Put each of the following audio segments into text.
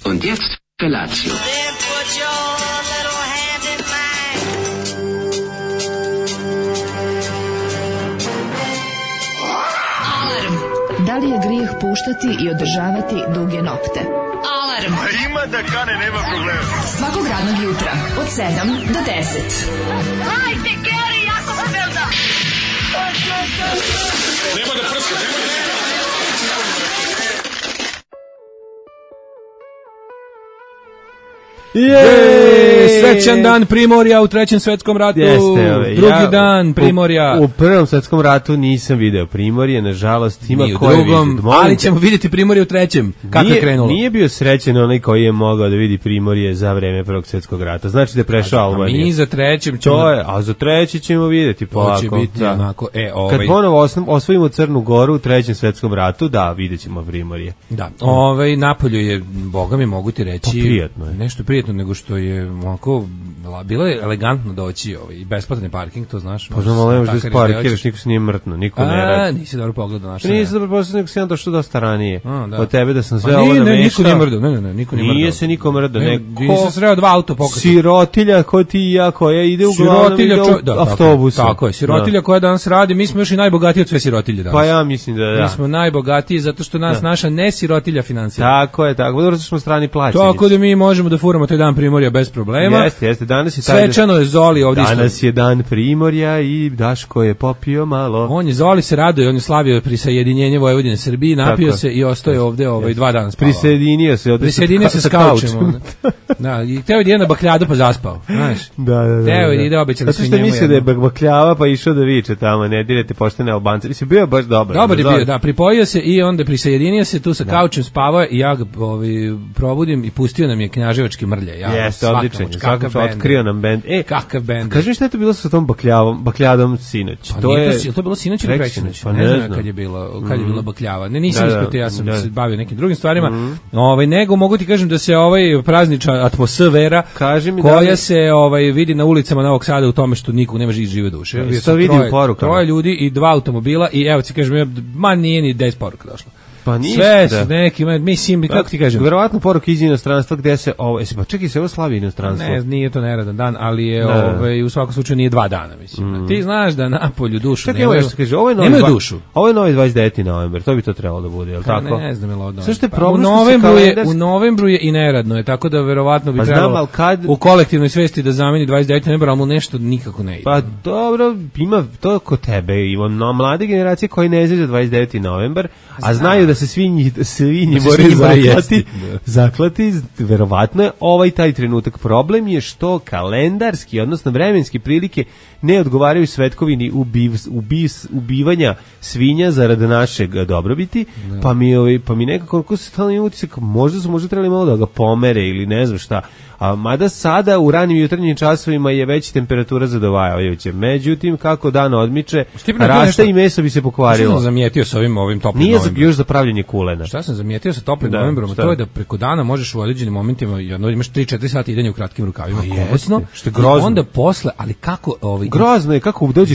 Und jetzt Felatio. Then put your little hand in mine. Alarm. Da li je grijeh puštati i održavati duge nokte? Alarm. A ima da kane, nema problema. Svakog radnog jutra od 7 do 10. Hajde, Geri, jako se velda. Nema da prska, nema da... Srećan dan Primorja u Trećem svetskom ratu. Drugi dan Primorja. U Prvom svetskom ratu nisam video Primorje, nažalost. Ima ni u ko je drugom, vidio. ali ćemo vidjeti Primorje u Trećem. Kako je krenulo? Nije bio srećan onaj koji je mogao da vidi Primorje za vreme Prvog svjetskog rata. Znači da je prešao Albaniju. Mi za Trećem ćemo... To je, a za Treći ćemo vidjeti polako. To će biti onako, Kad ponovo osvojimo Crnu Goru u Trećem svetskom ratu, da, vidjet ćemo Primorje. Da, Napolju je, boga mi mogu ti reći, prijatno je. Nešto prijatno nego što je onako, bilo je elegantno doći i besplatan parking, to znaš. Pa znam, ali nemaš da parkiraš, niko se nije mrtno, niko ne radi. Nisi dobro pogledao naše. Nisi dobro pogledao, nego si jedan došao dosta ranije. Da. Od tebe da sam sve ovo namešao. Niko nije mrdao, ne, niko nije mrdao. Nije se niko mrdao, Nisam sreo dva auto pokazati. Sirotilja ko ti i ja koja ide uglavnom autobusa. Tako je, sirotilja koja danas radi, mi smo još i najbogatiji od sve sirotilje danas. Pa ja mislim da. Mi smo najbogatiji zato što nas naša nesirotilja finansira. Tako je, dobro što smo strani plaćenici. Tako da mi možemo da furamo taj dan Primorja bez problema. Jeste, danas je svečano je Zoli ovdje. Danas je dan Primorja i Daško je popio malo. On je Zoli se raduje, on je slavio prisajedinjenje Vojvodine Srbiji, napio se i ostaje ovdje 2 dana spavao. Prisjedinio se s kaučem. Da, i teo je na bakljadu pa zaspao, znaš. Da. Teo je ide, obećali su njemu. Zato što mislio da je bakljava pa išao da viče tamo, ne direte poštene Albance. Mislim, bio je baš dobar. Dobar je bio, da, pripojio se i onda prisajedinio se tu sa kaučem, spavao i ja ga probudim i pustio nam je knjaževački mrlje. Jeste, odličan, svakako otkrio nam bend. Kakav bend. Kaži mi šta je to bilo sa tom bakljadom sinoć? Pa to je bilo sinoć ili preksinoć? Pa ne znam kad je bilo bakljava. Ne, nisam ispratio, ja sam se bavio nekim drugim stvarima. Nego mogu ti kažem da se praznična atmosfera koja se vidi na ulicama Novog Sada u tome što nikog nema žive duše. Troje ljudi i 2 automobila i evo ti kažem, nije ni 10 poruka došlo. Pa ništa. Sve su neki, mislim, kako ti kažem? Verovatno poruke iz inostranstva gde se pa čekaj se ovo slavi inostranstvo. Ne, nije to neradan dan, ali je u svakom slučaju nije 2 dana, mislim. Ti znaš da Napolju dušu nemaju. Nemaju dušu. Ovo je novi 29. novembar, to bi to trebalo da bude, je li tako? Ne znam je li odno. Sve što je problem u novembru je i neradno je, tako da verovatno bi trebalo u kolektivnoj svesti da zameni 29. novembar, ali mu nešto nikako ne ide. Pa dobro, ima to kod tebe, Ivo, mlade generacije koji ne izađu 29. novembar, a znaju da se svinji moraju zaklati, verovatno je taj trenutak. Problem je što kalendarski, odnosno vremenski prilike ne odgovaraju svetkovini ubivanja svinja zarad našeg dobrobiti, pa mi nekako se stalno utisak, možda trebali malo da ga pomere ili ne znam šta. A mada sada u ranim jutarnjim časovima je već temperatura zadovoljavajuća. Međutim, kako dan odmiče, raste i meso bi se pokvarilo. Šta sam zamijetio sa ovim toplim novembrom? Nije još za pravljenje kulena. Šta sam zamijetio sa toplim novembrom? To je da preko dana možeš u određenim momentima, imaš 3-4 sata idenja u kratkim rukavima. Što je grozno. Onda posle, ali kako... Grozno je kako dođe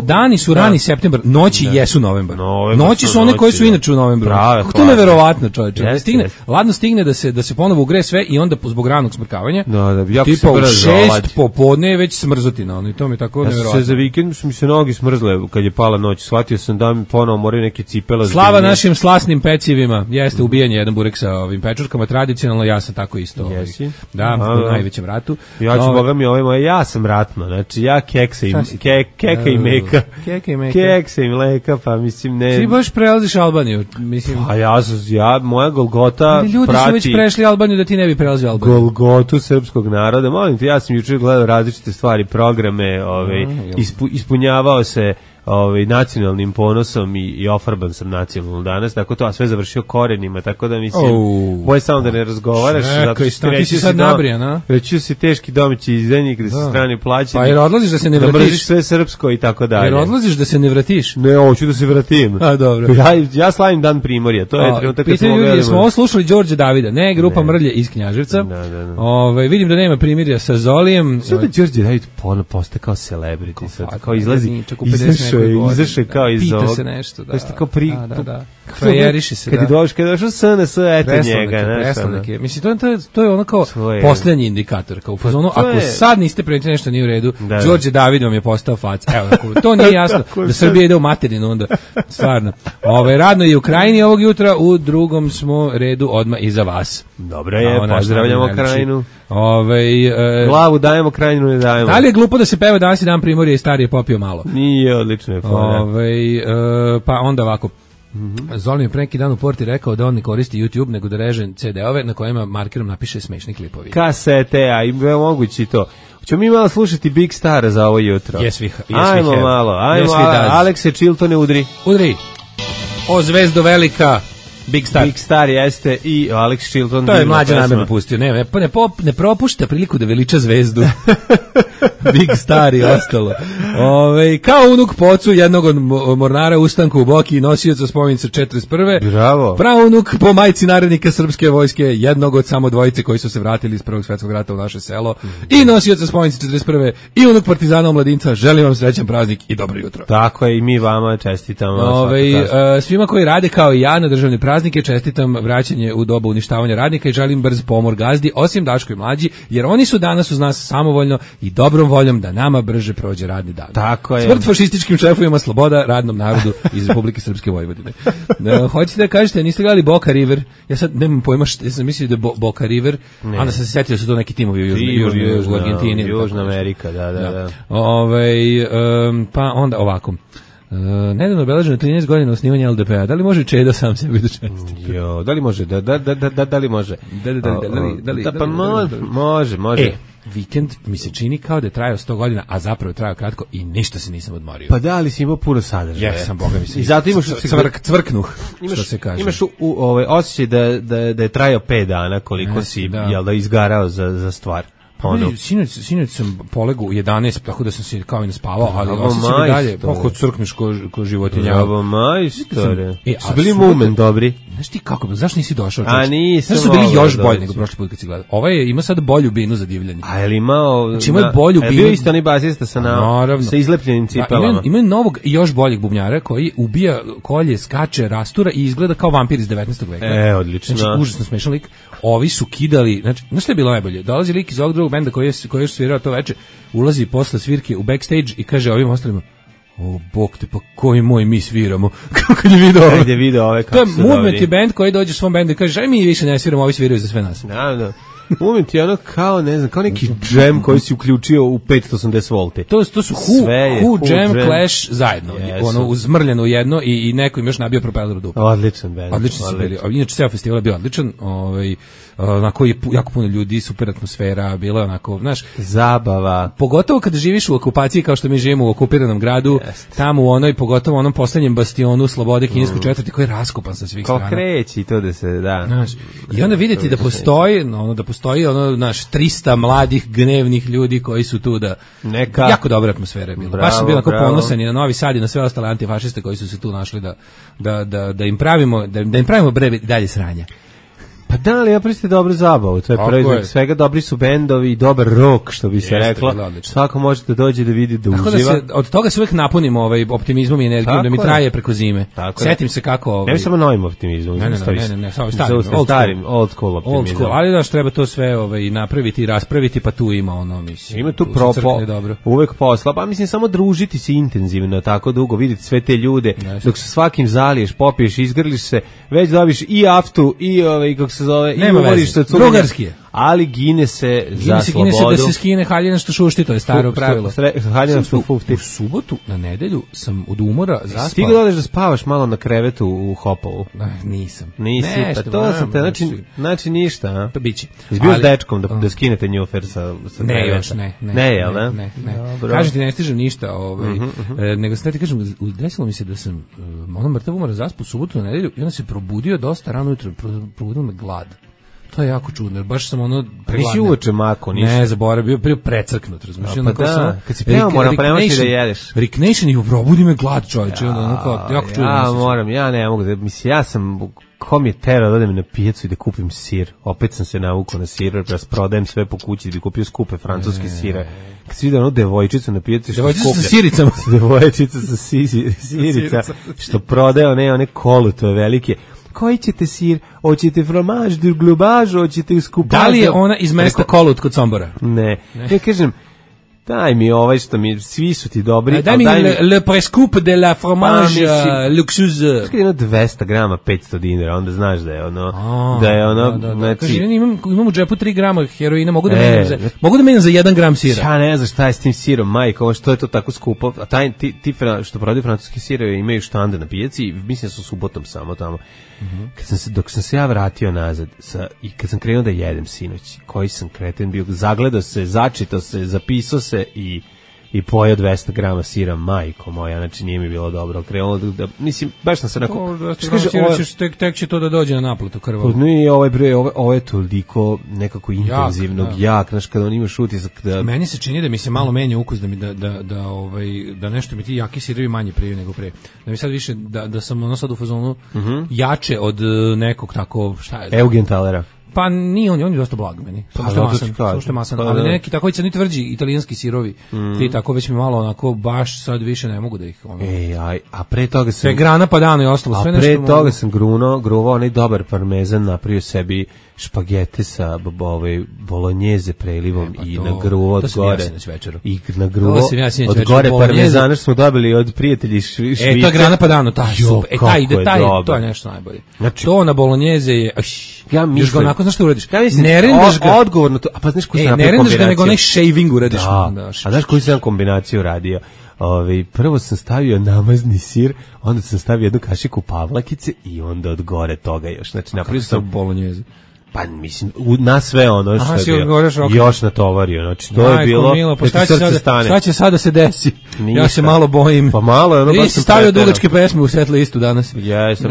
dani su rani septembar, noći jesu novembar. Noći su one koje su inače u novembru. Kako to neverovatno, čoveče. Ladno stigne da se ponovo ugreje sve i onda zbog ranog smrkavanja. Tipa u 6 popodne je već smrzotina, i to mi je tako nevjerojatno. Za vikend su mi se nogi smrzle kad je pala noć, shvatio sam da mi ponovo moraju neke cipele. Slava našim slasnim pecivima, jeste ubijanje jedan burek sa ovim pečurkama, tradicionalno ja sam tako isto. Da, u najvećem ratu. Ja ću, boga mi, ja sam ratno, znači ja keksa i meka. Keksa i mleka, pa mislim ne... Ti baš prelaziš Albaniju, mislim... Pa moja Golgota prati... Ljudi su već prešli Albaniju da ti ne bi prelazio Albaniju. Golgotu srpskog naroda, molim te, ja sam jučer gledao različite stvari, programe, ispunjavao se nacionalnim ponosom i ofarban sam nacionalno danas, tako to, a sve završio korenima, tako da mislim, boj samo da ne razgovaraš, ti si sad nabrijan, a? Reći si teški domaći izdajnik, da se strani plaćeni, pa jer odlaziš da se ne vratiš, da mrziš sve srpsko i tako dalje. Jer odlaziš da se ne vratiš? Ne, hoću da se vratim. A, dobro. Ja slavim dan Primorja, to je trenutak kad smo gledali. Smo ovo slušali Đorđe Davida, ne grupa Mrlje iz Knjaževca. Vidim da nema primirja sa Zolijem. Sve da Đorđe David postaje kao celebrity, sad kao izlazi, izašao kao iz ovog. Pita se nešto, da. Frajeriše se, kad je došao SNS, eto njega. Preslanak je. Mislim, to je ono kao poslednji indikator. Kao u fazonu, ako sad niste primetili nešto nije u redu, Đorđe David vam je postao fac. Evo, to nije jasno da Srbija ide u materinu onda. Stvarno. Radno je u Krajini ovog jutra, u drugom smo redu odmah iza vas. Dobro je, pozdravljamo Krajinu. Glavu dajemo, Krajinu ne dajemo. Da li je glupo da se peva danas i dan Primorje i starije popio malo? Nije, odlično je. Pa onda ovako. Zolim je pre neki dan u porti rekao da on ne koristi YouTube nego da reže CD-ove na kojima markerom napiše smešni klipovi. Kasete, a i mogući to. Ćemo mi malo slušati Big Star za ovo jutro. Ajmo malo, Alekse Chiltone udri. O zvezdo velika. Big Star jeste i Alex Chilton. To je mlađe namjerno pustio. Ne propušta priliku da veliča zvezdu. Big Star i ostalo. Kao unuk pocu jednog od mornara ustanku u Boki i nosioca spomenice 41. Bravo. Praunuk po majci narednika srpske vojske, jednog od samo dvojice koji su se vratili iz Prvog svjetskog rata u naše selo i nosioca spomenice 41. i unuk partizana omladinca. Želim vam srećan praznik i dobro jutro. Tako je, i mi vama čestitamo. Svima koji rade kao i ja na državni praznike čestitam vraćanje u dobu uništavanja radnika i želim brz pomor gazdi, osim Daško i Mlađi, jer oni su danas uz nas samovoljno i dobrom voljom da nama brže prođe radni dan. Tako je. Smrt fašističkim šefovima, sloboda radnom narodu iz Republike Srpske Vojvodine. Hoćete da kažete, niste gledali Boca River? Ja sad nemam pojma, ja sam mislio da je Boca River, onda sam se setio da su to neki timovi u Argentini. Južna Amerika, da. Pa onda ovako. Nedavno obeleženo 13 godina osnivanja LDP-a. Da li može Čeda sam sebi da čestiti? Da li može? Da li može? Pa može. Vikend mi se čini kao da je trajao 100 godina, a zapravo je trajao kratko i ništa se nisam odmorio. Pa da, ali si imao puno sadržaja. Jesam, boga mi se. I zato imaš cvrknuh, što se kaže. Imaš osjećaj da je trajao 5 dana koliko si izgarao za stvar. Sinoć sam polegu u 11, tako da sam se kao i naspavao, ali osjećam i dalje, kod crkneš ko životinja. Bravo, majstore. Su bili Moment dobri? Znaš ti kako, zašto nisi došao? A nisam. Znaš su bili još bolji nego prošli put kad si gledao. Ima sad bolju binu za divljanje. A je li imao... Znači imaju bolju binu. Bio isto onaj basista sa izlepljenim cipelama. Imaju novog i još boljeg bubnjara koji ubija, kolje, skače, rastura i izgleda kao vampir iz 19. veka. Odlično. Znači, užasno smešan lik. Ovi su kidali, znači, znaš što je bilo najbolje? Dolazi lik iz ovog drugog benda koji je svirao to veče, ulazi posle svirke u backstage i kaže ovim ostalima: "O, bog te, pa koji moj mi sviramo." Kako je video ove kako su dobri. To je Movement je band koji dođe u svom bendu i kaže: "Aj mi više ne sviramo, ovi sviraju za sve nas." Da. Moment je ono kao, ne znam, kao neki džem koji si uključio u 580 volti. To su Who, Jam, Clash zajedno. Ono, uzmrljeno jedno i neko im još nabio propeler u dupu. Odličan band. Odlični su bili. Inače, ceo festival je bio odličan. Onako je jako puno ljudi, super atmosfera, bilo je onako, znaš, zabava. Pogotovo kada živiš u okupaciji kao što mi živimo u okupiranom gradu, tamo u onoj, pogotovo onom poslednjem bastionu slobode kineskoj četvrti koji je raskopan sa svih strana. Ko kreći to da se, da. Znaš, i onda vidjeti da postoji, naš 300 mladih gnevnih ljudi koji su tu da jako dobra atmosfera je bila. Baš sam bio onako ponosan i na Novi Sad i na sve ostale antifašiste koji su se tu našli da im pravimo dalje sranja. Pa da, ali ja priste dobru zabavu, to je proizvod svega, dobri su bendovi i dobar rock, što bi se reklo. Svako može da dođe da vidi, da tako uživa. Da od toga se uvijek napunimo optimizmom i energijom, da mi traje preko zime. Setim se kako... Ne samo novim optimizmom. Ne, samo starim, old school optimizmom. Ali daš treba to sve napraviti i raspraviti, pa tu ima ono, mislim. Ima tu uvek posla, pa mislim samo družiti se intenzivno, tako dugo, vidjeti sve te ljude, dok se svakim zaliješ, popiješ, izgrliš se, već dobiš i aftu, i kako se zove, i umoriš se drugarski je. Ali gine se za slobodu. Gine se da se skine haljina što šušti, to je staro pravilo. Haljina što fufti. U subotu, na nedelju, sam od umora zaspao. Stigo da odeš da spavaš malo na krevetu u Hopovu? Nisam. Nisi, pa to sam te, znači ništa, a? Pa biće. Izbio s dečkom da skinete njufer sa kreveta? Ne, jel da? Ne. Kažem ti, ne stižem ništa, nego sam ti kažem, desilo mi se da sam ono mrtav umora zaspao u subotu na nedelju i onda se probudio dosta rano jutro, probudio me glad. To je jako čudno, baš sam ono... Nisi uveče mako, ništa. Ne, zaboravio, bio precrknut, razumiješ? Pa da, kad si peo moram premaći da jedeš. Rick Nation i probudi me glad, čovječe, jako čudno. Ja ne mogu da, mislim, ja sam... Ko mi je terao da odem na pijacu i da kupim sir. Opet sam se navukao na sir, da prodajem sve po kući da bi kupio skupe francuske sire. Kad si vidio ono devojčicu na pijaci što skuplja. Devojčica sa siricama. Devojčica sa sirica što prodaje one kolutove velike. Koji ćete sir? Hoćete fromaž, glubaž, hoćete skupaž? Da li je ona iz mesta Kolut kod Sombora? Ne. Ja kažem, daj mi što mi, svi su ti dobri. Daj mi le prescoup de la fromage luxueuse. Skaj jedno 200 grama, 500 dinara, onda znaš da je ono, znači... Kaži, imam u džepu 3 grama heroina, mogu da menjam za 1 gram sira. Ja ne znam šta je s tim sirom, majko, što je to tako skupo. A ti što prodaju francuski sirove imaju štande na pijaci i mislim da su subotom samo tamo. Dok sam se ja vratio nazad i kad sam krenuo da jedem sinoć, koji sam kreten bio, zagledao se, začitao se, zapisao se i pojeo 200 grama sira, majko moja, znači nije mi bilo dobro. Krenuo da mislim, baš sam se onako... Tek će to da dođe na naplatu krvavo. Ne, ovo je toliko nekako intenzivnog, jak, znaš, kada on imaš utisak da... Meni se čini da mi se malo menja ukus, da nešto mi ti jaki sirovi manje prije nego pre. Da mi sad više, da sam ono sad u fazonu jače od nekog tako, šta je? Eugenthalera. Pa nije on je dosta blag meni. Samo što je masan, ali neki tako crni tvrđi italijanski sirovi. Ti tako već mi malo onako baš sad više ne mogu da ih ono. A pre toga sam sve grana padano i ostalo sve nešto. A pre toga sam gruvao onaj dobar parmezan, napravio sebi špagete sa bolonjeze prelivom i nagruvo od gore. I nagruvo od gore parmezana što smo dobili od prijatelji Švice. To je grana padano, to je nešto najbolje. To na bolonjeze je ja mislim, onako, znaš što uradiš? Ja mislim, odgovorno to, a pa znaš koju sam napravio kombinaciju? Ne rendaš ga, nego onaj shaving uradiš. A znaš koju sam kombinaciju uradio? Prvo sam stavio namazni sir, onda sam stavio jednu kašiku pavlakice i onda od gore toga još. Znači, napravio sam bolonjeze. Pa mislim, na sve ono što je bilo, još natovario, znači to je bilo, milo, pa šta će sada se desi? Ništa. Ja se malo bojim. Pa malo je ono baš sam stavio dugačke pesme u set listu danas. Jesam,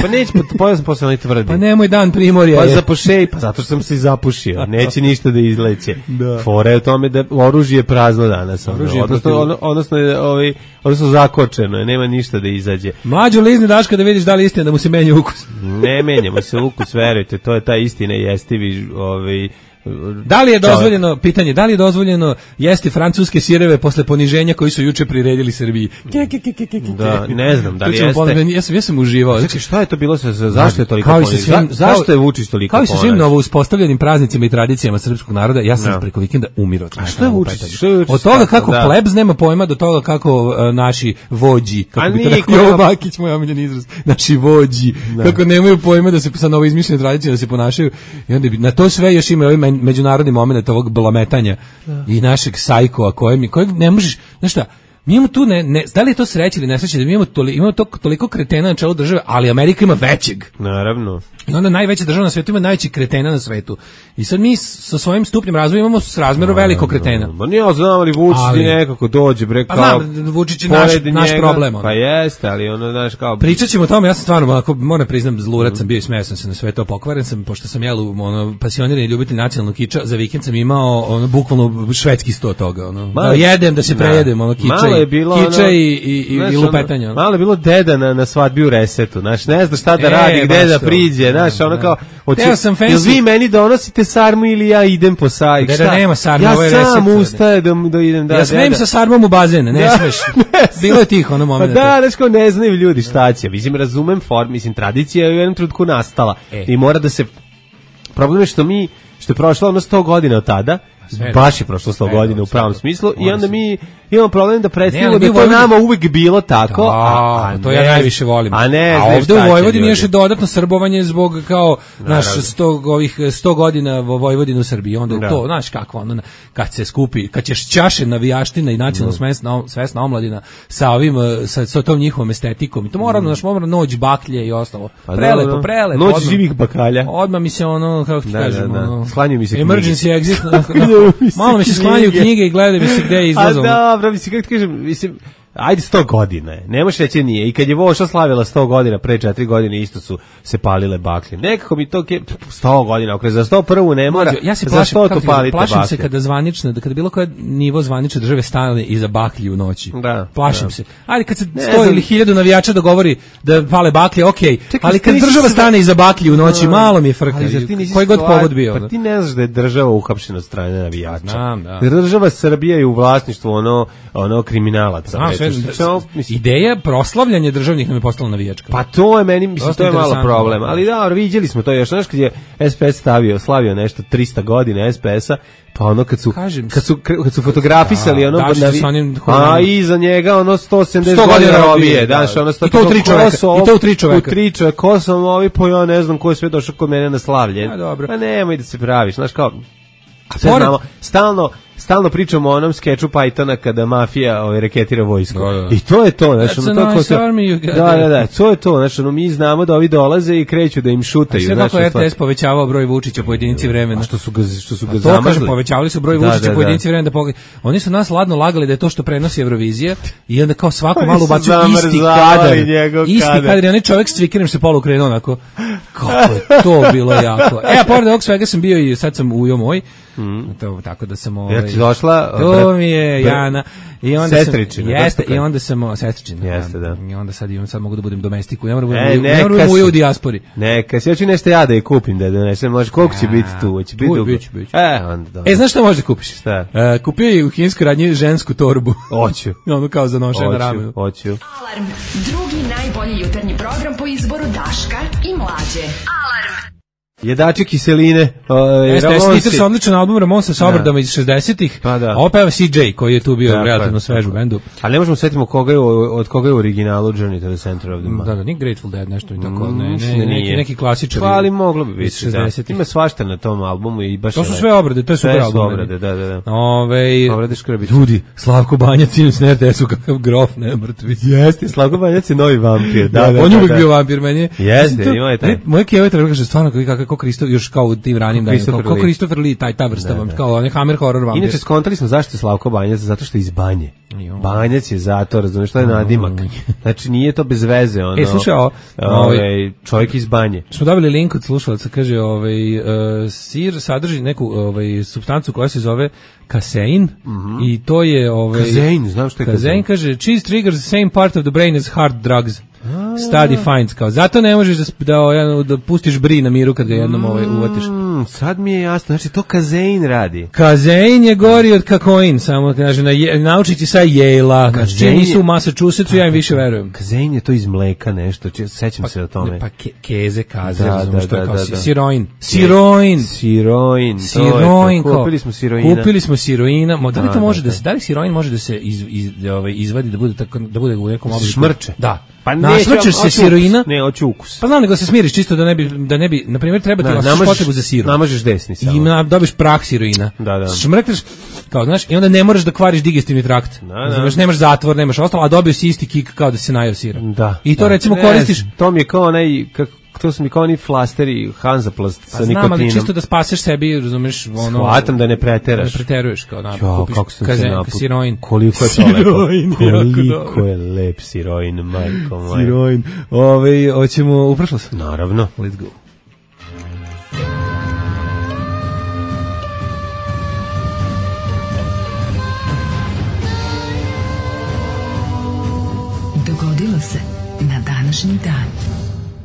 pa neće, pojao sam posle tvrdi. Pa nemoj dan primorja. Pa zapušej, pa zato što sam se i zapušio, neće ništa da izleće. Fora je u tome da oružje je prazno danas, odnosno zakočeno, nema ništa da izađe. Mlađo lizni Daška da vidiš da li istina da mu se menja ukus. Ne menjamo se ukus, verujte, to je taj istine jestivi Da li je dozvoljeno, pitanje, da li je dozvoljeno jesti francuske sireve posle poniženja koji su juče priredili Srbiji? Da, ne znam, da li jeste. Ja sam uživao. Znači, šta je to bilo, zašto je toliko poniženja? Zašto je Vučić toliko poniženja? Kao i sa svim novo uspostavljenim praznicima i tradicijama srpskog naroda, ja sam preko vikenda umirao. A što je Vučić? Od toga kako plebs nema pojma, do toga kako naši vođi, kako bi to rekao Jovo Bakić, moj omiljeni izraz, naši vođi, kako nemaju pojma da se sa novo izmišljene tradicije da se ponašaju. I onda na to sve još ima ovaj međunarodni moment ovog blametanja i našeg sajkova kojeg ne možeš, znaš šta, mi imamo tu, da li je to sreće ili nesreće, da mi imamo toliko kretena na čelu države, ali Amerika ima većeg. Naravno. I onda najveća država na svijetu ima najveći kretena na svetu. I sad mi sa svojim stupnjem razvoja imamo srazmjeru velikog kretena. Ma nije, znam, ali Vučić nekako dođe, bre, kao... Pa znam, Vučić je naš problem. Pa jeste, ali ono, znaš, kao... Pričat ćemo o tome, ja sam stvarno, ako moram priznam, zlurat sam bio i smeo sam se na sve to, pokvaren sam, pošto sam pasionirani ljubitelj nacionalnog kiča, za vikend sam imao, bukvalno švedski 100 toga, da jedem, da se prejedem, kiča i lupetanja. Malo je bilo deda na svadbi u Resetu, znaš, ne zna šta da radi, gde da priđe, znaš, ono kao, jel vi meni donosite sarmu ili ja idem po saj? Deda nema sarmu, ja sam ustaje da idem, ja smem sa sarmom u bazen, ne smeš. Bilo je tih ono moment. Da, znaš kao, ne znaju ljudi šta će, mislim, razumem form, mislim, tradicija je u jednom trenutku nastala i mora da se, problem je što je prošlo ono 100 godina od tada, baš je prošlo 100 godina u pravom smislu i onda mi imamo problem da predstavimo da to nama uvek bilo tako, to ja najviše volim. A ovde u Vojvodini je još dodatno srbovanje zbog kao naš 100 godina Vojvodinu u Srbiji, onda to, znaš kako, ono, kad se skupi, kad ćeš čaše navijaština i nacionalno svesna omladina sa ovim, sa tom njihovom estetikom, i to moramo noć baklje i ostalo. Prelepo. Noć živih bakalja. Odmah mi se ono, kako ti kažem, sklanjaju mi se emergency exit, malo mi se sklanjaju knjige i gledaju mi se gde je izlazom. A dobro, mislim, kako ti kažem, mislim, ajde 100 godina je. Ne možeš reći nije. I kad je Voša slavila 100 godina, pre 4 godine isto su se palile baklje. Nekako mi to 100 godina, ako za 101 ne mora. Ja se plašim se kada zvanično, kada bilo koje nivo zvanične države stane iza baklji u noći. Plašim se. Ajde kad se 100 ili 1000 navijača dogovori da pale baklje, okej. Ali kad država stane iza baklji u noći, malo mi je frka. Koji god povod bio. Pa ti ne znaš da je država uhapšena od strane navijača. Znam, da. Država Srbija je u vlasništvu ono kriminalaca. Ideja proslavljanja državnih nam je postala navijačka. Pa to je meni, mislim, to je malo problem. Ali da, vidjeli smo to još. Znaš kad je SPS slavio nešto 300 godina SPS-a, pa ono kad su fotografisali ono a iza njega ono 170 godina robije, daš, ono i to u 3 čoveka. Ko sam ovi, pa ja ne znam ko je sve došao kod mene na slavlje. Pa nemoj da se praviš, znaš kao, sve znamo, stalno pričamo o onom skeču Pythona kada mafija reketira vojsku. I to je to, znači to je to, znači mi znamo da ovi dolaze i kreću da im šutaju. Sve kako RTS povećavao broj Vučića po jedinici vremena. Što su ga zamrzli. Povećavali su broj Vučića po jedinici vremena. Oni su nas ladno lagali da je to što prenosi Eurovizija i onda kao svako malo ubacuju isti kadar. I onaj čovjek s cvikerem se polu krenuo onako. Kako je to bilo jako. A pored ovog svega sam bio i sad sam ujo moj. Tako da sam ti došla? To mi je Jana. I onda sestričina. Jeste, i onda sam sestričina. Jeste, da. I onda sad mogu da budem domestiku. Ne moram budem u dijaspori. Neka, ja ću nešto ja da je kupim, da donesem. Može, koliko će biti tu? Će biti dugo. Bić. Onda. Znaš šta možeš da kupiš? Šta? Kupio je u kinskoj radnji žensku torbu. Hoću. Ono kao za nošenje na ramenu. Hoću. Alarm, drugi najbolji jutarnji program po izboru Daška i Mlađe. Alarm. Jedači kiseline. Jeste se odličan album Ramonsa sa obradama iz 60-ih. Pa da. Ovo peva CJ koji je tu bio relativno svež u bendu. Ali ne možemo setimo od koga je u originalu Journey to the Center of the Mind. Da, nije Grateful Dead nešto i tako. Neki klasičar. Pa ali moglo bi biti. 60-ih. Ima svašta na tom albumu i baš. To su sve obrade, to je super album. Obrade, da. Obrade škrbice. Ljudi, Slavko Banjac inače na RTS-u kakav grof, ne mrtvi. Jeste, Slavko Banjac je novi vampir. Da, on je uvijek bio vampir meni. Jeste, ima je taj. Moje kjeve treba kaže stvarno kako Kristof još kao u tim ranim danima, kao Christopher Lee, ta vrsta, kao onaj Hammer horror vampir. Inače, skontali smo zašto je Slavko Banjac, zato što je iz Banje. Banjac je zato, razumiješ, to je nadimak. Znači, nije to bez veze, ono. Slušaj, čovjek iz Banje. Smo dobili link od slušalaca, kaže, sir sadrži neku supstancu koja se zove kasein, i to je... Kasein, znam što je kasein. Kaže, cheese triggers the same part of the brain as hard drugs. Study finds, kao, zato ne možeš da pustiš bri na miru kad ga jednom uvatiš. Sad mi je jasno, znači to kazein radi. Kazein je gori od kakoin, samo kaže, naučići sa Yale-a, znači nisu u Massachusettsu, ja im više verujem. Kazein je to iz mleka nešto, sećam se o tome. Pa keze, kaze, razumiješ, to je kao siroin. Kupili smo siroina, da li to može da se, da li siroin može da se izvadi, da bude u nekom obliku? Šmrče. Da. Pa našmrčeš se siroina. Ne, hoću ukus. Pa znam, nego se smiriš čisto da ne bi, na primjer, treba ti osjećaš potrebu za sirom. Namažeš desni samo. I dobiš prah siroina. Da. Šmrkneš, kao, znaš, i onda ne moraš da kvariš digestivni trakt. Znaš, nemaš zatvor, nemaš ostalo, a dobio si isti kik kao da se najeo sira. Da. I to recimo koristiš. To mi je kao onaj, to su mi kao oni flasteri Hansaplast sa nikotinom. Znam, ali čisto da spaseš sebi, razumeš, ono... Shvatam da ne preteraš. Ne preteruješ, kao kupiš siroin. Koliko je to lepo. Koliko je lep siroin, majko moja. Siroin. Hoćemo u prošlost? Naravno. Let's go. Dogodilo se na današnji dan.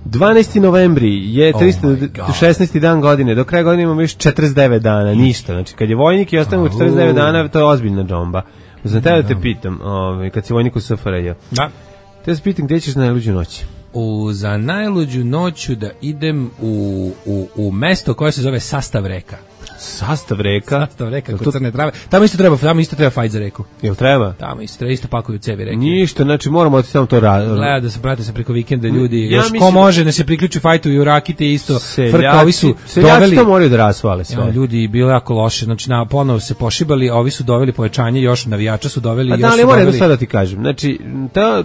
12. novembri je 316. dan godine, do kraja godine imamo još 49 dana, ništa. Znači, kad je vojnik i ostanemo 49 dana, to je ozbiljna džomba. Za tebe da te pitam, kad si vojnik u SFRJ. Da. Te se pitam, gdje ćeš na najluđu noć? Za najluđu noću da idem u mesto koje se zove Sastav reka. Sastav reka kod Crne Trave. Tamo isto treba fajt za reku. Jel treba? Tamo isto pakuju cevi reke. Ništa, znači moramo otići tamo to raditi. Gleda da se prate se preko vikenda ljudi. Još ko može da se priključi fajtu i u Rakite isto. Frka, ovi su doveli. To moraju da rasvale sve. Ljudi bilo jako loše. Znači ponovo se pošibali, a ovi su doveli pojačanje, još navijača su doveli. Da, ali moram jedno da ti kažem. Znači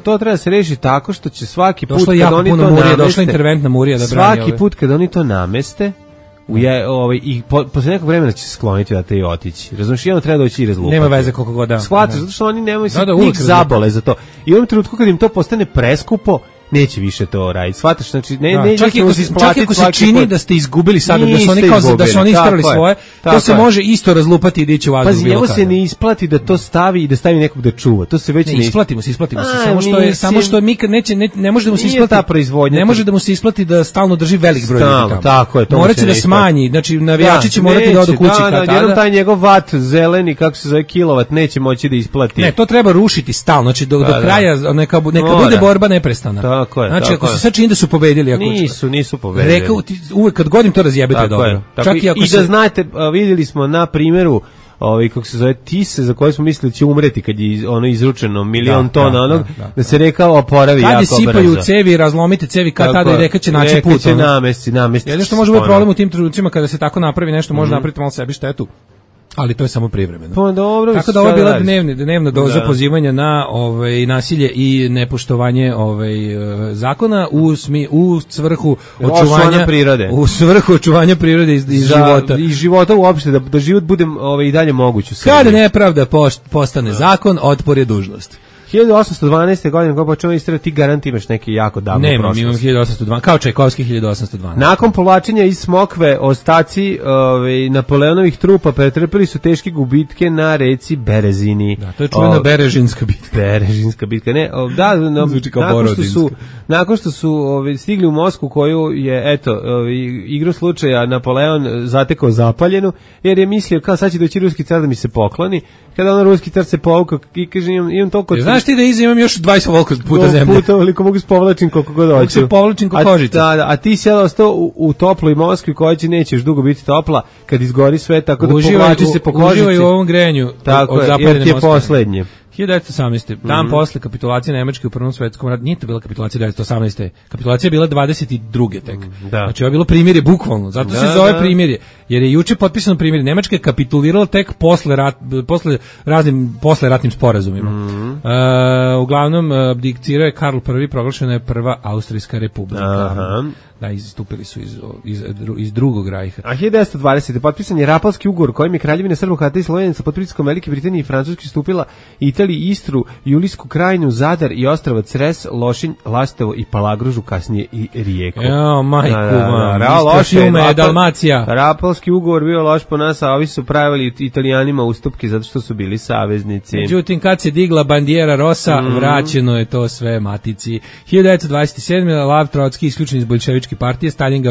to treba se rešiti tako što će svaki put kad oni to nameste. Došla interventna murija da brani. Svaki put kad oni to nameste, I posle nekog vremena će se skloniti da te i otići. Razumiješ, jedno treba doći i rezultat. Nema veze koliko god da. Shvataš, zato što oni nemaju se njih zabole za to. I u ovom trenutku kad im to postane preskupo, neće više to raditi. Shvataš, znači čak i ako se čini da ste izgubili sada, da su oni istarali svoje, to se može isto razlupati i dići u vazduh. Pazi, njemu se ne isplati da to stavi i da stavi nekog da čuva. To se već ne isplatimo se. Samo što mi ne može da mu se isplati ta proizvodnja. Ne može da mu se isplati da stalno drži velik broj ljudi tamo. Tako je, to moraće da smanji. Znači navijači će morati da odu kući kad tada. Jedan taj njegov vat zeleni, kako se zove, kilovat, neće moći da isplati. Ne, to treba rušiti stalno. Znači do kraja neka bude borba neprestana. Tako je. Znači, ako se sad čini da su pobedili, nisu pobedili. Uvek kad godim to razjebite dobro. Čak i da znate, vidjeli smo na primjeru kako se zove Tise, za koje smo mislili da će umreti kad je ono izručeno milion tona onog, da se reka oporavi jako brzo. Kad je sipaju cevi, razlomite cevi, kad tada i reka će naći put. Reka će namesti. Jedno što može biti problem u tim trenucima kada se tako napravi nešto, može napraviti malo sebi štetu. Ali to je samo privremeno. Pa dobro, tako da ovo je bila dnevna doza pozivanja na nasilje i nepoštovanje zakona u svrhu očuvanja prirode. U svrhu očuvanja prirode i života. I života uopšte, da život bude i dalje moguć u Srbiji. Kada nepravda postane zakon, otpor je dužnost. 1812. godine kako počeo istrati, ti garant imaš neki jako davno prošlost. Nemam, imam 1812, kao Čajkovski 1812. Nakon povlačenja iz Smokve, ostaci Napoleonovih trupa pretrpeli su teške gubitke na reci Berezini. Da, to je čuvena Berežinska bitka. Berežinska bitka, ne, nakon što su stigli u Moskvu, koju je, igru slučaja Napoleon zatekao zapaljenu, jer je mislio kao sad će doći ruski car da mi se pokloni. Kada on ruski car se povukao i kaže imam toliko... Znaš ti da imam još 20 volko puta zemlje? Puta veliko mogu spovlačim koliko god hoću. Se povlačim ko kožica. A ti si ostao u toploj Moskvi koja će neće još dugo biti topla kad izgori sve, tako da povlači se po kožici. Uživaj u ovom grejanju. Tako je, jer ti je poslednje. 1918. Dan posle kapitulacije Nemačke u Prvom svetskom ratu, nije to bila kapitulacija 1918. Kapitulacija je bila 22. tek. Znači ovo je bilo primirje bukvalno, zato se zove primirje, jer je juče potpisano primirje. Nemačka je kapitulirala tek posle ratnim sporazumima. Uglavnom abdicirao je Karl I, proglašena je Prva Austrijska republika. Da, izstupili su iz drugog rajha. A 1920. potpisan je Rapalski ugovor kojim je Kraljevina Srba, Hrvata i Slovenaca pod pritiskom Velike Britanije i Francuske stupila Italiji, Istru, Julijsku krajinu, Zadar i ostrava Cres, Lošinj, Lastovo i Palagružu, kasnije i Rijeku. Dalmacija. Rapalski ugovor bio loš po nas, a ovi su pravili Italijanima ustupke zato što su bili saveznici. Međutim, kad se digla bandiera Rosa, vraćeno je to sve matici. 1927. Lav Trotski isključen iz bolševičke partije, Stalin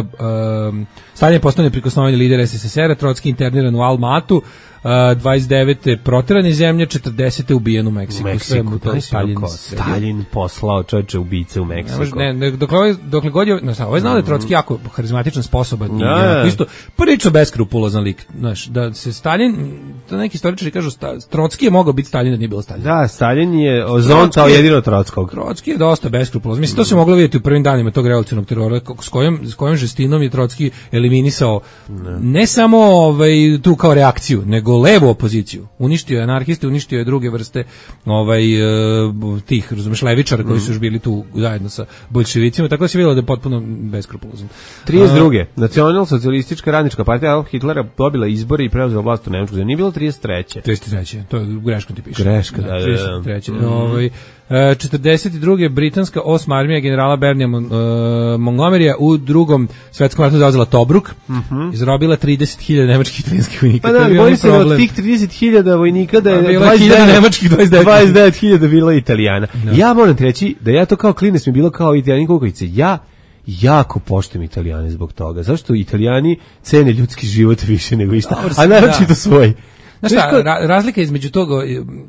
je postao neprikosnoveni lider SSSR-a, Trotski interniran u Almatu, 29. proteran iz zemlje, 40. ubijen u Meksiku. Stalin poslao čovječe ubice u Meksiku. Dokle god je, ovaj znao da je Trotski jako harizmatičan, sposoban i isto prilično beskrupulozan lik. Znaš, da se Stalin, da neki istoričari kažu, Trotski je mogao biti Stalin da nije bilo Stalin. Da, Stalin je zontao jedino Trotskog. Trotski je dosta beskrupulozan. Mislim, to se moglo vidjeti u prvim danima tog revolucionarnog terora, s kojom žestinom je Trotski eliminisao ne samo tu kao reakciju, nego levu opoziciju. Uništio je anarhiste, uništio je druge vrste tih, razumeš, levičara koji su još bili tu zajedno sa boljševicima, tako da se vidjelo da je potpuno beskrupulozan. 32. Nacionalsocijalistička radnička partija Hitlera dobila izbore i preuzela vlast u Nemačku. Nije bilo 33. 33. To je greškom ti piše. Greška, da. 33. 42. britanska 8. armija generala Bernija Montgomerya u drugom svetskom ratu zauzela Tobruk, izrobila 30.000 nemačkih i italijanskih vojnika. Pa da, bojim se od tih 30.000 vojnika da je 29.000 nemačkih, 29.000 bila Italijana. Ja moram reći da ja to kao klinac mi bilo kao Italijan kukavice. Ja jako poštujem Italijane zbog toga. Zašto Italijani cene ljudski život više nego išta, a naročito svoj. Znaš šta, razlika između toga,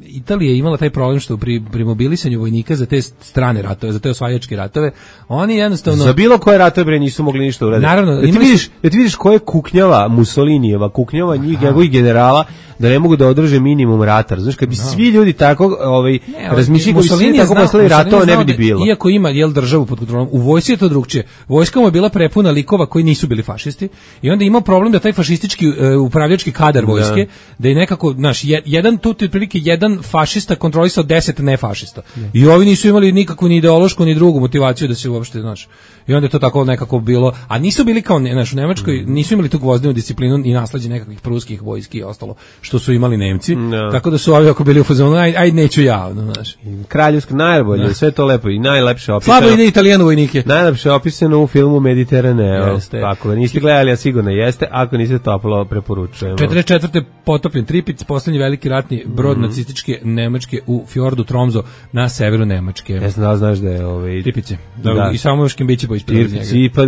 Italija je imala taj problem što pri mobilisanju vojnika za te strane ratove, za te osvajačke ratove, oni jednostavno... Za bilo koje ratove bre nisu mogli ništa uraditi. Naravno, da ti vidiš ko je kuknjava Mussolinijeva, kuknjava njegovih generala, da ne mogu da održe minimum rata. Znaš, kad bi svi ljudi tako razmišljali, kako bi svi tako poslali ratova, ne bi bilo. Iako ima državu pod kontrolom, u vojsci je to drugčije. Vojska mu je bila prepuna likova koji nisu bili fašisti i onda imao problem da taj fašistički upravljački kadar vojske, da je nekako, znaš, jedan tu otprilike jedan fašista kontrolisao 10 nefašista. I ovi nisu imali nikakvu ni ideološku ni drugu motivaciju da se uopšte, znaš. I onda je to tako nekako bilo, a nisu bili kao, znaš, u Nemačkoj nisu imali tu gvozdenu disciplinu i nasleđe nekakvih pruskih vojski i ostalo, što su imali Nemci, tako da su ovi ako bili u fazonu, aj neću ja, znaš. Kraljevsko najbolje, sve to lepo i najlepše opisano. Slabo ide Italijanu vojnike. Najlepše opisano u filmu Mediteraneo. Ako niste gledali, a sigurno jeste, ako niste toplo preporučujemo. 44. potopljen Tripic, poslednji veliki ratni brod nacističke Nemačke u fjordu Tromso na severu Nemačke. Ja znam da znaš da je Tripice. I samo škembići po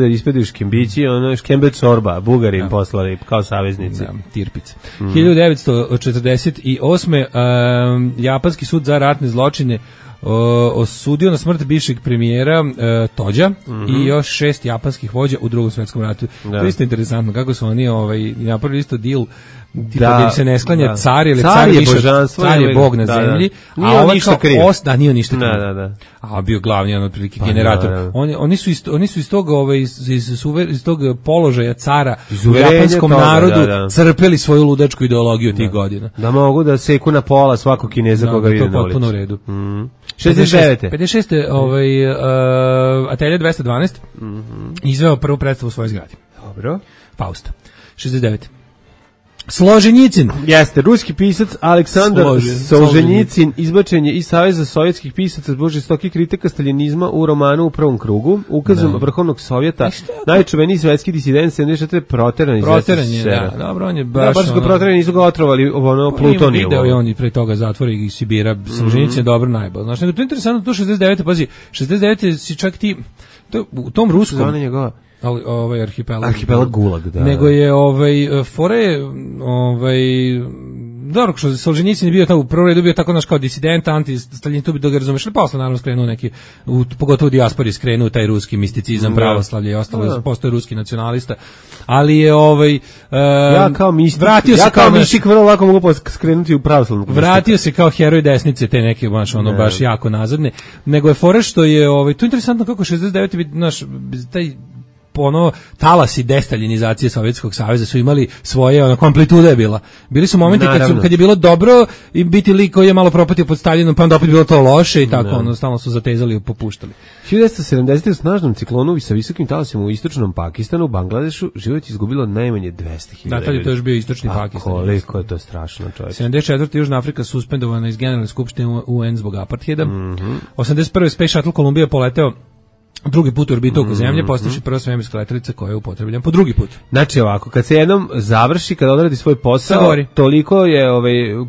ispadaju škembići, ono škembec sorba, Bugari im poslali kao saveznici. Tirpice. 1948. Japanski sud za ratne zločine osudio na smrt bivšeg premijera Tođa i još 6 japanskih vođa u Drugom svjetskom ratu. To je isto interesantno kako su oni napravili isto deal da se ne sklanja car ili car je bog na zemlji, nije on ništa kriv. Nije ništa kriv. A bio glavni otprilike generator. Oni su iz tog iz tog položaja cara u japanskom narodu crpeli svoju ludačku ideologiju tih godina. Da mogu da seku na pola svakog Kineza koga vide na ulici. To je potpuno u redu. 69. Atelje 212 izveo prvu predstavu u svojoj zgradi. Dobro. Fausta. 69. Složenjicin. Jeste, ruski pisac Aleksandar Solženjicin izbačen je iz Saveza sovjetskih pisaca zbog žestokih kritika staljinizma u romanu U prvom krugu. Ukazom Vrhovnog sovjeta, najčuveniji svetski disident 74. proteran iz SSSR. Dobro, on je baš... baš ga proterani, nisu ga otrovali plutoniju. Video i on i pre toga zatvori iz Sibira. Solženjicin je dobro najbolj. Znaš, nego to je interesantno, to 69. Pazi, 69. si čak ti... U tom ruskom... Zona njegova... arhipelag Gulag, da. Nego je fore dobro, što Solženjicin je bio tamo u prvom redu, bio tako naš kao disident, anti-Staljin, tu bi da ga razumeš, ali posle naravno skrenuo neki, pogotovo u dijaspori skrenuo taj ruski misticizam, pravoslavlje i ostalo, postoje ruski nacionalista, ali je ja kao mistik, mistik vrlo lako mogu skrenuti u pravoslavnu. Vratio se kao heroj desnice, te neke baš jako nazadne, nego je fore što je, to je interesantno kako 69. naš, taj talasi destaljinizacije Sovjetskog saveza su imali svoje, amplituda je bila. Bili su momenti kad je bilo dobro i biti lik koji je malo propatio pod Staljinom, pa onda opet bilo to loše i tako, stalno su zatezali i popuštali. 1970. u snažnom ciklonu sa visokim talasima u istočnom Pakistanu, u Bangladešu, život izgubilo najmanje 200.000. Da, tad je to još bio istočni Pakistan. Koliko je to strašno, čovječ. 74. Južna Afrika suspendovana iz Generalne skupštine UN zbog apartheida. 81. Space Shuttle Columbia poleteo drugi put u orbitu oko Zemlje, postavši prva svemirska letelica koja je upotrebljena po drugi put. Znači ovako, kad se jednom završi, kad odradi svoj posao, toliko je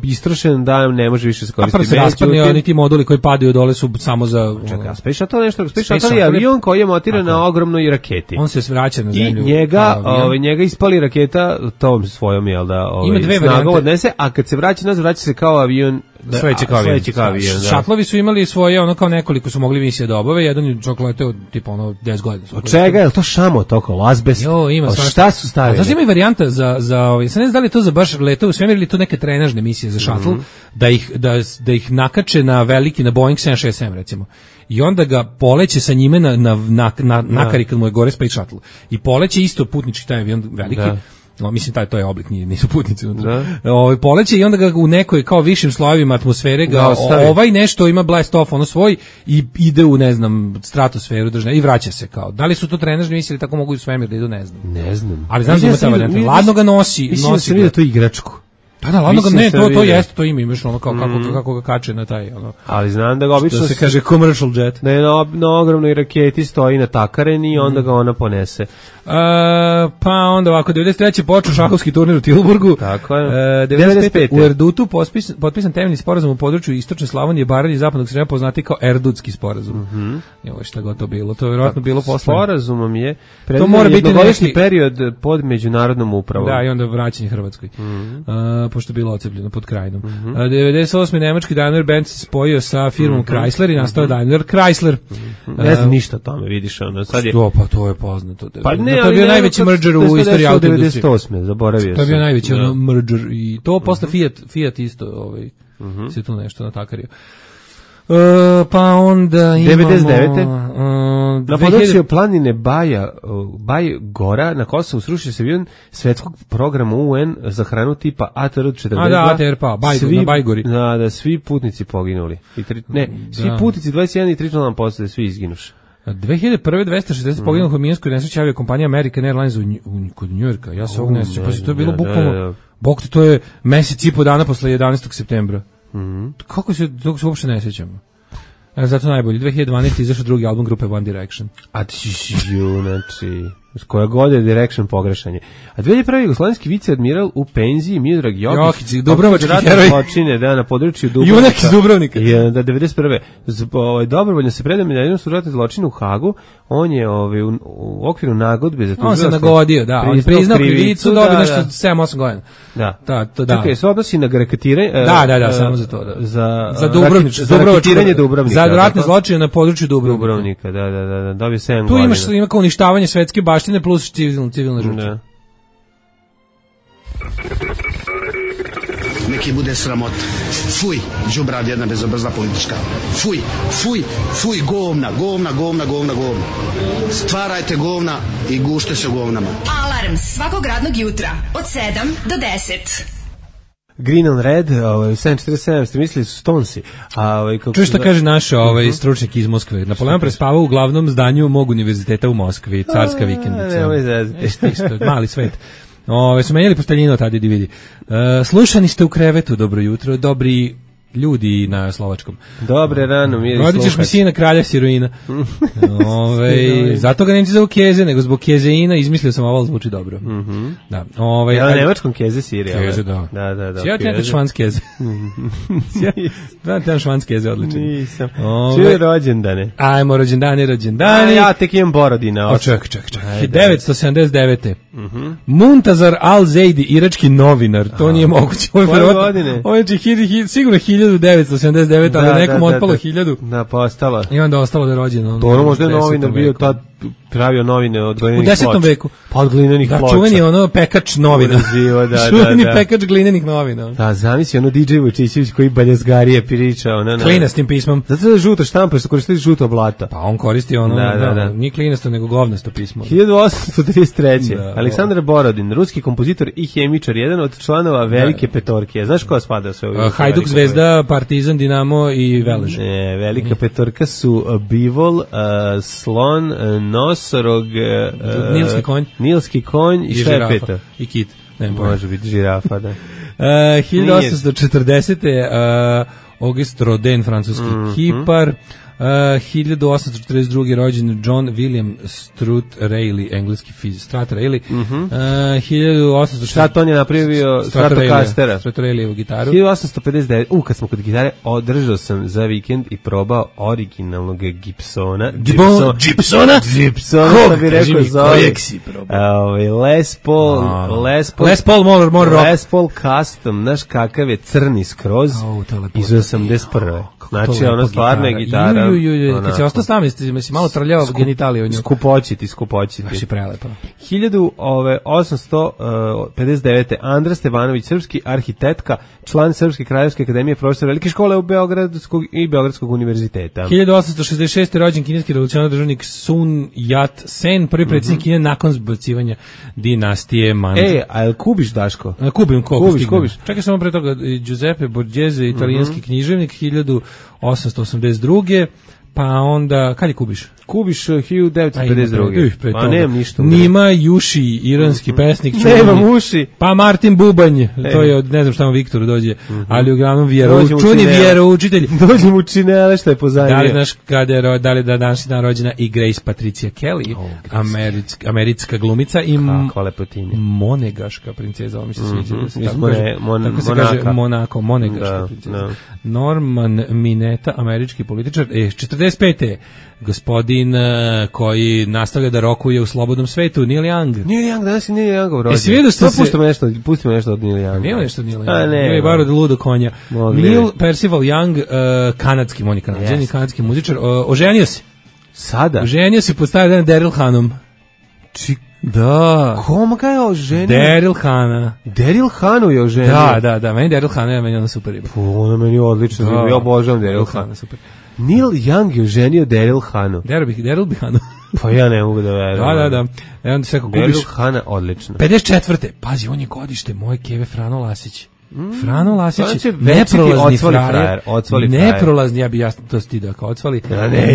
istrošen da ne može više se koristiti. A prvo se raspadne, oni ti moduli koji padaju dole su samo za... Čekaj, Space Shuttle nešto, Space Shuttle je avion koji je montiran na ogromnoj raketi. On se vraća na Zemlju. I njega ispali raketa tom svojom, jel da, snagom odnese, a kad se vraća nazad, vraća se kao avion. Sledeći kao avion. Šatlovi su imali svoje, kao nekoliko su mogli misije da obave, jedan je čak leteo tipa 10 godina. Od čega je to šamo toko, azbest? Ima šta su stavili? Znači ima i varijanta za sad ne znam da li to za baš leteo u svemir ili to neke trenažne misije za šatl, da ih nakače na veliki, na Boeing 767 recimo. I onda ga poleće sa njime nakari kad mu je gore Space Shuttle. I poleće isto putnički taj avion veliki. Mislim to je oblik, nisu putnici unutra. Poleće i onda ga u nekoj kao višim slojevima atmosfere nešto ima blast off svoj i ide u stratosferu i vraća se kao. Da li su to trenažne misije ili tako mogu u svemir da idu, ne znam. Ali znam da ima ta varijanta. Ladno ga nosi. Mislim da se vidi to igračku. Da, ladno ga, ne, to jeste, to ima, imaš kako ga kače na taj, Ali znam da ga obično... Što se kaže commercial jet. Da je na ogromnoj raketi stoji natakaren i onda ga ona ponese. Pa onda ovako, 93. počeo šahovski turnir u Tilburgu. Tako je. 95. U Erdutu potpisan temeljni sporazum u području Istočne Slavonije, Baranje i Zapadnog Srema, poznati kao Erdutski sporazum. Šta god to bilo, to je vjerojatno bilo posle. Sporazumom je to mora biti jednogodišnji period pod međunarodnom upravom. Da, i onda vraćanje Hrvatskoj. pošto je bilo ocepljeno pod Krajinom. 98. nemački Daimler Benz se spojio sa firmom Chrysler i nastao Daimler Chrysler. Ne znam ništa o tome, vidiš, ono, sad je... Pa to je poznato. Pa ne, to je bio najveći merger u istoriji autoindustrije. 98. zaboravio sam. To je bio najveći merger i to posle Fiat isto se tu nešto natakario. Pa onda imamo 99. Na području planine Baj Gora na Kosovu srušio se avion svetskog programa UN za hranu tipa ATR-42. A da, ATR pa, na Bajgori. Da, svi putnici poginuli. Svi putnici 21 i 3 člana posade, svi izginuši. 2001. 260 poginulih u minskoj nesreći aviokompanija American Airlines kod Njujorka. Ja se ovog nesreća, pa to je bilo bukvalno, bok te, to je mesec i po dana posle 11. septembra. Kako se uopšte ne sjećamo? Zato najbolji. 2012. izašao drugi album grupe One Direction. Znači, koja god je Direction pogrešanje. A 2001. jugoslovenski viceadmiral u penziji Miodrag Jokić, Dubrovački heroj. Zločine, da, na području Dubrovnika. Junak iz Dubrovnika. Da, 91. Dobrovoljno se predaje medalju su ratne zločine u Hagu. On je u okviru nagodbe za on se nagodio, da. On je priznao krivicu, dobio nešto 7-8 godina. Da. Čekaj, se odnosi na graketiranje. Da, samo za to. Za Dubrovački Dubrovnika. Za ratne zločine na području Dubrovnika. Da, dobio 7 godina. Tu ima kao uništavanje svetske baštine plus civilne žrtve. Neki bude sramot. Fuj, đubrad jedna bezobrazna politička. Fuj, govna. Stvarajte govna i gušte se govnama. Alarm svakog radnog jutra od 7 do 10. Green on Red, 747, ste mislili su Stonesi. Čuj šta kaže naš stručnjak iz Moskve. Napoleon prespavao u glavnom zdanju mog univerziteta u Moskvi, carska vikendica. Mali svet. Su menjali posteljinu tada i vidi. Slušani ste u krevetu, dobro jutro, dobri ljudi na slovačkom. Dobre rano, miri slušać. Rodit ćeš mi sina kralja siroina. Zato ga nemci zovu Keze, nego zbog Kezeina izmislio sam ovo, zvuči dobro. Da. Na nemačkom Keze sirija. Keze, da. Ja ti nekad švanc Keze. Ti švanc Keze, odličan. Nisam. Čuje rođendane. Ajmo, rođendane. Ja tek imam borodina. Ček. 1979. Muntazar Al-Zaidi, irački novinar. To nije moguće. Koje godine? Ovo je sigurno 1979, ali nekom otpalo 1000. Da, pa ostalo. I onda ostalo da je rođeno. To ono možda je novinar bio tad pravio novine od glinenih ploča. U 10. veku. Pa od glinenih ploča. Da, čuveni pekač novina. Čuveni pekač glinenih novina. Da, zamisli DJ Vučićević koji baljezgarije priča. Klinastim pismom. Zato da žuta štampa što koristili žuto blato. Pa on koristi nije klinasto nego govnasto pismo. 1833. Aleksandar Borodin, ruski kompozitor i hemičar, jedan od članova Velike petorke. Znaš ko spada sve ovdje? Hajduk, Zvezda, Partizan, Dinamo i Velež. Velika petorka su Bivol, Slon, Nosorog, Nilski konj i šta je peta? I kit. Može biti žirafa, da. 1840. August Rodin, francuski kipar. 1842. rođen John William Strutt Rayleigh, engleski fizik, Strutt Rayleigh. 1860. Šta on je napravio Stratocastera? Strutt Rayleigh gitaru. 1859. Kad smo kod gitare, održao sam za vikend i probao originalnog Gibsona. Gibsona? Što bi rekao za kojeg si probao? Les Paul Custom, znaš kakav je crni skroz iz 81. Znači, ono stvarna je gitara. Kad si ostao s nami, si malo trljava genitalije o nju. Skupoćiti. Baš je prelepo. 1859. Andra Stevanović, srpski arhitektka, član Srpske kraljevske akademije, profesor velike škole u Beogradskog univerziteta. 1866. rođen kineski revolucionar državnik Sun Yat-sen, prvi predsjednik Kine nakon zbacivanja dinastije Manchu. A je kubiš, Daško? Kubiš. Čekaj samo pre toga, Giuseppe Borghese, italijanski književnik, 1882. Pa onda, kad je Kubiš? Kubiš 1952. Pa nemam ništa. Nima Juši, iranski pesnik. Nemam uši. Pa Martin Bubanj, to je od, ne znam šta mu Viktoru dođe, ali uglavnom čuni vjeroučitelj. Dođe mu činele što je pozadnje. Da li znaš da li da danas je rođena i Grace Patricia Kelly, američka glumica i monegaška princeza, ovo mi se sviđa. Tako se kaže Monaco, monegaška princeza. Norman Mineta, američki političar, 40. 45. Gospodin koji nastavlja da rokuje u slobodnom svetu, Neil Young. Neil Young, danas je Neil Youngov rođendan. Svi vidio ste se... Pustimo nešto od Neil Younga. Nema nešto od Neil Younga. Nema je bar od ludo konja. Neil Percival Young, kanadski, on je kanadžan, kanadski muzičar, oženio se. Sada? Oženio se, postavio jedan Daryl Hanom. Da. Koma ga je oženio? Daryl Hana. Daryl Hanu je oženio? Da, meni Daryl Hana je meni ona super riba. Ona meni je odlična, ja obožavam Daryl Hana, super. Neil Young je oženio Daryl Hanu. Daryl bi Hanu. Pa ja ne mogu da verujem. Da. Onda se kako kupiš... Daryl Hana, odlično. 54. Pazi, on je godište moje keve Frano Lasić. Frano Lasić, neprolazni frajer, neprolazni, ja bi jasno to stidio kao odsvali,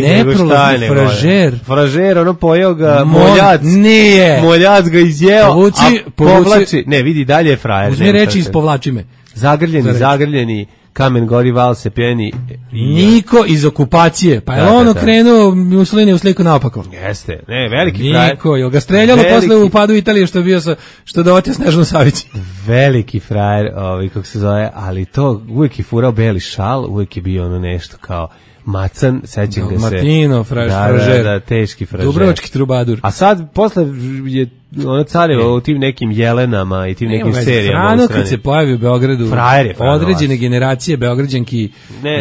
neprolazni fražer. Fražer, ono pojeo ga moljac. Nije. Moljac ga izjeo, a povlači. Ne, vidi, dalje je frajer. Uzmi reči iz povlači me. Zagrljeni, kamen gori, val se pjeni. Niko iz okupacije, pa je on okrenuo Mussolini u sliku naopako. Jeste, ne, veliki frajer. Niko, je ga streljalo posle u padu Italije što bio što dovotio Snežanu Savić. Veliki frajer, kako se zove, ali to uvijek je furao beli šal, uvijek je bio ono nešto kao macan, sećam ga se. Martino, fražer. Da, teški fražer. Dubrovački trubadur. A sad, posle je ona careva u tim nekim Jelenama i tim nekim serijama. Frano kad se pojavi u Beogradu, određene generacije Beograđanki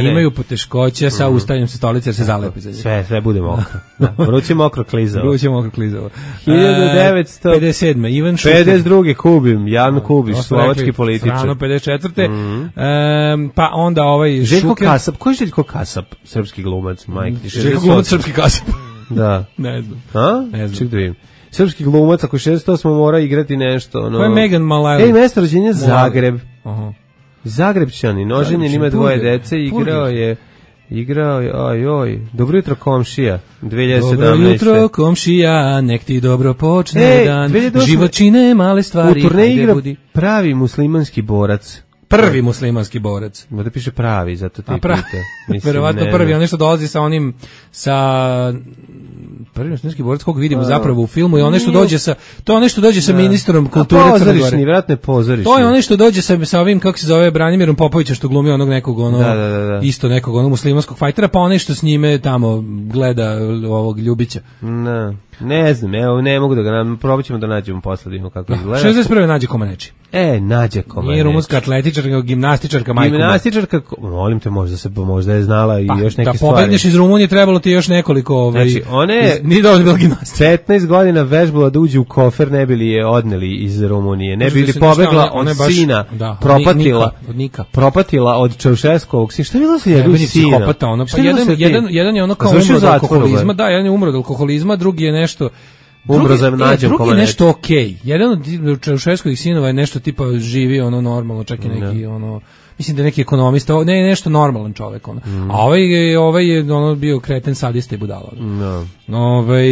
imaju poteškoće sa ustavljanjem sa stolice jer se zalepi za njih. Sve bude mokro. Vruće mokro klizavo. 1957. Ivan Šuker. 52. Kubim, Jan Kubiš, slovački političar. Frano 54. Pa onda ovaj Željko Šuker. Kasap, ko je Željko Kasap? Srpski glumac, majke. Željko glumac, srpski Kasap. Da. Ne znam. Ne znam. Ček da vidim. Srpski glumac, ako 68 mora igrati nešto. Ko je Megan Malajlović? Mesto rođenja Zagreb. Zagrebčanin, oženjen, ima dvoje dece, igrao je, dobro jutro komšija, 2017. Dobro jutro komšija, nek ti dobro počne dan, život čine male stvari. U turneji igra pravi muslimanski borac. Prvi muslimanski borac. Da piše pravi, zato ti pita. Verovatno prvi, on nešto dolazi sa onim, prvi muslimanski borac kog vidimo zapravo u filmu i on nešto dođe sa, to je nešto dođe sa ministrom kulture Crne Gore. Vjerojatno je pozorišni. To je on nešto dođe sa ovim, kako se zove, Branimirom Popovića što glumi onog nekog, isto nekog onog muslimanskog fajtera, pa on nešto s njime tamo gleda ovog Ljubića. Ne znam, evo, ne mogu da ga probat ćemo da nađemo posle, da vidimo kako izgleda. 61. Nađe Komaneči. Nađe Komaneči. Nije rumunska atletičarka, gimnastičarka, majko. Gimnastičarka, molim te, možda je znala i još neke stvari. Da pobegneš iz Rumunije, trebalo ti još nekoliko, znači, nije dovoljno bila gimnastika. 15 godina vežbala da uđe u kofer, ne bili je odneli iz Rumunije, ne bili pobegla od sina, propatila od Čaušeskovog sina. Šta je bilo sa njegovim sinom? Jedan je ono kao umro od alkoholizma, da, jedan je umro od alkoholizma, drugi je nešto drugi je nešto okej. Jedan od Čaušeskovih sinova je nešto tipa živi ono normalno, čak i neki ono, mislim da je neki ekonomista, nešto normalan čovek ono. A ovaj je ono bio kreten, sadista i budala.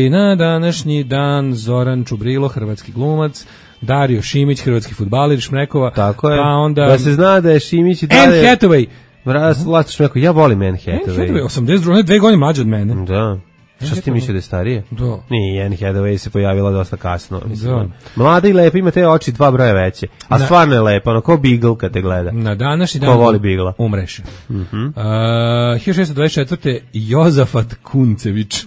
Na današnji dan Zoran Čubrilo, hrvatski glumac, Dario Šimić, hrvatski fudbaler, Šmrekova. Tako je. Pa onda da se zna da je Šimić i dalje Anne Hathaway. Vlasto Šmrekova, ja volim Anne Hathaway. 82, 2 godine mlađa od mene. Da. Šta si ti mislio da je starije? Da. Nije, Anne Hathaway se pojavila dosta kasno. Mlada i lepa, ima te oči 2 broja veće. A stvarno je lepa, ono, ko Beagle kad te gleda. Na današnji dan ko voli Beagle umreš. 1624. Jozafat Kuncević.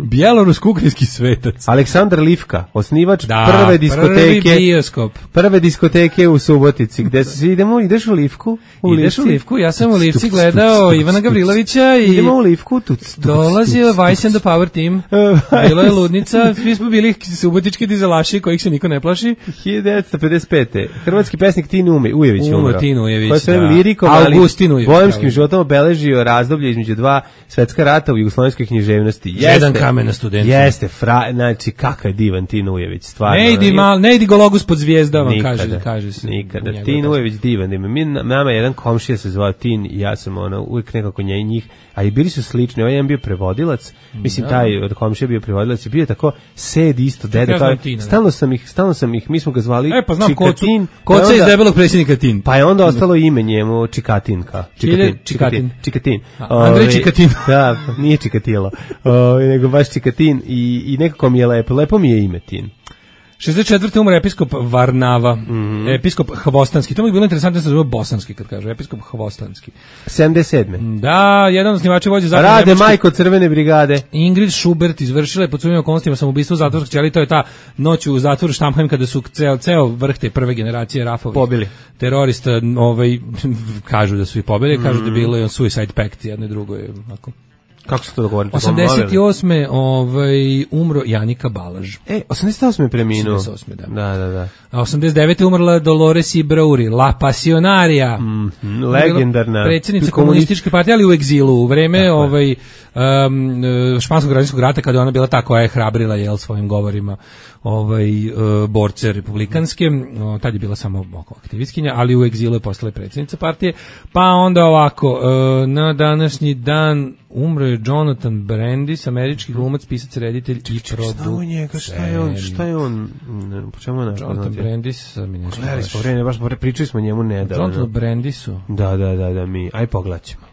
Bjelorusko-ukrajinski svetac. Aleksandar Livka, osnivač prve diskoteke. Prve diskoteke u Subotici. Gde se ideš u Livku? Ideš u Livku, ja sam u Livci gledao Ivana Gavrilovića i idemo u Livku, dolazio Vice and the Power Team. Bila je ludnica, svi smo bili subotički dizelaši kojih se niko ne plaši. 1955. Hrvatski pesnik Tin Ujević umro. Tin Ujević, koji je lirikom, ali bojemskim životom obeležio razdoblje između 2 svetska rata u jugoslovenskoj književnosti. Jedan kamen na studentu. Jeste, znači kakav je divan Tin Ujević, stvarno. Ne idi Gologus pod zvijezdama, kaže se. Nikada. Tin Ujević divan. Nama jedan komšija se zvao Tin i ja sam uvijek nekako njih, a i bili su slični. Ovaj jedan bio prevodilac, mislim taj od komšija bio prevodilac i bio tako sed isto deda kao. Stalno sam ih, mi smo ga zvali Čikatin. Koca iz debelog predsjednika Tin. Pa je onda ostalo ime njemu Čikatinka. Čikatin. Andrej Čikatin. Da, nije Čikatilo. Nego baš Čikatin i nekako mi je lepo mi je ime Tin. 64. umro episkop Varnava, episkop Hvostanski. To mi je bilo interesantno da se zove bosanski kad kažu, episkop Hvostanski. 77. Da, jedan od osnivača vođe zakona Rade Nemačke, majko Crvene brigade. Ingrid Schubert izvršila je pod sumnjivim okolnostima samoubistvo u zatvorskoj ćeliji. To je ta noć u zatvoru Štampheim kada su ceo vrh te prve generacije Rafovih pobili terorista, kažu da su ih pobili, kažu da je bilo suicide pact jedno i drugo je onako. Kako se to dogovorite? 88. Umro Janika Balaž. 88. preminuo. 88. Da. A 89. umrla Dolores Ibrauri, La Pasionaria. Legendarna. Predsjednica komunističke partije, ali u egzilu. U vreme španskog građanskog rata, kada je ona bila ta koja je hrabrila svojim govorima borce republikanske. Tad je bila samo aktivistkinja, ali u egzilu je postala predsjednica partije. Pa onda ovako, na današnji dan umro je Jonathan Brandis, američki glumac, pisac, reditelj i producent. Šta je on? Po čemu je našao? Jonathan Brandis, pričali smo njemu nedavno. Jonathan Brandisu. Da, mi. Aj poglaćemo.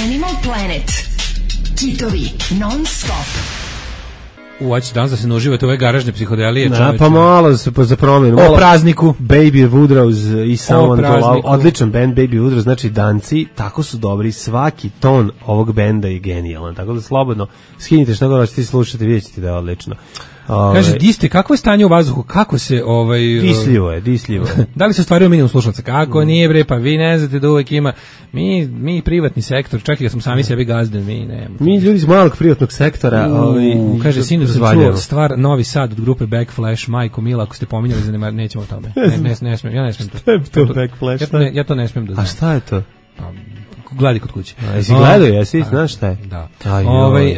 Animal Planet. Kitovi non stop. Hoće danas da se uživate ove garažne psihodelije. Pa malo za promjenu. O prazniku. Baby Woodrows i Someone to Love. Odličan band Baby Woodrows, znači danci, tako su dobri, svaki ton ovog benda je genijalan, tako da slobodno skinite što god hoćete slušati, vidjet ćete da je odlično. Kaže, diste, kako je stanje u vazduhu, kako se... Disljivo je. Da li se ostvario minimum slušalaca? Kako nije, bre, pa vi ne znate da uvek ima... Mi privatni sektor, čak i da smo sami sebi gazde, mi ljudi iz malog privatnog sektora... Kaže, sinu sam čuo stvar Novi Sad od grupe Backflash, majko Mila, ako ste pominjali, nećemo o tome. Ne smijem, ja ne smijem to. Šta je to Backflash? Ja to ne smijem da znam. A šta je to? Gledaj kod kuće. Jesi gledao, jesi? Znaš šta je? Da.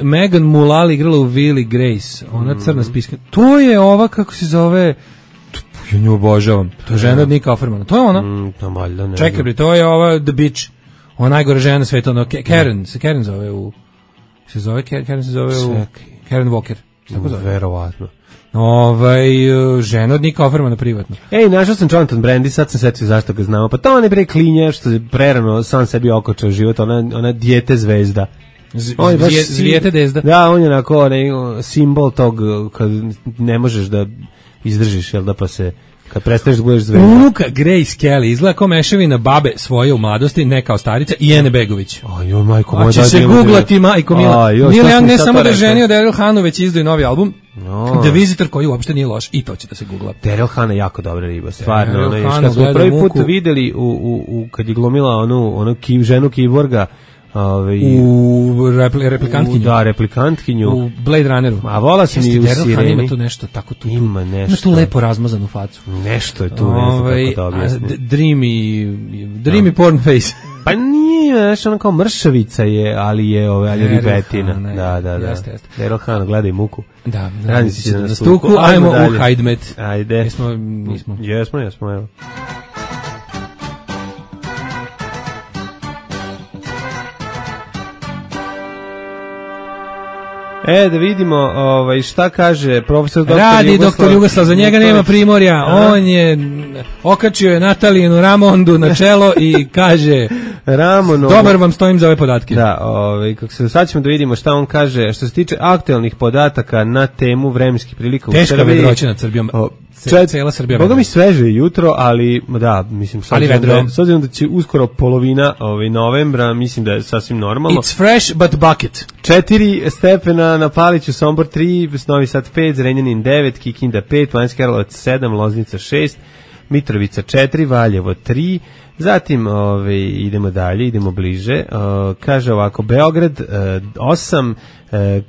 Megan Mullally igrala u Willy Grace. Ona crna spiska. To je ova, kako se zove... Ja nju obožavam. To je žena od Nika Offermana. To je ona. Čekaj, to je ova The Bitch. Ona najgore žena na svetu. Karen zove u... Karen se zove u... Karen Walker. Tako zove. Verovatno. Žena od Nika Offermana privatno. Našao sam Jonathan Brandis, sad sam setio zašto ga znamo. Pa to on je bre klinja što je prerano sam sebi okočao život, ona dijete zvezda. Zvijete dezda. Da, on je onako simbol tog kad ne možeš da izdržiš, jel da, pa se kad prestaneš da budeš zvezda. Unuka Grace Kelly izgleda kao mešavina babe svoje u mladosti, ne kao starica, i Ene Begović. Ajoj, majko moja. Će se googlati, majko Mila. Neil Young ne samo da je ženio Daryl Hanu, već izdao novi album. The Visitor, koji uopšte nije loš, i to će da se googla. Daryl Hannah je jako dobra riba, stvarno. Kad smo prvi put videli kad je glumila onu ženu kiborga, u replikantkinju. Da, replikantkinju. U Blade Runneru. A vola sam i u Sireni. Ima tu nešto tako tu. Ima nešto. Ima tu lepo razmazanu facu. Nešto je tu, ne znam kako da objasnim. Dreamy porn face. Pa nije, znaš, ona kao mršavica je, ali je ribetina. Da. Jeste. Daryl Hannah, gledaj muku. Da, radi se na stuku, ajmo u Hajdmet. Ajde. Nismo. Jesmo, evo. Da vidimo šta kaže profesor doktor Jugoslav. Radi doktor Jugoslav, za njega nema primorja. On je okačio je Natalijenu Ramondu na čelo i kaže dobar vam stojim za ove podatke. Da, sad ćemo da vidimo šta on kaže što se tiče aktuelnih podataka na temu vremenskih prilika u Srbiji. Teška vedroća nad Srbijom. Cela Srbija. Boga mi sveže jutro, ali da, mislim, s obzirom da će uskoro polovina novembra, mislim da je sasvim normalno. It's fresh but bucket. 4 stepena na Paliću, Sombor 3, Novi Sad 5, Zrenjanin 9, Kikinda 5, Banjski Karlovac 7, Loznica 6, Mitrovica 4, Valjevo 3, zatim idemo dalje, idemo bliže, kaže ovako, Beograd 8,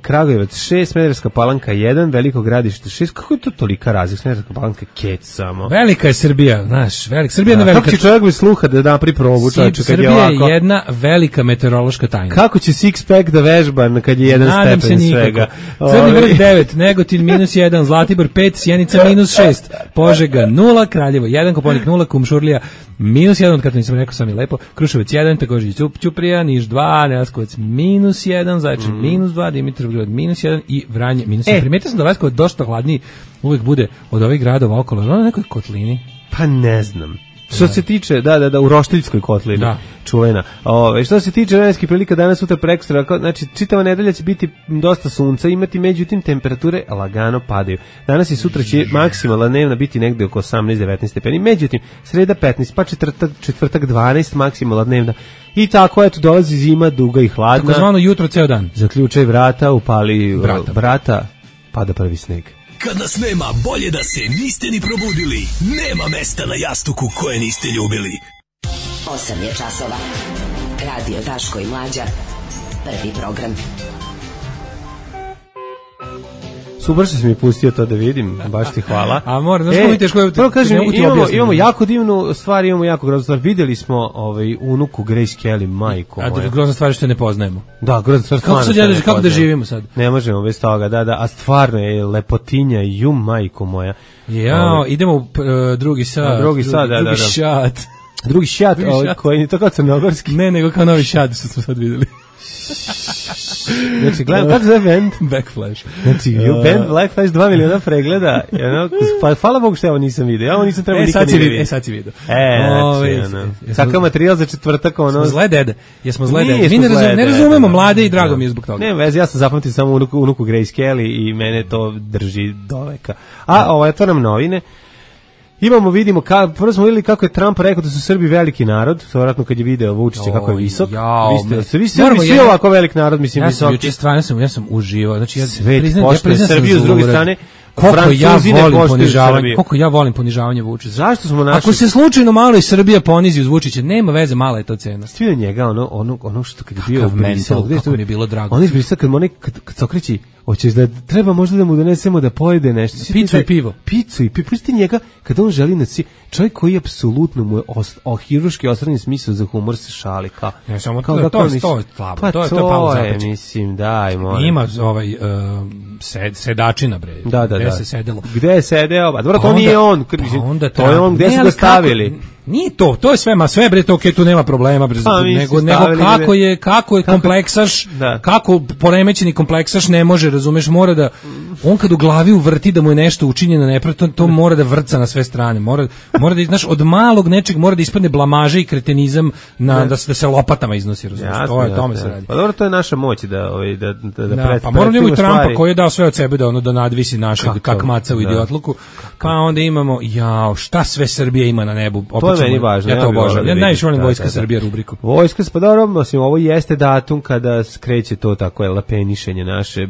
Kragujevac 6, Smederevska Palanka 1, Veliko Gradište 6, kako je to tolika razlika, Smederevska Palanka kec samo. Velika je Srbija, znaš, Srbija je jedna velika. Kako će čovjek bez sluha da napri probu, čovječe, kad je ovako? Srbija je jedna velika meteorološka tajna. Kako će six pack da vežba kad je 1 stepen svega? Crni vrh 9, Negotin -1, Zlatibor 5, Sjenica -6, Požega 0, Kraljevo 1, Koponik 0, Kumšurlija -1, od kada nisam rekao sam je lepo, Kruševac 1, također Ćuprija, Niš 2, Leskovac -1, Zaječar -2, Dimitrovgrad -1 i Vranje -1. Primetio sam da Leskovac dosta hladniji uvijek bude od ovih gradova okolo, na nekoj kotlini. Pa ne znam. Što se tiče, da, u Roštiljskoj kotlini. čuvena. Što se tiče vremenskih prilika danas, sutra, prekosutra, znači čitava nedelja će biti dosta sunca imati, međutim temperature lagano padaju. Danas i sutra će maksimalna dnevna biti negde oko 18-19 stepeni, međutim sreda 15, pa četvrtak 12 maksimalna dnevna. I tako, eto, dolazi zima, duga i hladna. Tako zvano jutro ceo dan. Zaključaj vrata, upali brata, pada prvi sneg. Kad nas nema, bolje da se niste ni probudili. Nema mesta na jastuku koje niste ljubili. 8 je časova. Radio Daško i Mlađa. Prvi program. Super što si mi pustio to da vidim, baš ti hvala. A moram, znaš kako mi teško je... Prvo kažem, imamo jako divnu stvar, imamo jako groznu stvar. Videli smo unuku Grace Kelly, majko moja. A grozna stvar što ne poznajemo. Da, grozna stvar stvarno što ne poznajemo. Kako da živimo sad? Ne možemo bez toga, da, a stvarno je lepotinja, majko moja. Jao, idemo u drugi sat. Drugi šat. Drugi šat, koji je to kao crnogorski. Ne, nego kao novi šat što smo sad videli. Znači, gledam, kako zove band? Backflash. Znači, band Blackflash 2 miliona pregleda. Pa, hvala Bogu što ja ovo nisam vidio. Ja ovo nisam trebao nikad ni vidio. Sad si vidio. Sakav materijal za četvrtak. Smo zle dede. Jesmo zle dede. Mi ne razumemo mlade i drago mi je zbog toga. Ne, vezi, ja sam zapamtio samo unuku Grace Kelly i mene to drži do veka. A, otvaram novine. Vidimo, prvo smo vidjeli kako je Trump rekao da su Srbi veliki narod, vjerojatno kad je video Vučića kako je visok. Vi svi ovako velik narod, mislim, visoki. Ja sam uživao. Znači, svet poštuje Srbiju, s druge strane, koliko ja volim ponižavanje Vučića. Zašto smo našli? Ako se slučajno malo i Srbija ponizi uz Vučića, nema veze, mala je to cena. Svi od njega, ono što kad je bio mental, kako mi je bilo drago. On izbrisao kad se okreći, hoćeš da treba možda da mu donesemo da pojede nešto. Picu i pivo. Pusti njega kad on želi čovjek koji apsolutno mu je hirurški ostranjen smisao za humor se šali kao. Ne, samo to je slabo. To je palo zapeče. Mislim, dajmo. Ima sedačina, bre. Da. Se sedelo. Gde je sedeo? Pa dobro, to nije on. To je on, gde su ga stavili? Nije to je sve bre, to tu nema problema, bre, nego kako je kompleksaš, kako poremećeni kompleksaš ne može, razumeš, mora da, on kad u glavi uvrti da mu je nešto učinjeno nepravda, to mora da vrca na sve strane, mora da, znaš, od malog nečeg mora da ispadne blamaže i kretenizam da se lopatama iznosi, razumeš, tome se radi. Pa dobro, to je naša moć da pa moramo da imamo Trumpa koji je dao sve od sebe da nadvisi našeg kakmaca u idiotluku, pa onda imamo, šta sve Srbija ima na nebu. To je meni važno. Ja to obožavam. Ja najviše volim Vojska Srbija rubriku. Vojska, pa dobro, ovo jeste datum kada kreće to tako je lapenišenje naše,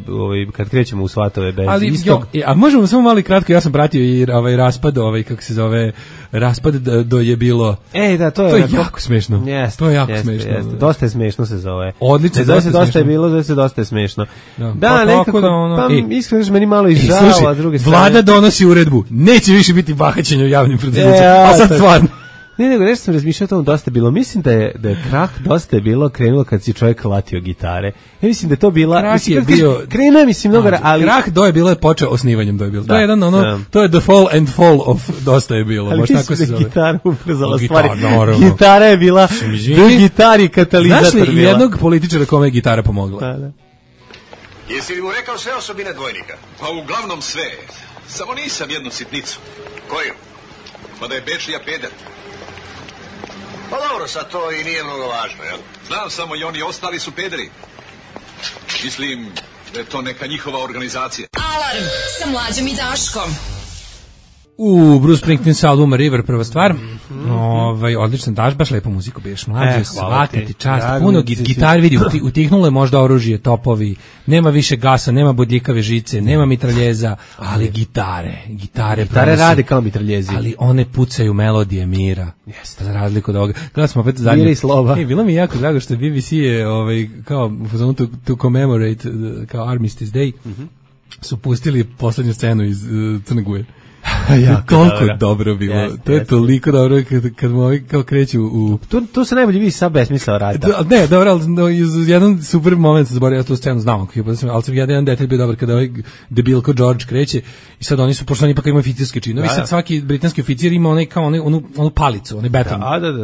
kad krećemo u svatove bez istog. A možemo samo malo kratko, ja sam pratio i raspad, kako se zove, raspad do je bilo. Da, to je jako smešno. To je jako smešno. Dosta je smešno se zove. Odlično, dosta je bilo, dosta je smešno. Da, nekako, iskreno meni malo izžao, a druge strane. Vlada donosi uredbu, neće više biti bahaćenje u javnim preduzećima. A sad stvarno. Ne, nego nešto sam razmišljao o tom, dosta je bilo. Mislim da je krah dosta je bilo krenulo kad si čovjek latio gitare. Ja mislim da je to bila... Krah je bio... Krenuo je, mislim, mnogo... ali krah je bilo je počeo osnivanjem to je bilo. To je jedan to je the fall and fall of dosta je bilo. Ali mislim da je gitara ubrzala stvari. Gitara je bila... Gitari katalizator bila. Znaš li jednog političara kome je gitara pomogla? Da. Jesi li mu rekao sve osobine dvojnika? Pa uglavnom sve. Samo nisam jednu sitnicu. Koju? Pa da je Bečija peder. Pa dobro, sad to i nije mnogo važno, jel? Znam samo i oni ostali su pederi. Mislim da je to neka njihova organizacija. Alarm sa Mlađom i Daškom. Bruce Springsteen sa albuma River, prva stvar. Odličan, daš baš lepu muziku, biješ mlađe, svaka ti čast. Puno gitar, vidi, utihnulo je možda oružje, topovi, nema više gasa, nema bodljikave žice, nema mitraljeza, ali gitare rade kao mitraljezi. Ali one pucaju melodije mira. Jeste. Za razliku od ovoga. Gledali smo opet zadnje. Mira i slova. Bilo mi jako drago što BBC je kao to commemorate kao Armistice Day su pustili poslednju scenu iz Crne Guje. Toliko dobro bilo. To je toliko dobro kad mu ovi kao kreću u... Tu se najbolje vidi sad besmisao rada. Ne, dobro, ali jedan super moment se zaboravio, ja tu scenu znam, ali sam jedan detalj bio dobar kada ovaj debilko George kreće i sad oni su, pošto oni ipak imaju oficirske činovi, sad svaki britanski oficir ima onaj kao onu palicu, onaj beton,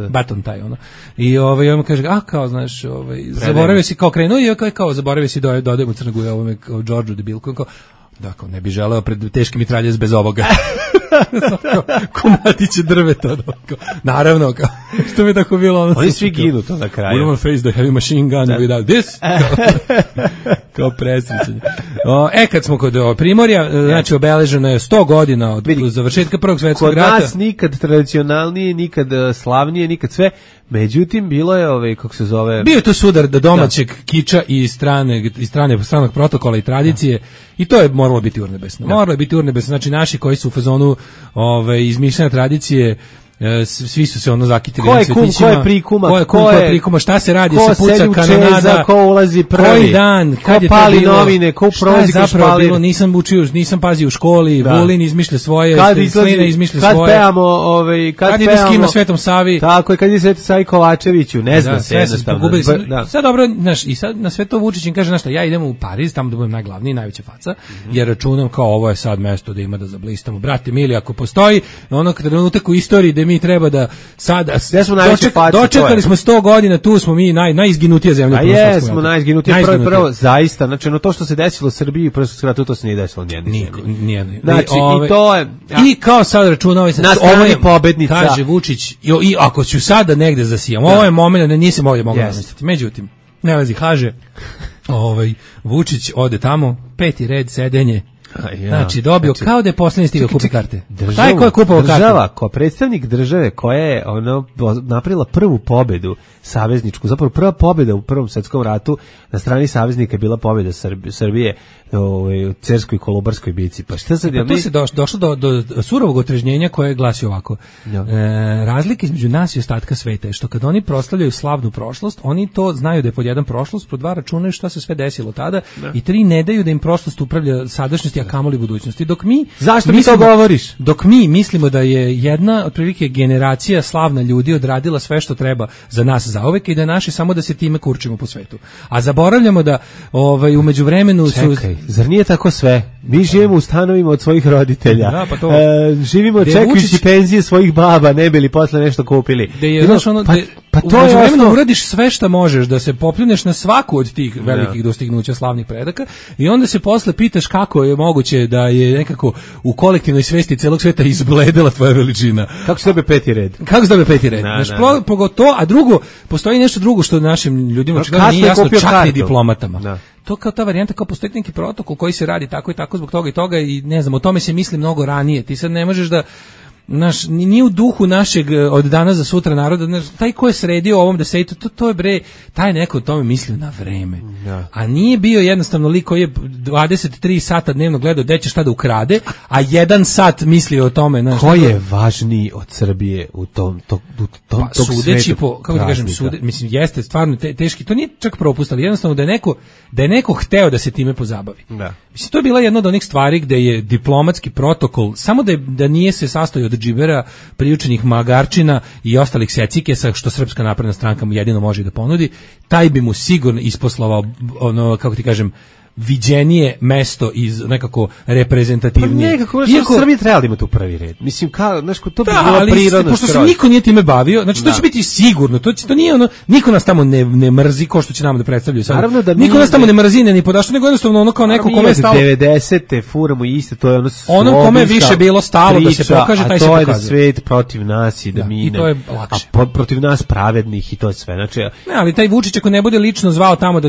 beton taj, ono. I on kaže, kao, znaš, zaboravio si kao krenuo i kao zaboravio si da odemo u Crnu Goru, ovome kao Georgeu debilko, kao Dakle, ne bi želeo pred teški mitraljez bez ovoga. Komadiće drveta. Naravno, što mi je tako bilo. Oni svi ginu to na kraju. We don't face the heavy machine gun without this. Kao presrećenje. Kad smo kod Primorja, znači obeleženo je 100 godina od završetka Prvog svetskog rata. Kod nas nikad tradicionalnije, nikad slavnije, nikad sve. Međutim, bilo je, kako se zove... Bio je to sudar domaćeg kiča i stranog protokola i tradicije i to je moralo biti urnebesno. Moralo je biti urnebesno. Znači, naši koji su u fazonu izmišljanja tradicije, svi su se zakitili na svetićima. Ko je prikuma? Ko je prikuma? Šta se radi? Se puca kanonada? Ko ulazi prvi? Koji dan? Kad je pali novine? Ko prolazi ko špalir? Bilo? Nisam učio, nisam pazio u školi. Vulin izmišlja svoje, Slina izmišlja svoje. Kad ide s kim na Svetom Savi? Tako je, kad ide Svetom Savi Kovačeviću. Ne znam se jednostavno. Sad dobro, i sad na sve to Vučić im kaže, znaš šta, ja idem u Pariz, tamo da budem najglavniji, najveća faca, jer računam kao ovo je sad mesto da ima da zablistamo. Brate mili, ako postoji ono trenutak u istoriji mi treba da sada dočekali smo 100 godina, tu smo mi najizginutija zemlja. A jesmo najizginutija prvo zaista, znači to što se desilo u Srbiji prvo skratu, to se nije desilo nijednoj. Znači i to je i kao sad računao se ovo je pobednica. Kaže Vučić i ako ću sada negde zasijam, ovo je momenat da nisam ovdje mogao zamisliti. Međutim, ne lazi kaže Vučić ode tamo, 5. red sedenje. Znači dobio kao da je posljednji stigao kupi karte. Taj ko je kupovao karte? Država, ko predstavnik države koja je napravila prvu pobedu savezničku, zapravo prva pobeda u Prvom svetskom ratu na strani saveznika je bila pobeda Srbije u Cerskoj i Kolubarskoj bici. Pa šta sad tu se došlo do surovog otrežnjenja koje glasi ovako. Razlika između nas i ostatka sveta je što kad oni proslavljaju slavnu prošlost, oni to znaju da je pod jedan prošlost, pod dva računaju šta se sve desilo tada i 3 ne daju da im prošlost upravlja sadašnjosti, a kamoli budućnosti. Dok mi zašto mi to govoriš? Dok mi mislimo da je jedna otprilike generacija slavna ljudi odradila sve što treba za nas zauvek i da je naše samo da se time kurčimo po svetu. A zaboravljamo da u međuvremenu zar nije tako sve? Mi živimo u stanovima od svojih roditelja. Da, pa to. Živimo čekajući penzije svojih baba, ne bi li posle nešto kupili. Pa to je vremenu uradiš sve što možeš da se popljuneš na svaku od tih velikih dostignuća slavnih predaka i onda se posle pitaš kako je moguće da je nekako u kolektivnoj svesti celog sveta izbledela tvoja veličina. Kako se dobije 5. red? Kako se dobije 5. red? Pogotovo, a drugo, postoji nešto drugo što našim ljudima nije jasno, čak i diplomatama. To kao ta varijanta, kao postoji neki protokol koji se radi tako i tako zbog toga i toga i ne znam, o tome se misli mnogo ranije. Ti sad ne možeš da nije u duhu našeg od danas za sutra naroda, taj ko je sredio ovom da se to je bre, taj neko o tome mislio na vreme. A nije bio jednostavno lik koji je 23 sata dnevno gledao gde će šta da ukrade, a 1 sat mislio o tome. Ko je važniji od Srbije u tom sudeći po, kako da kažem, mislim, jeste stvarno teški, to nije čak propust, ali jednostavno da je neko hteo da se time pozabavi. Mislim, to je bila jedna od onih stvari gde je diplomatski protokol, samo da nije se sastojao od džibera, priučenih magarčina i ostalih secikesa, što Srpska napredna stranka mu jedino može da ponudi, taj bi mu sigurno isposlovao, kako ti kažem, viđenije mesto iz nekako reprezentativnije. Pa nekako, Srbija trebala da ima tu prvi red. Mislim, to bi bilo prirodno. Pošto se niko nije time bavio, znači to će biti sigurno, to nije niko nas tamo ne mrzi, ko što će nam da predstavljaju sad. Niko nas tamo ne mrzi, ni podašto, nego jednostavno ono kao neko kome je stalo. 90-te furamo iste, to je ono kome je više bilo stalo da se pokaže, taj se pokaže. A to je svet protiv nas i da mi ne. A protiv nas pravednih i to je sve. Znači, ne, ali taj Vučić ako ne bude lično zvao tamo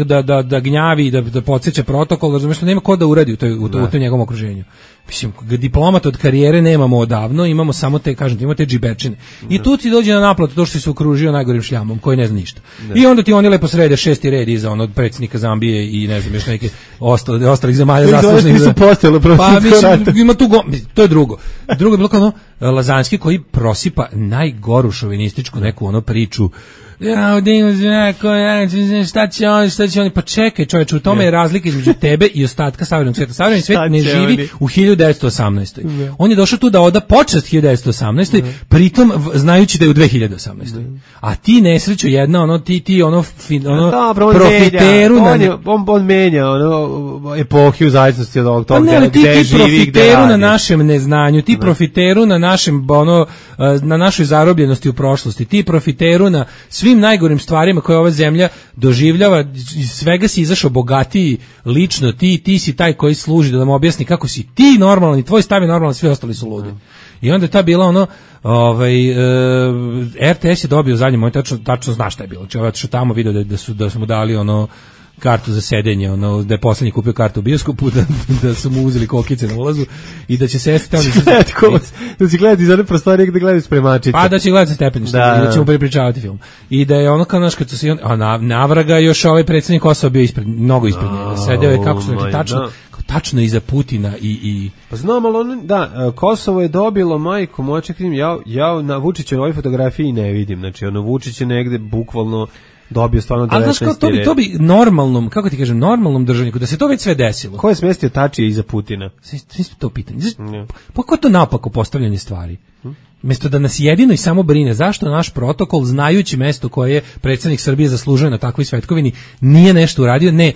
da gnjavi i da podseća protokol, razumiješ, nema ko da uradi u tom njegovom okruženju. Mislim, diplomata od karijere nemamo odavno, imamo samo te, kažem, imamo te džiberčine. I tu ti dođe na naplatu to što si se okružio najgorim šljamom, koji ne zna ništa. I onda ti oni lepo srede 6. red iza od predsjednika Zambije i ne znam, još neke ostalih zemalja zaslužnih. Pa mislim, ima tu to je drugo. Drugo je bilo kao Lazanski koji prosipa najgoru šovinističku neku priču. Šta će oni, pa čekaj čovječe, u tome je razlika između tebe i ostatka savremenog svijeta. Savremeni svijet ne živi u 1918. On je došao tu da oda počast 1918. Pritom znajući da je u 2018. A ti nesreću jedna, ti profiteru on menja epohiju zajednosti od ovog toga gde živi, gde radi. Na našem neznanju, ti profiteru na našem na našoj zarobljenosti u prošlosti, ti profiteru na svim najgorim stvarima koje ova zemlja doživljava, iz svega si izašao bogatiji lično, ti si taj koji služi da nam objasni kako si ti normalan i tvoj stav je normalan, svi ostali su ludi. I onda je ta bila ono, RTS je dobio zadnji moment, tačno zna šta je bilo. Znači, što tamo video da su mu dali ono kartu za sedenje, ono, da je poslednji kupio kartu u bioskopu, da su mu uzeli kokice na ulazu i da će sesti tamo da će gledati iz one prostorije gde gledaju spremačice. Pa da će gledati stepenište i da će mu prepričavati film. I da je ono kao naš, kad su se navraga još ovaj predsjednik Kosova bio mnogo ispred njega. Sedeo je, kako su rekli, tačno iza Putina i... Pa znam, ali Kosovo je dobilo, majko, moće krim, ja na Vučiću na ovoj fotografiji ne vidim, znači ono Vučić je negde bukvalno dobio stvarno 19. Ali znaš, to bi normalnom, kako ti kažem, normalnom državniku, da se to već sve desilo. Ko je smestio Tačija iza Putina? Svi to pitanje. Pa ko je to napako postavljanje stvari? Mesto da nas jedino i samo brine zašto naš protokol, znajući mesto koje je predsjednik Srbije zaslužuje na takvoj svetkovini, nije nešto uradio. Ne,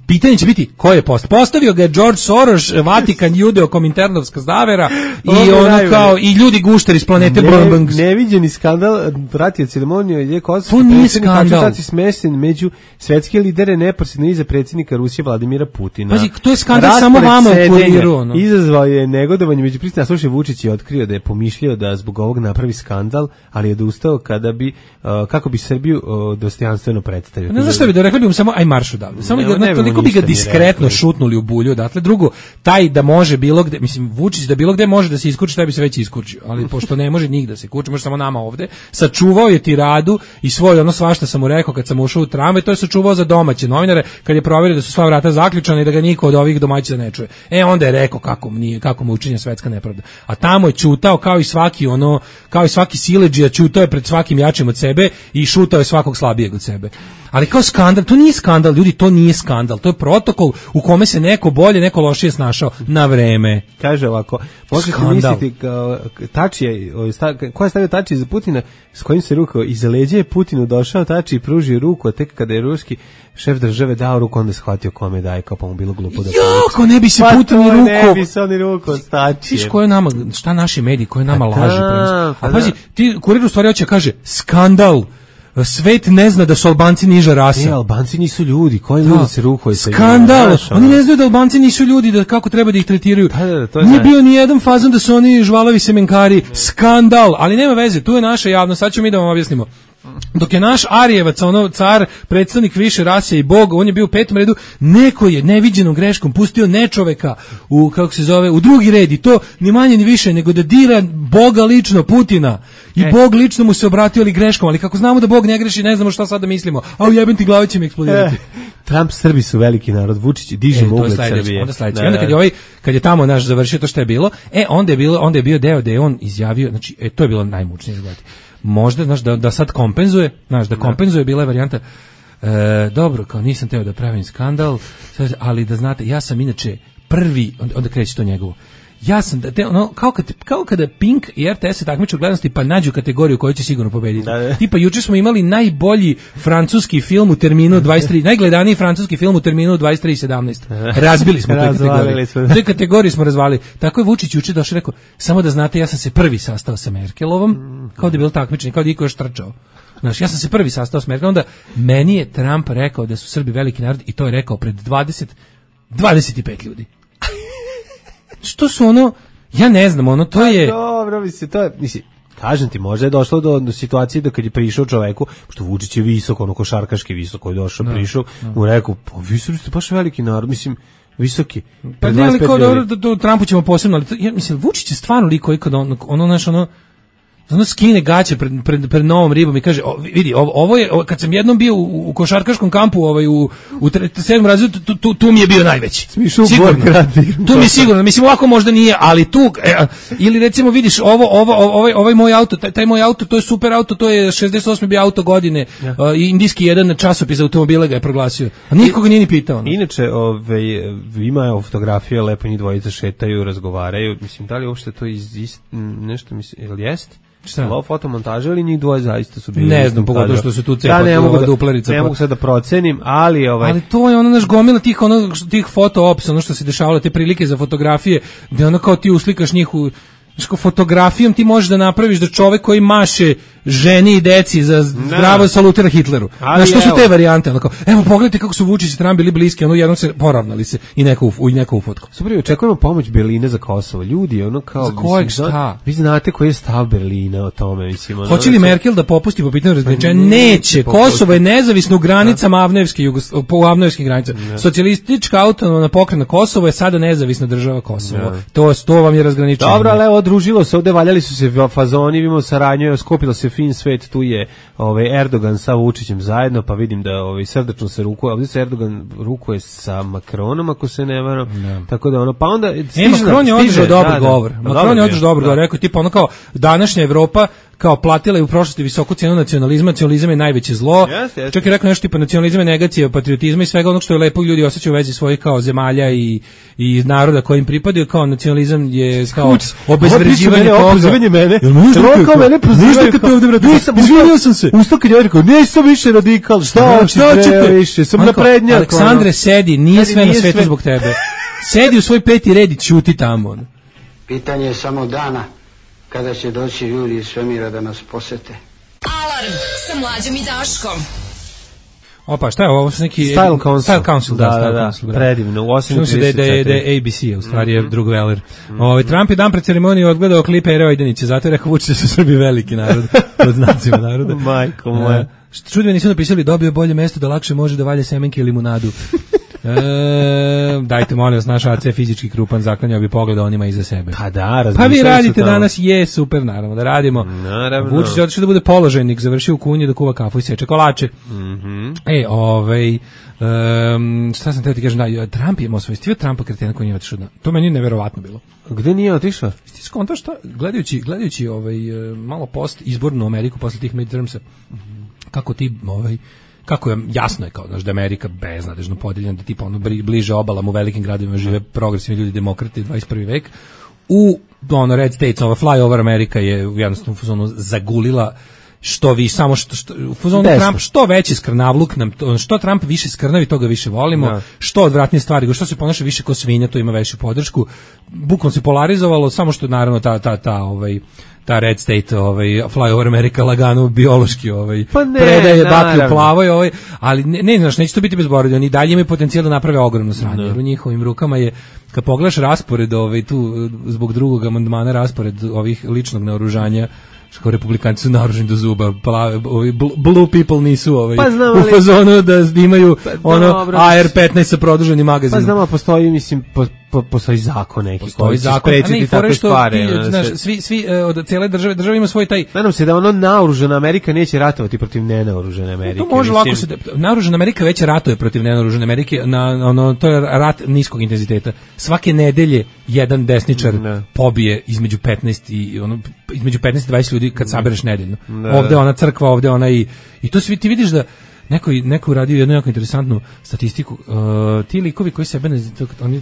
pitanje će biti ko je postavio ga je George Soros, Vatikan, Judeo, Kominternovska zavera i ono kao i ljudi gušteri iz planete Brombangs. Neviđeni skandal, vratio ceremoniju je Kosovo. To nije skandal. Smešten među svetske lidere neposredno iza predsjednika Rusije Vladimira Putina. Pazi, to je skandal samo vama u kuriru. Izazvao je negodovanje među prisutnima. Slušaj, Vučić je otkrio da je pomišljao da zbog ovog napravi skandal, ali je odustao kada bi kako bi Srbiju dostojanstveno predstavio. Ne znaš šta bi da rekli bi mu samo aj marš odavde. Samo toliko bi ga diskretno šutnuli u bulju odatle. Drugo, taj da može bilo gde, mislim Vučić da bilo gde može da se iskuči, taj bi se već iskučio, ali pošto ne može nigde da se kuči, može samo nama ovde. Sačuvao je tiradu i svoj ono svašta sam mu rekao kad sam ušao u tramvaj, to je sačuvao za domaće novinare kad je proverio da su sva vrata zaključana i da ga niko od ovih domaćina ne čuje. Onda je rekao kako mu učinjena svetska nepravda. A tamo je ćutao kao i svaki siledžija, ćutao je pred svakim jačim od sebe i šutao je svakog slabijeg od sebe. Ali kao skandal, to nije skandal, ljudi, to nije skandal, to je protokol u kome se neko bolje, neko lošije snašao na vreme. Kaže ovako, možete misliti Tačija, ko je stavio Tačija za Putina, s kojim se rukao, iza leđa je Putinu došao Tačija i pružio ruku, a tek kada je ruski šef države dao ruku, onda shvatio kome daje, kao pa mu bilo glupo da ko ne bi se Putin ruku. Ne bi se oni ruku od Tačije. Viš ko je nama, šta naši mediji, koje nama laži. A pazi, ti Kurir u stvari hoće kaže, skandal. Svet ne zna da su Albanci niža rasa. Albanci nisu ljudi, koji ljudi se rukaju sa njima. Skandal, oni ne znaju da Albanci nisu ljudi, da kako treba da ih tretiraju. Nije bio ni jedan fazon da su oni žvalavi semenkari. Skandal, ali nema veze, tu je naša javnost, sad ćemo mi da vam objasnimo. Dok je naš Arijevac, ono car, predstavnik više rase i bog, on je bio u 5. redu, neko je neviđenom greškom pustio nečoveka u, kako se zove, u drugi red i to ni manje ni više nego da dira Boga lično, Putina. I Bog lično mu se obratio ali greškom, ali kako znamo da Bog ne greši, ne znamo šta sad da mislimo. A ujebem ti glavi će mi eksplodirati. Trump, Srbi su veliki narod, Vučić diže ugled Srbije. Onda sledeće. Onda kad je tamo naš završio to što je bilo, onda je bio deo da je on izjavio, znači to je bilo najmučnije izgledati. Možda, znaš, da sad kompenzuje, znaš, da kompenzuje bila je varijanta, dobro, kao nisam teo da pravim skandal, ali da znate, ja sam inače prvi, onda kreće to njegovo, ja sam, kao kada Pink i RTS se takmiče u gledanosti pa nađu kategoriju koju će sigurno pobediti. Tipa, juče smo imali najbolji francuski film u terminu 23, najgledaniji francuski film u terminu 23:17. Razbili smo te kategorije. Te kategorije smo razvalili. Tako je Vučić juče došao i rekao, samo da znate, ja sam se prvi sastao sa Merkelovom, kao da je bilo takmičenje, kao da iko još trčao. Znaš, ja sam se prvi sastao sa Merkelom, onda meni je Trump rekao da su Srbi veliki narod i to je rekao pred 25 ljudi. Što su ono, ja ne znam, ono, to je... Dobro, mislim, kažem ti, možda je došlo do situacije da kad je prišao čoveku, što Vučić je visoko, ono košarkaški visoko je došao, prišao, mu rekao, pa vi ste baš veliki narod, mislim, visoki. Pa ne, ali kao do Trumpu ćemo posebno, ali ja mislim, Vučić je stvarno liko i kad ono skine gaće pred novom ribom i kaže, vidi, ovo je, kad sam jednom bio u košarkaškom kampu u 7. razredu, tu mi je bio najveći. Sigurno. Tu mi je sigurno, mislim, ovako možda nije, ali tu, ili recimo vidiš, ovaj moj auto, taj moj auto, to je super auto, to je 68. bio auto godine, indijski jedan časopis automobila ga je proglasio, a nikoga nije ni pitao. Inače, ima fotografije, lepo njih dvojica šetaju, razgovaraju, mislim, da li uopšte to nešto, mislim, ili jest? Šta? Fotomontaža ili njih dvoje zaista su bili? Ne znam, pogotovo što su tu cepati duplerica. Ne mogu sad da procenim, ali... Ali to je ono naš gomila tih foto ops, ono što se dešavalo, te prilike za fotografije, gde ono kao ti uslikaš njih u... fotografijom ti možeš da napraviš da čovek koji maše ženi i deci za zdravo salutira Hitleru. Znaš, što su te varijante? Ono kao, evo, pogledajte kako su Vučić i Trump bili bliski, ono jednom se poravnali se i neko u fotku. Super, očekujemo pomoć Berlina za Kosovo. Ljudi, ono kao... Za kojeg šta? Vi znate koji je stav Berlina o tome, mislim. Hoće li Merkel da popusti po pitanju razgraničenja? Neće. Kosovo je nezavisno u granicama po avnojevskim granicama. Socijalistička autonomna pokrajina Kosovo je sada nezavisna država Kosovo. To vam je razgraničenje. Dobro, ali evo, družilo se ovde, valjali su se fazoni, vidimo saradnju, skopilo se fin svet, tu je Erdogan sa Vučićem zajedno, pa vidim da srdačno se rukuje, ovdje se Erdogan rukuje sa Macronom, ako se ne varam, tako da pa onda... Macron je održao dobar govor. Macron je održao dobar govor, rekao tipa kao današnja Evropa kao platila je u prošlosti visoku cenu nacionalizma, nacionalizam je najveće zlo. Čak je rekao nešto tipa nacionalizam je negacija patriotizma i svega onog što je lepo ljudi osjećaju u vezi svojih kao zemalja i naroda kojim pripadaju, kao nacionalizam je kao obezvređivanje toga. Opozivanje mene. Kao mene prozivaju kad te ovdje vrati. Izvinio sam se. Ustao kad je rekao, nisam više radikal, šta ćete više, sam naprednjak. Aleksandre, sedi, nije sve na svetu zbog tebe. Sedi u svoj peti red i ćuti tamo. Pitanje je samo dana kada će doći ljudi iz svemira da nas posete. Alarm sa Mlađom i Daškom. Opa, šta je ovo? Neki Style Council. Da, predivno. U 8:30 da je ABC, u stvari je drug veler. Trump je dan pred ceremoniju odgledao klip Ere Ojdanića, zato je rekao Vučić da su Srbi veliki narod, pod znacima naroda. Majko moja. Čudno nisu napisali, dobio bolje mesto da lakše može da valje semenke i limunadu. Dajte molim vas, naš AC je fizički krupan, zaklanjao bi pogled onima iza sebe. Pa vi radite danas, je super, naravno da radimo. Vučić je otišao da bude položajnik, završio u kunji da kuva kafu i seče kolače. Šta sam teo ti kažem, Trump je imao svoj stiv, Trumpa kretena koji nije otišao. To meni je neverovatno bilo. Gde nije otišao? Ti skonto šta, gledajući malo post izbornu Ameriku posle tih midtermsa, kako je jasno je kao da Amerika beznadežno podeljena, da tipa bliže obalama u velikim gradovima žive progresivni ljudi, demokrati, 21. vek. U Red States, flyover Amerika je jednostavno fuzonu zagulila što vi samo Trump što veći skrnavluk nam, što Trump više skrnavi, toga više volimo, što odvratnije stvari, što se ponaša više ko svinja, to ima veću podršku. Bukvalno se polarizovalo, samo što naravno ta Red State, flyover Amerika lagano biološki predaje baklju plavoj, ali ne znaš, neće to biti bezborodi, oni dalje imaju potencijal da naprave ogromno sranje, jer u njihovim rukama je, kad pogledaš raspored tu zbog drugog amandmana, raspored ovih ličnog naoružanja, što republikanci su naoruženi do zuba, blue people nisu u fazonu da imaju AR-15 sa produženim magazinom. Pa znamo, postoji, mislim, postoji zakon neki. Postoji zakon, a ne i fore što svi od cijele države ima svoj taj... Nadam se da naoružena Amerika neće ratovati protiv nenaoružene Amerike. To može lako se... Naoružena Amerika već ratuje protiv nenaoružene Amerike, to je rat niskog intenziteta. Svake nedelje jedan desničar pobije između 15 i 20 ljudi kad sabereš nedeljno. Ovde ona crkva, ovde ona i to svi ti vidiš da neko uradio jednu jako interesantnu statistiku. Ti likovi koji sebe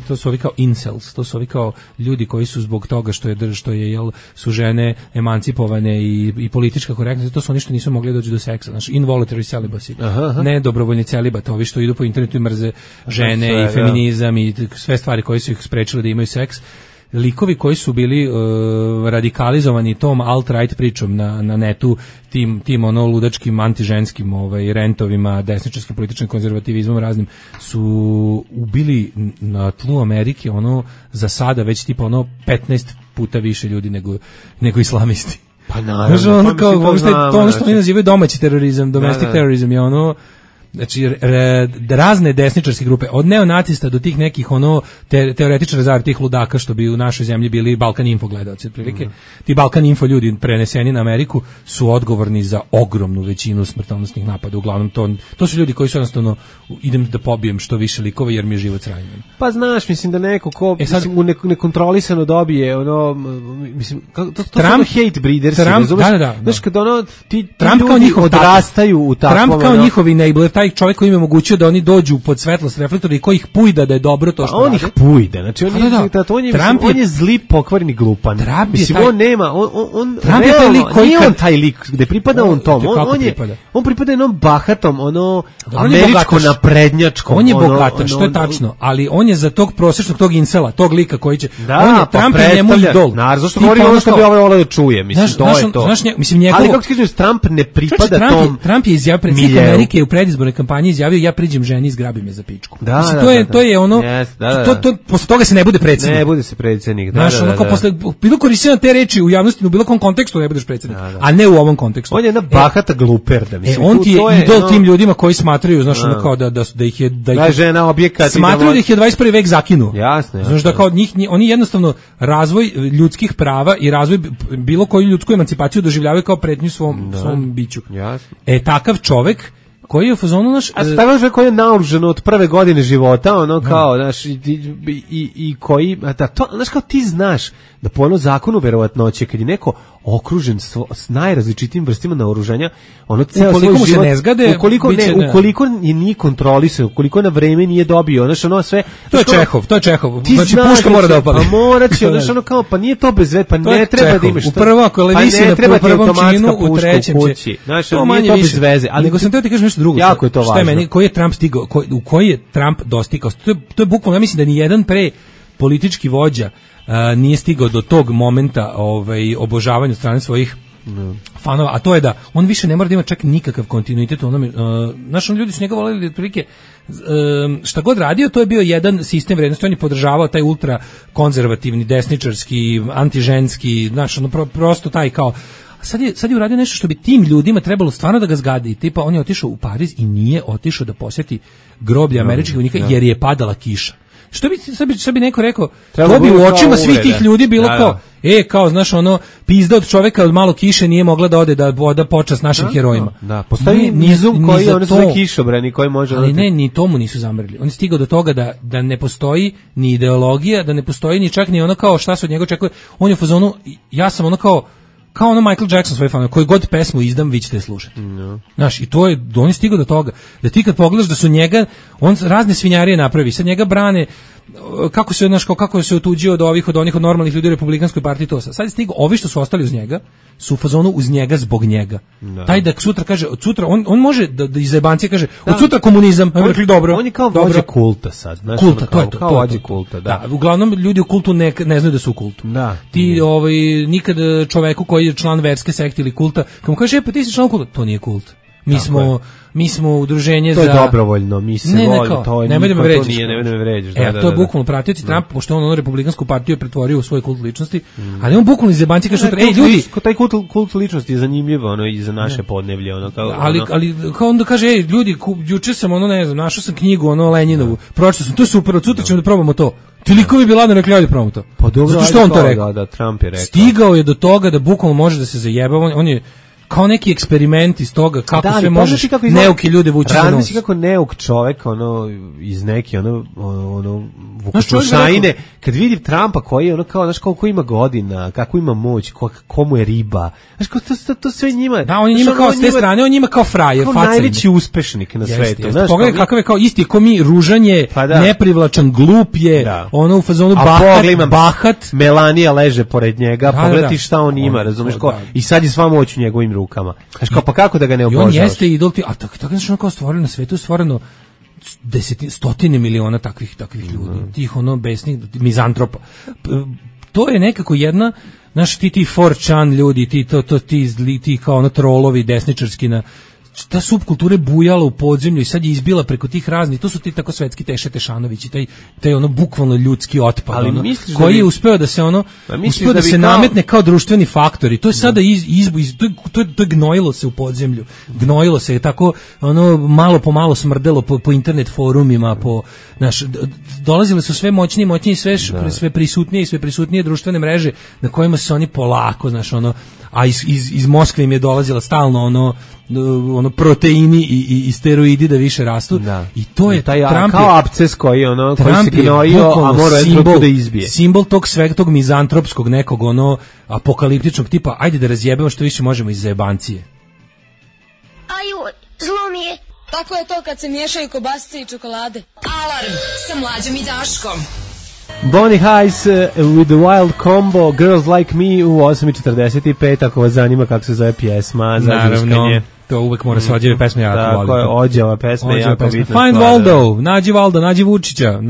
to su ovi kao incels, to su ovi kao ljudi koji su zbog toga što je su žene emancipovane i politička korektnost, to su oni što nisu mogli doći do seksa, znači involuntary celibacy, ne dobrovoljni celibat, ovi što idu po internetu i mrze žene i feminizam i sve stvari koje su ih sprečile da imaju seks. Likovi koji su bili radikalizovani tom alt-right pričom na netu, tim ludačkim antiženskim rentovima, desničarskim političkim konzervativizmom raznim, su ubili na tlu Amerike za sada već tipa 15 puta više ljudi nego islamisti. Pa naravno. To ono što mi nazivaju domaći terorizam, domestic terorizam je znači razne desničarske grupe, od neonacista do tih nekih teoretičara zavere, tih ludaka što bi u našoj zemlji bili Balkan Info gledaoci otprilike. Ti Balkan Info ljudi preneseni na Ameriku su odgovorni za ogromnu većinu smrtonosnih napada. Uglavnom to su ljudi koji su jednostavno idem da pobijem što više likova jer mi je život sranjen. Pa znaš, mislim da neko ko u nekontrolisano dobije mislim to su hate breeders, da. Znaš kad ti Trump ljudi odrastaju u takvom, Trump kao njihovi enabler, taj čovjek koji im je omogućio da oni dođu pod svetlost reflektora i koji ih pujda da je dobro to što on rade. Ih pujda, znači on je zli, pokvareni glupan. Mislim, on nema, on realno, nije on taj lik gde pripada on tom, on pripada jednom bahatom, američko naprednjačkom. On je bogataš, to je tačno, ali on je za tog prosječnog, tog incela, tog lika koji će, on je Trump je njemu idol. Zašto govori ono što bi ovaj voleo da čuje, mislim, to je to. Ali kako ti kažeš, Trump ne pripada tom. Trump je izjavio, predsjednik Amerike u predizbornoj kampanji izjavio, ja priđem ženi i zgrabim je za pičku. To je ono, posle toga se ne bude predsjednik. Ne bude se predsjednik, posle bilo koristina te reči u javnosti, u bilo kom kontekstu ne budeš predsjednik, a ne u ovom kontekstu. On je jedna bahata gluperda, mislim. On ti je idol tim ljudima koji smatraju, znaš, ono kao da ih je žena objekat, smatraju da ih je 21. vek zakinuo. Jasno. Znaš da kao njih, oni jednostavno razvoj ljudskih prava i razvoj bilo koju ljudsku emancipaciju doživljavaju kao pretnju svom biću. Jasno. Takav čovek koji je u fazonu naš... A takav čovek koji je naoružan od prve godine života, ono kao, znaš, i koji... Znaš, kao ti znaš da po ono zakonu verovatnoće, kad je neko okružen s najrazličitijim vrstima naoružanja, ono ceo svoj život... se ne zgade... Ukoliko je nije kontrolisao, ukoliko na vreme nije dobio, znaš, ono sve... To je Čehov. Znači, puška mora da opali. Pa mora će, znaš, ono kao, pa nije to bez veze, pa ne treba da imaš... U prvo, ako je visi na prvom činu, u trećem će... Znaš, nije to bez veze. Nego sam teo ti kažem nešto drugo. Jako je to važno. Koji je Trump stigao, u koji je Trump dostigao? To je bukvalno, ja mislim da ni jedan politički vođa nije stigao do tog momenta obožavanja od strane svojih fanova, a to je da on više ne mora da ima čak nikakav kontinuitet u onome. Znaš, ljudi su njega voleli otprilike šta god radio, to je bio jedan sistem vrednosti, on je podržavao taj ultra konzervativni, desničarski, antiženski, znaš, prosto taj kao. Sad je uradio nešto što bi tim ljudima trebalo stvarno da ga zgadi. Tipa, on je otišao u Pariz i nije otišao da posjeti groblje američkih vojnika jer je padala kiša. Što bi neko rekao, to bi u očima svih tih ljudi bilo kao, kao, znaš, ono, pizda od čoveka od malo kiše nije mogla da ode da voda počast našim herojima. Da, postoji nizum koji oni sve kišobrani koji može... Ali ne, ni tomu nisu zamrli. On je stigao do toga da ne postoji ni ideologija, da ne postoji ni čak ni ono kao šta se od njega očekuje. On je u fazonu, ja sam ono kao ono Michael Jackson svoj fan, koji god pesmu izdam, vi ćete slušati. Znaš, i to je, on je stigao do toga, da ti kad pogledaš da su njega, on razne svinjarije napravi, sad njega brane, kako se otuđio od onih od normalnih ljudi u Republikanskoj partiji, to sad je stigao, ovi što su ostali uz njega, su u fazonu uz njega zbog njega. Taj da sutra kaže, od sutra, on može da iz jebancije kaže, od sutra komunizam, rekli dobro. On je kao vođa kulta sad. Znaš, kulta, to je to. Kao vođa kulta, da. Uglavnom, ljudi u kultu ne znaju da su u kultu. Da. Ti, nikad čoveku koji je član verske sekte ili kulta, kad mu kaže, pa ti si član kulta, to nije kult. Mi smo udruženje za... To je dobrovoljno, mi se volimo, to je... Nemoj da me vređaš. Nemoj da me vređaš, to je bukvalno pratioci Trump, pošto on republikansku partiju pretvorio u svoj kult ličnosti, ali on bukvalno iz jebanci kaže sutra, ljudi... Taj kult ličnosti je zanimljivo, ono, i za naše podneblje, ono, kao... Ali kao onda kaže, ljudi, juče sam, ono, ne znam, našao sam knjigu, ono, Lenjinovu, pročitao sam, to je super, od sutra ćemo da probamo to. Ti likovi bi ladno rekli, ajde probamo to. Pa dobro, zato što on to rekao. Da, Trump je rekao. Stigao je do toga da bukvalno može da se zajeba, on je kao neki eksperiment iz toga kako sve možeš neuki ljude vući za nos. Razmisli kako neuk čovek, ono, iz neke, vukošajine, kad vidi Trumpa koji je, ono, kao, znaš, koliko ima godina, kako ima moć, komu je riba, znaš, to sve njima... Da, on je njima kao s te strane, on njima kao frajer, kao najveći uspešnik na svetu. Pogledaj kakav je kao isti, ko mi, ružanje, neprivlačan, glup je, ono u fazonu bahat. Melania leže pored njega, pogledaj šta on ima, razumeš, i sad je sva moć u njegovim rukama. Znaš, kao, pa kako da ga ne obožavaš? I on jeste idol, a tako znači ono kao stvoreno na svetu, stvoreno stotine miliona takvih ljudi, tih ono besnih mizantropa. To je nekako jedna, znaš, ti 4chan ljudi, ti kao ono trolovi desničarski na ta subkultura je bujala u podzemlju i sad je izbila preko tih raznih, to su ti tako svetski Teše Tešanović i taj ono bukvalno ljudski otpad, ono, koji je uspeo da se ono, uspeo da se nametne kao društveni faktor i to je sada to je gnojilo se u podzemlju, gnojilo se je tako, ono, malo po malo smrdelo po internet forumima, dolazile su sve moćnije, sve prisutnije društvene mreže na kojima se oni polako, znaš, ono, a iz Moskve im je dolazila stalno ono proteini i steroidi da više rastu. Da. I to je taj Trump kao absces koji se gnojio, a mora jedno da izbije. Simbol tog svega, tog mizantropskog nekog ono apokaliptičnog tipa, ajde da razjebemo što više možemo iz zajebancije. Aju, zlo mi je. Kako je to kad se miješaju kobasice i čokolade? Alarm sa Mlađom i Daškom. Bonnie Heiss with the Wild Combo, Girls Like Me u 8:45, ako vas zanima kako se zove pjesma za naravno, to uvek mora se ođeve pesme, ja to volim. Tako je, ođeva pesma je jako bitna. Find Waldo, nađi Valda, nađi Vučića.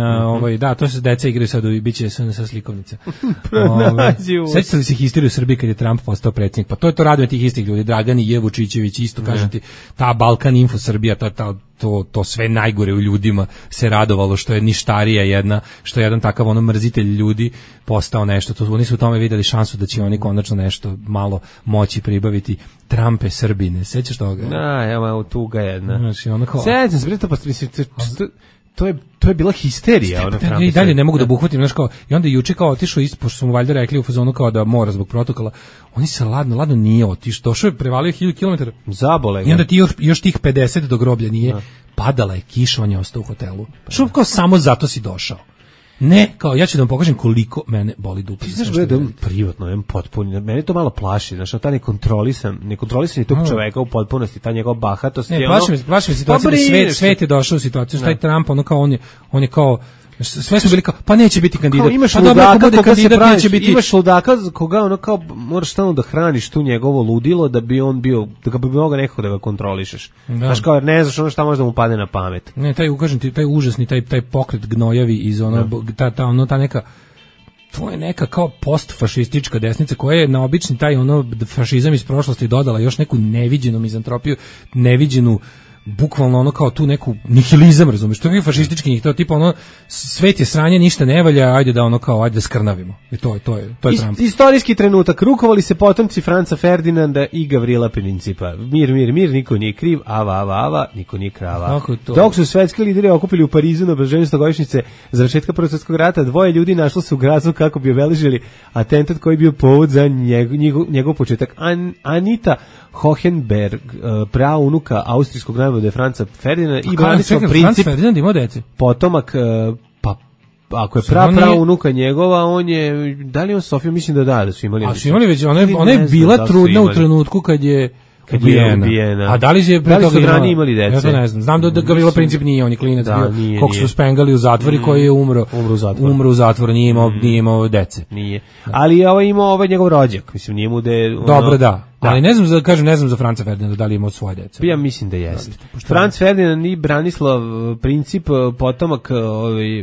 Da, to se deca igraju sad i bit će sa slikovnica. Sećate li se historiju u Srbiji kad je Trump postao predsjednik? Pa to je to raduje tih istih ljudi, Dragan i Vučićević, isto kažem ti, ta Balkan Info Srbija, to sve najgore u ljudima se radovalo što je ništarija jedna, što je jedan takav mrzitelj ljudi postao nešto. Oni su u tome videli šansu da će oni konačno nešto malo moći pribaviti. Trumpe Srbine, sećaš toga? Da, evo tuga jedna. Znači, kao... Sećam se, to je bila histerija. I dalje ne mogu da buhvatim, znaš kao, i onda juče kao otišao pošto su mu valjda rekli u fazonu kao da mora zbog protokola, oni se ladno nije otišao, došao je, prevalio 1000 km. Zabole ga. I onda ti još tih 50 do groblja nije, padala je kiša, on je ostao u hotelu. Što kao samo zato si došao. Ne, kao ja ću da vam pokažem koliko mene boli dupe. Ti znaš da je privatno, potpuno, mene to malo plaši, znaš, taj nekontrolisan tog čoveka u potpunosti, ta njegova bahatost. Ne, plaši me situacija da svet je došao u situaciju, taj Trump, on je kao, sve su bili kao, pa neće biti kandidat. Imaš ludaka koga se praviš, imaš ludaka koga kao, moraš stalno da hraniš tu njegovo ludilo da bi on bio, da ga bi mogao nekako da ga kontrolišeš. Znaš kao, jer ne znaš šta može da mu padne na pamet. Ne, taj užasni, taj pokret gnojavi iz ta neka, to je neka kao postfašistička desnica koja je na obični taj fašizam iz prošlosti dodala još neku neviđenu mizantropiju, neviđenu bukvalno kao tu neku nihilizam, razumiješ, to je fašistički njih, to je tipa svet je sranje, ništa ne valja, ajde da skrnavimo. I to je Trump. Istorijski trenutak, rukovali se potomci Franca Ferdinanda i Gavrila Principa. Mir, niko nije kriv, ava, niko nije krava. Dok su svetski lideri okupili u Parizu na obeleženju 100-godišnjice završetka Prvog svjetskog rata, 2 ljudi našlo se u gradu kako bi obeležili atentat koji je bio povod za njegov početak. Anita Hohenberg, praunuka austrijskog najvode Franca Ferdinanda i Branislav Princip, Ferdinand imao dece. Potomak, ako je praunuka njegova, on je, da li on Sofiju, mislim da su imali. A su imali već, ona je bila trudna u trenutku kad je ubijena. A da li su ranije imali dece? Ja to ne znam. Znam da Gavrila Princip nije, on je klinac bio, kog su spengali u zatvori, koji je umro u zatvoru, nije imao dece. Nije. Ali je imao njegov rođak, mislim, nije mu da je... Dobro, da. Ali ne znam za Franca Ferdinanda da li imao svoje dece. Ja mislim da jeste. Franc Ferdinand i Branislav Princip, potomak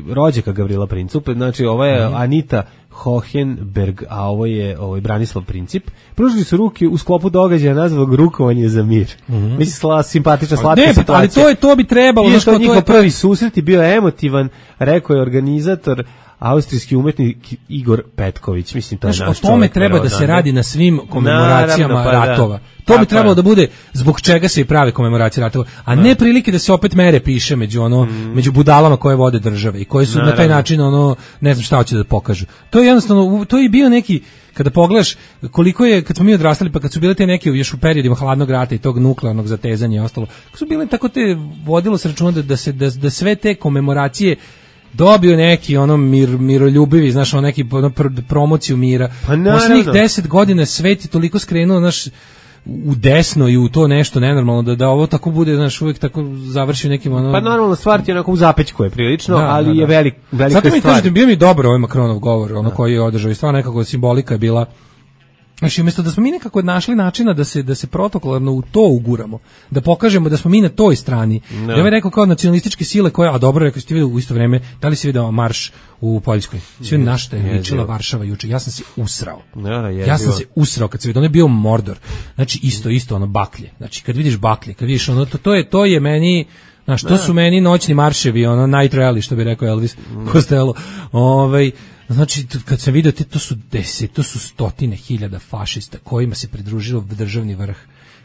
rođaka Gavrila Principa, znači ovo je Anita Hohenberg, a ovo je Branislav Princip. Pružili su ruke u sklopu događaja nazvanog rukovanje za mir. Mislim, simpatična, slatka situacija. Ali to bi trebalo. I što njihov prvi susret je bio emotivan, rekao je organizator, austrijski umetnik Igor Petković. Mislim, to je naš čovjek. O tome treba da se radi na svim komemoracijama ratova. To bi trebalo da bude zbog čega se i prave komemoracije ratova, a ne prilike da se opet mere piše među budalama koje vode države i koji su na taj način ne znam šta hoće da pokažu. To je jednostavno, to je bio neki, kada pogledaš koliko je, kad smo mi odrastali, pa kad su bile te neke još u periodima hladnog rata i tog nuklearnog zatezanja i ostalo, kad su bile tako te, vodilo se računa da sve te komemoracije dobio neki miroljubivi, znaš, neki promociju mira. Posljednjih 10 godina svet je toliko skrenuo, znaš, u desno i u to nešto nenormalno, da ovo tako bude, znaš, uvijek tako završi nekim Pa normalno stvar ti je onako u zapećku je prilično, ali je velika stvar. Zato mi kažete, bio mi dobro ovaj Macronov govor, koji je održao i stvarno nekako simbolika je bila. Znači, umjesto da smo mi nekako našli načina da se protokolarno u to uguramo, da pokažemo da smo mi na toj strani. Ja bih rekao kao nacionalističke sile koje, a dobro, rekao ste vidio u isto vrijeme, da li si vidio marš u Poljskoj? Svi na što je ličila Varšava juče. Ja sam se usrao. Ja sam se usrao kad se vidio, on je bio Mordor. Znači, isto baklje. Znači, kad vidiš baklje, kad vidiš to je meni, znaš, to su meni noćni marševi, night rally, što bi rekao Elvis Costello. Znači, kad sam vidio, to su stotine hiljada fašista kojima se pridružilo državni vrh,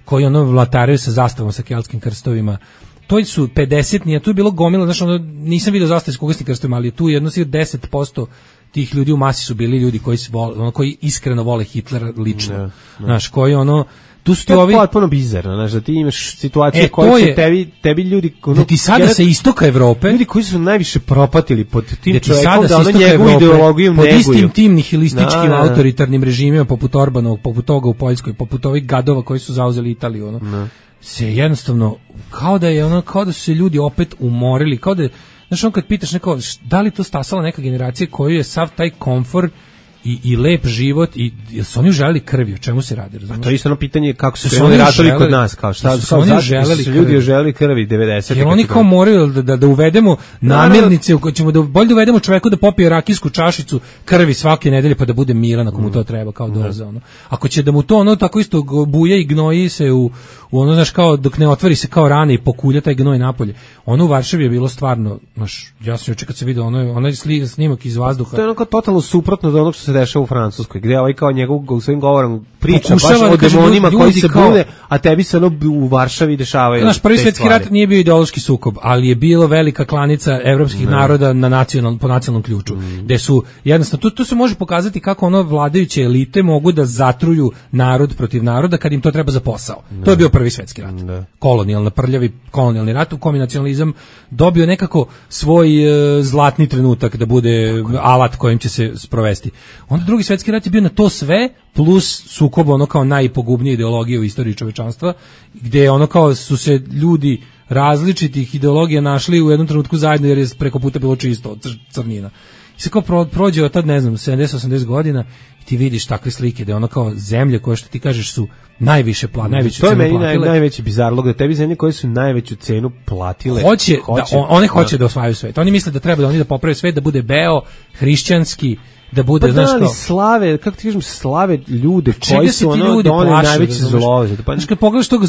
koji vlataraju sa zastavom, sa keltskim krstovima. To su 50, nije tu je bilo gomila, znači nisam vidio zastave s kugasnim krstovima, ali tu jedno 10% tih ljudi u masi su bili ljudi koji iskreno vole Hitlera lično. Znaš, koji tu su to je potpuno bizarno, znaš, da ti imaš situacije koje će tebi ljudi... Da ti sada sa istoka Evrope... Ljudi koji su najviše propatili pod tim čovjekom, da njegovu ideologiju neguju. Pod istim tim nihilističkim autoritarnim režimima, poput Orbanovog, poput toga u Poljskoj, poput ovih gadova koji su zauzeli Italiju. se jednostavno kao da su se ljudi opet umorili, kao da, znaš, on kad pitaš neko, da li to stasala neka generacija koju je sav taj komfor i lep život i jel su oni želeli krvi, o čemu se radi, razumiješ? A to je isto ono pitanje kako su krenuli ratovi kod nas, kao šta su ljudi želeli krvi 90. Jer oni kao moraju da uvedemo namirnice, ćemo bolje da uvedemo čoveku da popije rakijsku čašicu krvi svake nedelje pa da bude miran ako mu to treba kao doza, ono. Ako će da mu to ono tako isto buja i gnoji se u ono, znaš, kao dok ne otvori se kao rane i pokulja taj gnoj napolje. Ono u Varšavi je bilo stvarno, znaš, ja sam juče kad se vidio onaj snimak iz vazduha. To je ono kao totalno suprotno od onog što se dešava u Francuskoj, gdje ovaj kao njegov svojim govorom priča baš o demonima koji se bude, a tebi se ono u Varšavi dešavaju. Znaš, Prvi svjetski rat nije bio ideološki sukob, ali je bilo velika klanica evropskih naroda po nacionalnom ključu, gde su jednostavno, tu se može pokazati kako ono vladajuće elite mogu da zatruju narod protiv naroda kad im to treba za posao. To je bio Prvi svjetski rat. Prljavi kolonijalni rat u kom je nacionalizam dobio nekako svoj zlatni trenutak da bude alat kojim će se sprovesti. Onda Drugi svjetski rat je bio na to sve plus sukob ono kao najpogubnije ideologije u istoriji čovečanstva, gdje ono kao su se ljudi različitih ideologija našli u jednom trenutku zajedno jer je preko puta bilo čisto od crnina. I se kao prođe od tad, ne znam, 70-80 godina i ti vidiš takve slike da je ono kao zemlje koje što ti kažeš su najviše najveću cenu platile. To je meni najveći bizarlog, da tebi zemlje koje su najveću cenu platile. One hoće da osvajaju svet. Oni misle da treba da oni da poprave svet, da bude beo, hrišćanski, da bude, pa znaš, kao slave, kako ti kažem, slave ljude koji su ono da one najveće zlo. Znaš, kad pogledaš toga,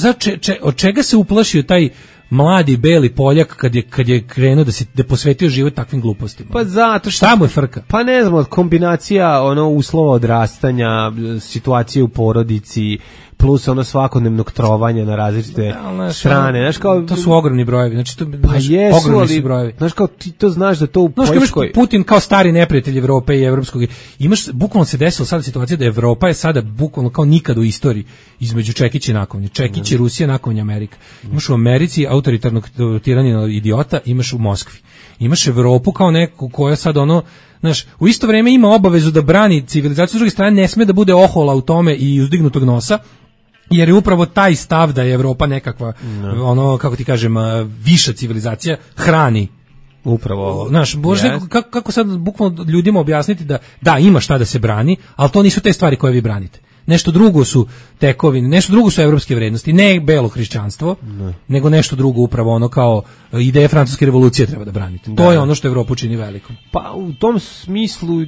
od čega se uplašio taj mladi beli Poljak kad je krenuo da posvetio život takvim glupostima? Pa zato što... Šta mu je frka? Pa ne znam, kombinacija uslova odrastanja, situacije u porodici, plus svakodnevnog trovanja na različite strane. Znaš, kao, to su ogromni brojevi. Znači, ogromni su brojevi. Znaš, kao ti to znaš da to u Poljskoj... Imaš Putin kao stari neprijatelj Evrope i evropskog. Bukvalno se desila sada situacija da Evropa je sada bukvalno kao nikad u istoriji između Čekić i nakovnje. Čekić i Rusija, nakovnje Amerika. Imaš u Americi autoritarnog tiranina idiota, imaš u Moskvi. Imaš Evropu kao neku koja sad znaš, u isto vrijeme ima obavezu da brani civilizaciju, s druge strane ne sme da bude ohola u tome i uzdignutog nosa, jer je upravo taj stav da je Evropa nekakva, kako ti kažem, viša civilizacija, hrani upravo ovo. Znaš, kako sad bukvalno ljudima objasniti da ima šta da se brani, ali to nisu te stvari koje vi branite. Nešto drugo su tekovine, nešto drugo su evropske vrednosti, ne belo hrišćanstvo, nego nešto drugo, upravo kao ideje francuske revolucije treba da branite. To je ono što Evropu čini velikom. Pa u tom smislu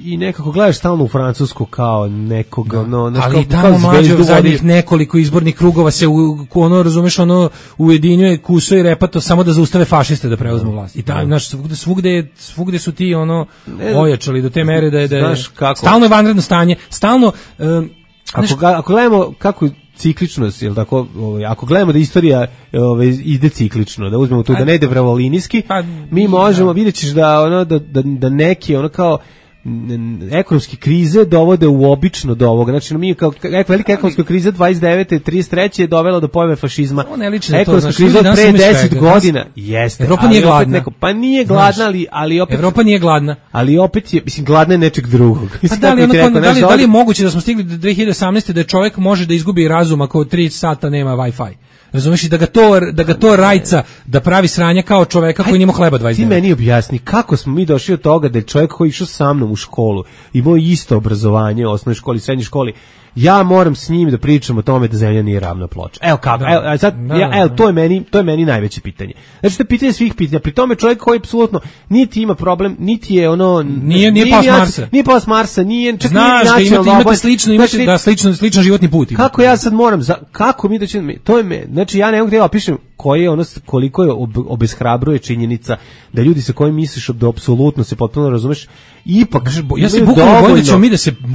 i nekako gledaš stalno u Francusku kao nekoga, ali tamo mlađe u zadnjih nekoliko izbornih krugova se razumeš, ujedinjuje kuso i repato samo da zaustave fašiste da preuzmu vlast. I znaš, svugde su ti ojačali do te mere da je stalno je vanredno stanje, stalno Ako gledamo kako cikličnost, jel tako, ako gledamo da istorija ide ciklično, da uzmemo to da ne ide vravolinijski, mi možemo, vidjet ćeš da neki kao ekonomske krize dovode uobično do ovoga. Znači, mi kao velika ekonomska kriza 29. 33. je dovela do pojave fašizma. Ekonomska kriza pre 10 godina. Jeste. Evropa nije gladna. Pa nije gladna, ali opet... Evropa nije gladna. Ali opet je, mislim, gladna je nečeg drugog. Pa da li je moguće da smo stigli do 2018. da čovjek može da izgubi razum ako 3 sata nema Wi-Fi? Razumiješ, i da ga to rajca, da pravi sranja kao čoveka koji nima hleba 29. Ti meni objasni kako smo mi došli od toga da je čovjek koji išao sa mnom u školu, imao isto obrazovanje u osnovnoj školi, srednjoj školi, ja moram s njim da pričam o tome da zemlja nije ravna ploča. Evo kako, to je meni najveće pitanje. Znači, to je pitanje svih pitanja. Pri tome čovjek koji apsolutno niti ima problem, niti je nije pao s Marsa. Nije pao s Marsa, nije čak znaš, imate sličan životni put. Kako ja sad moram, kako mi da ćemo, to je znači ja ne mogu da opišem koliko je obeshrabruje činjenica da ljudi sa kojim misliš da apsolutno se potpuno razumeš, ipak ja se bukvalno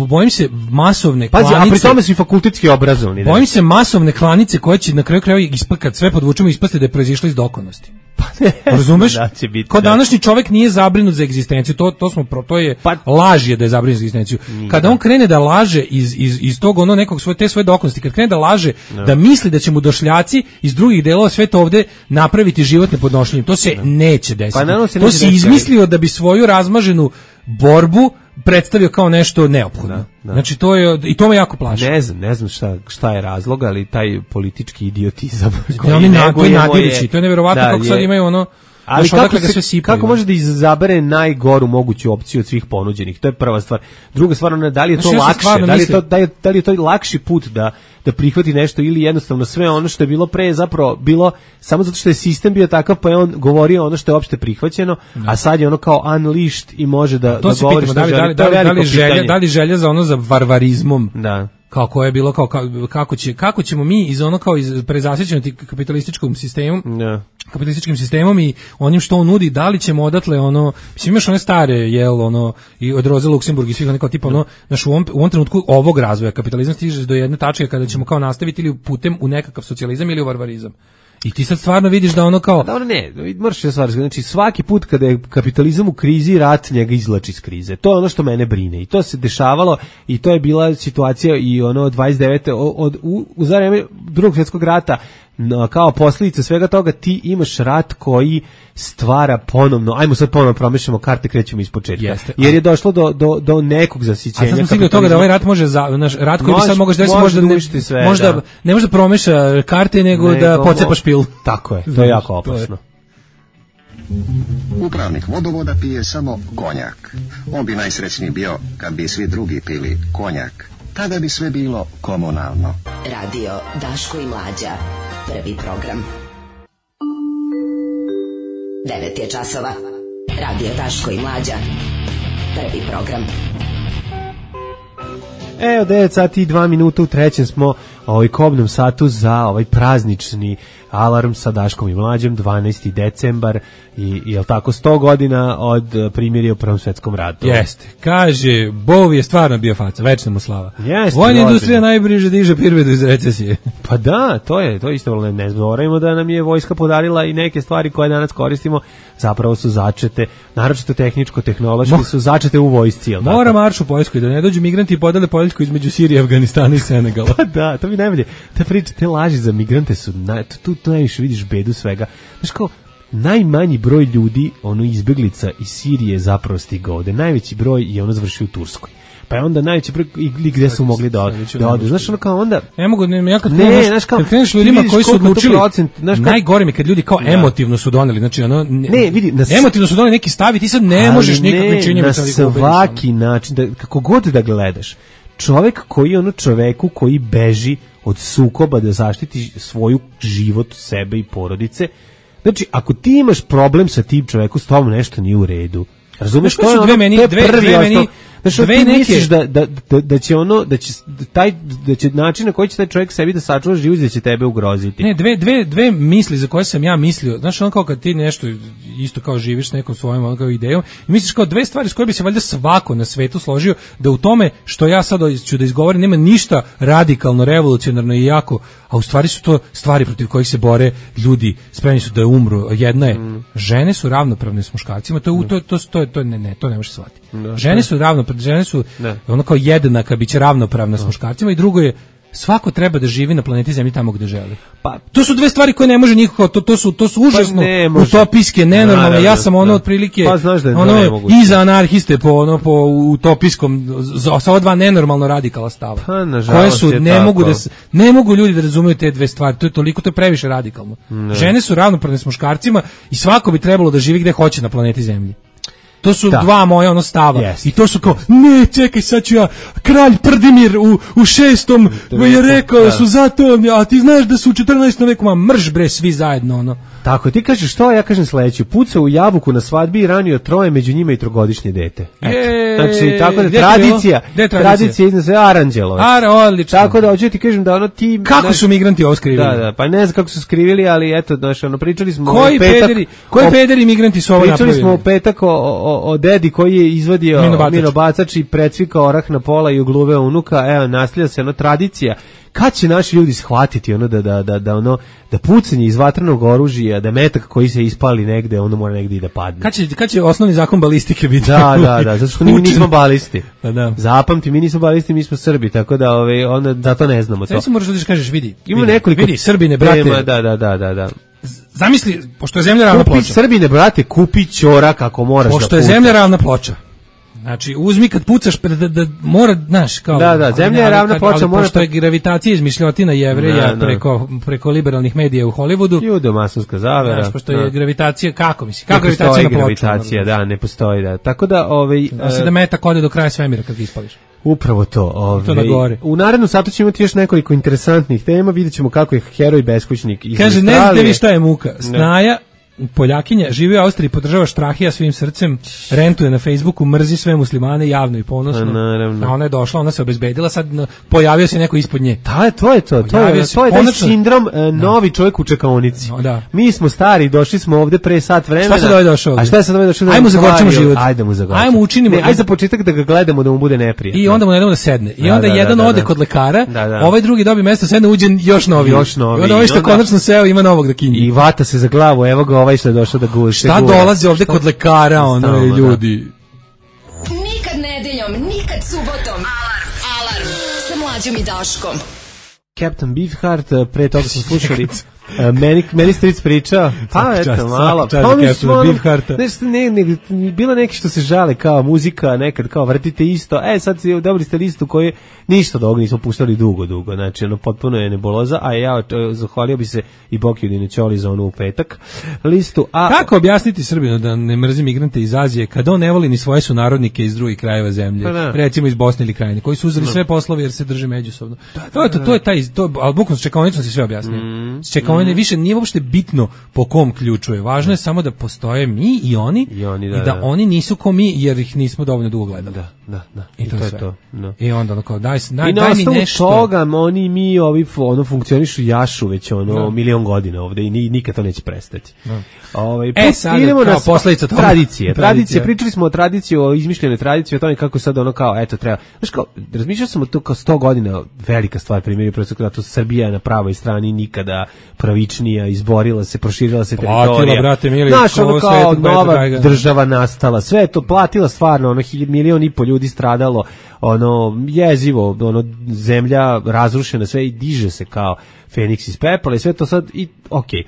bojim se masovne klanice. A pri tome su i fakultetski obrazovni. Bojim se masovne klanice koje će na kraju krajeva kad sve podvučemo ispasti da je proizišla iz dokonosti. Razumeš? Kao današnji čovjek nije zabrinut za egzistenciju, to je laž je da je zabrinut za egzistenciju. Kada on krene da laže iz tog nekog te svoje dokonosti, kad krene da laže, da misli da će mu došljaci iz drugih delova sveta ovde napraviti život nepodnošljivim, to se neće desiti. To si izmislio da bi svoju razmaženu borbu predstavio kao nešto neophodno. Znači to je i to me jako plaši. Ne znam šta je razlog, ali taj politički idiotizam. To je neverovatno kako sad imaju ono. Ali kako može da izabere najgoru moguću opciju od svih ponuđenih? To je prva stvar. Druga stvar, da li je to lakše? Da li je to lakši put da prihvati nešto ili jednostavno sve ono što je bilo pre zapravo bilo samo zato što je sistem bio takav pa je on govorio ono što je opšte prihvaćeno, a sad je ono kao unleashed i može da govori što želi. Da li želja za ono za varvarizmom? Da. Kao koje je bilo kako ćemo mi iz ono kao iz prezasićenosti kapitalističkim sistemom i onim što on nudi, da li ćemo odatle ono, mislim imaš one stare i od Roze Luksemburg i svih ono kao tipa ono, znaš, u ovom trenutku ovog razvoja kapitalizam stiže do jedne tačke kada ćemo kao nastaviti ili putem u nekakav socijalizam ili u varvarizam. I ti sad stvarno vidiš da ono kao... Da ono ne, moraš je stvar, znači svaki put kada je kapitalizam u krizi, rat njega izvlači iz krize. To je ono što mene brine i to se dešavalo i to je bila situacija i ono 29. U za vreme Drugog svjetskog rata, kao posljedica svega toga ti imaš rat koji stvara ponovno, ajmo sad ponovno promešamo karte, krećemo iz početka. Jer je došlo do nekog zasićenja. A sad smo stigli od toga da ovaj rat može, rat koji bi sad mogao možda ne može da promeša karte, nego da pocepa špil. Tako je, to je jako opasno. Upravnik vodovoda pije samo konjak. On bi najsrećniji bio kad bi svi drugi pili konjak. Tada bi sve bilo komunalno. Radio Daško i Mlađa. Prvi program. 9 je časova. Radio Daško i Mlađa. Prvi program. Evo 9 sati i 2 minuta, u trećem smo kobnom satu za ovaj praznični alarm sa Daškom i Mlađom, 12. decembar i jel tako 100 godina od primirja u Prvom svetskom ratu. Jeste, kaže, Bov je stvarno bio faca, večna mu slava. Jeste, vojna industrija najbliže diže privredu iz recesije. Pa da, to je isto, ne zaboravimo da nam je vojska podarila i neke stvari koje danas koristimo, zapravo su začete, naročito tehničko-tehnološki su začete u vojsci. Mora marš u Poljskoj, da ne dođu migranti i podele Poljsku između Sirije, Afganistana i Senegala. Pa da, to mi najbolje, te priče, te laži za migrante su, tu najviše vidiš bedu svega. Znaš kao, najmanji broj ljudi, izbeglica iz Sirije zapravo stigao ovde. Najveći broj je završio u Turskoj. Pa je onda najveći broj gde su mogli da odu. Znaš, ono kao onda... Ne mogu, ja kad kreneš ljudima koji su odlučili, najgore mi kad ljudi kao emotivno su doneli, znači emotivno su doneli neki stav i ti sad ne možeš nikakvim činjenjem. Na svaki način, kako god da gledaš, čovek koji čoveku koji beži od sukoba da zaštiti svoju život, sebe i porodice. Znači, ako ti imaš problem sa tim čovekom, s tobom nešto nije u redu. Razumeš, to je prvi. Znači, ti misliš da će način na koji će taj čovjek sebi da sačuva život, da će tebe ugroziti. Ne, dve misli za koje sam ja mislio. Znaš, kao kad ti nešto isto kao živiš s nekom svojom kao idejom i misliš kao dve stvari s koje bi se valjda svako na svetu složio, da u tome što ja sad ću da izgovorim nema ništa radikalno, revolucionarno i jako, a u stvari su to stvari protiv kojih se bore ljudi, spremni su da umru. Jedna je, žene su ravnopravne s muškarcima, to ne može shvatiti. Žene su ravnopravne, žene su ono kao jednaka, biće ravnopravna s muškarcima i drugo je, svako treba da živi na planeti Zemlji tamo gde želi. Pa to su dve stvari koje ne može nikako, to su užasno utopijske, nenormalne. Ja sam otprilike iza anarhiste po utopijskom sa ova dva nenormalno radikala stava. Koje su ne mogu ljudi da razumeju te dve stvari. To je previše radikalno. Žene su ravnopravne s muškarcima i svako bi trebalo da živi gde hoće na planeti Zemlji. To su dva moja stava. I to su kao, ne, čekaj, sad ću ja, kralj Prdimir u 6. je rekao da su zato, a ti znaš da su u 14. veku, mrš bre, svi zajedno, Tako, ti kažeš što, ja kažem sledeću, pucao u jabuku na svadbi i ranio 3, među njima i 3-godišnje dete. Znači, tako da tradicija iznad sve Aranđelovac. Odlično. Tako da, hoću ti kažem da ti... Kako su migranti ovo skrivili? Da, pa ne znam kako su skrivili, ali eto, pričali smo... Koji pederi migranti su ovo napravili? Pričali smo u petak o dedi koji je izvadio minobacač i precvikao orah na pola i ugluveo unuka, evo, naslija se tradicija. Kad će naši ljudi shvatiti da pucanje iz vatrenog oružja, da metak koji se ispali negde, mora negde i da padne. Kad će osnovni zakon balistike biti? Da, zato što mi nismo balisti. Zapamti, mi nismo balisti, mi smo Srbi, tako da onda zato ne znamo to. Sve se moraš da kažeš, vidi, Srbine, brate. Da. Zamisli, pošto je zemlja ravna ploča. Srbine, brate, kupi ćorak ako moraš da pucaš. Pošto je zemlja ravna ploča. Znači, uzmi kad pucaš da mora, znaš, kao... Da, zemlja je ravna ploča, mora... Pošto je gravitacija izmišljotina Jevreja preko liberalnih medija u Hollywoodu... Judo-masonska zavera. Znaš, pošto je gravitacija, kako gravitacija na ploču? Gravitacija, da, ne postoji, da. Tako da, se da metak ode do kraja svemira kad ga ispališ. Upravo to. U narednom satu ćemo imati još nekoliko interesantnih tema, vidjet ćemo kako je heroj beskućnik iz Kaže, ne znate vi šta je muka. Snaja, Poljakinja, živi u Austriji, podržava Štrahija svim srcem, rentuje na Facebooku, mrzi sve muslimane javno i ponosno. Naravno. A ona je došla, ona se obezbedila, sad pojavio se neko ispod nje. To je taj sindrom novi čovjek u čekaonici. Da. Mi smo stari, došli smo ovde pre sat vremena. Šta se ovaj došao ovde? A šta je sad ovaj došao? Ajmo zagorčimo život. Ajde učinimo. Ajde za početak da ga gledamo da mu bude neprijatno. I onda mu ne damo da sedne. I onda jedan ode kod lekara, ovaj drugi dobije mesto, sedne, uđe još novi. I onda ovaj što konačno seo ima novog da kinji. I vata se za glavu, evo ga ovaj što je došao da guši. Šta dolazi ovde kod lekara, ljudi? Nikad nedeljom, nikad subotom. Alarm sa Mlađom i Daškom. Captain Beefheart, pre toga smo slušali meni stric priča, pa eto malo, bilo neki što se žale kao muzika, nekad kao vrtite isto, sad dobili ste listu koju ništa od ovoga nismo puštali dugo, znači potpuno je nebuloza, a ja zahvalio bi se i Bokiju Dinećoli za onu u petak listu. Kako objasniti Srbinu da ne mrzi migrante iz Azije kada on ne voli ni svoje sunarodnike iz drugih krajeva zemlje, recimo iz Bosne ili Krajine, koji su uzeli sve poslove jer se drže međusobno. To je taj, ali bukvalno s čekaonicom si sve objasnio. S čekaonicom više nije uopšte bitno po kom ključu je. Važno je samo da postoje mi i oni i da oni nisu ko mi jer ih nismo dovoljno dugo gledali. Da. I to je to. I onda ono kao daj mi nešto. Toga oni mi ovi funkcionišu jašu već milion godina ovde i nikad to neće prestati. Sad idemo na posledica toga. Tradicije. Pričali smo o tradiciji, o izmišljenoj tradiciji, o tome kako sad kao eto treba. Znaš kao, razmišljao sam o to kao 100 godina velika stvar, primjer da to Srbija je na pravoj strani nikada pravičnija, izborila se, proširila se teritorija. Brate mili, znaš, kao nova država nastala, sve je to platila stvarno, 1,5 miliona ljudi stradalo, jezivo, zemlja razrušena, sve i diže se kao Feniks iz pepela i sve to sad i okej.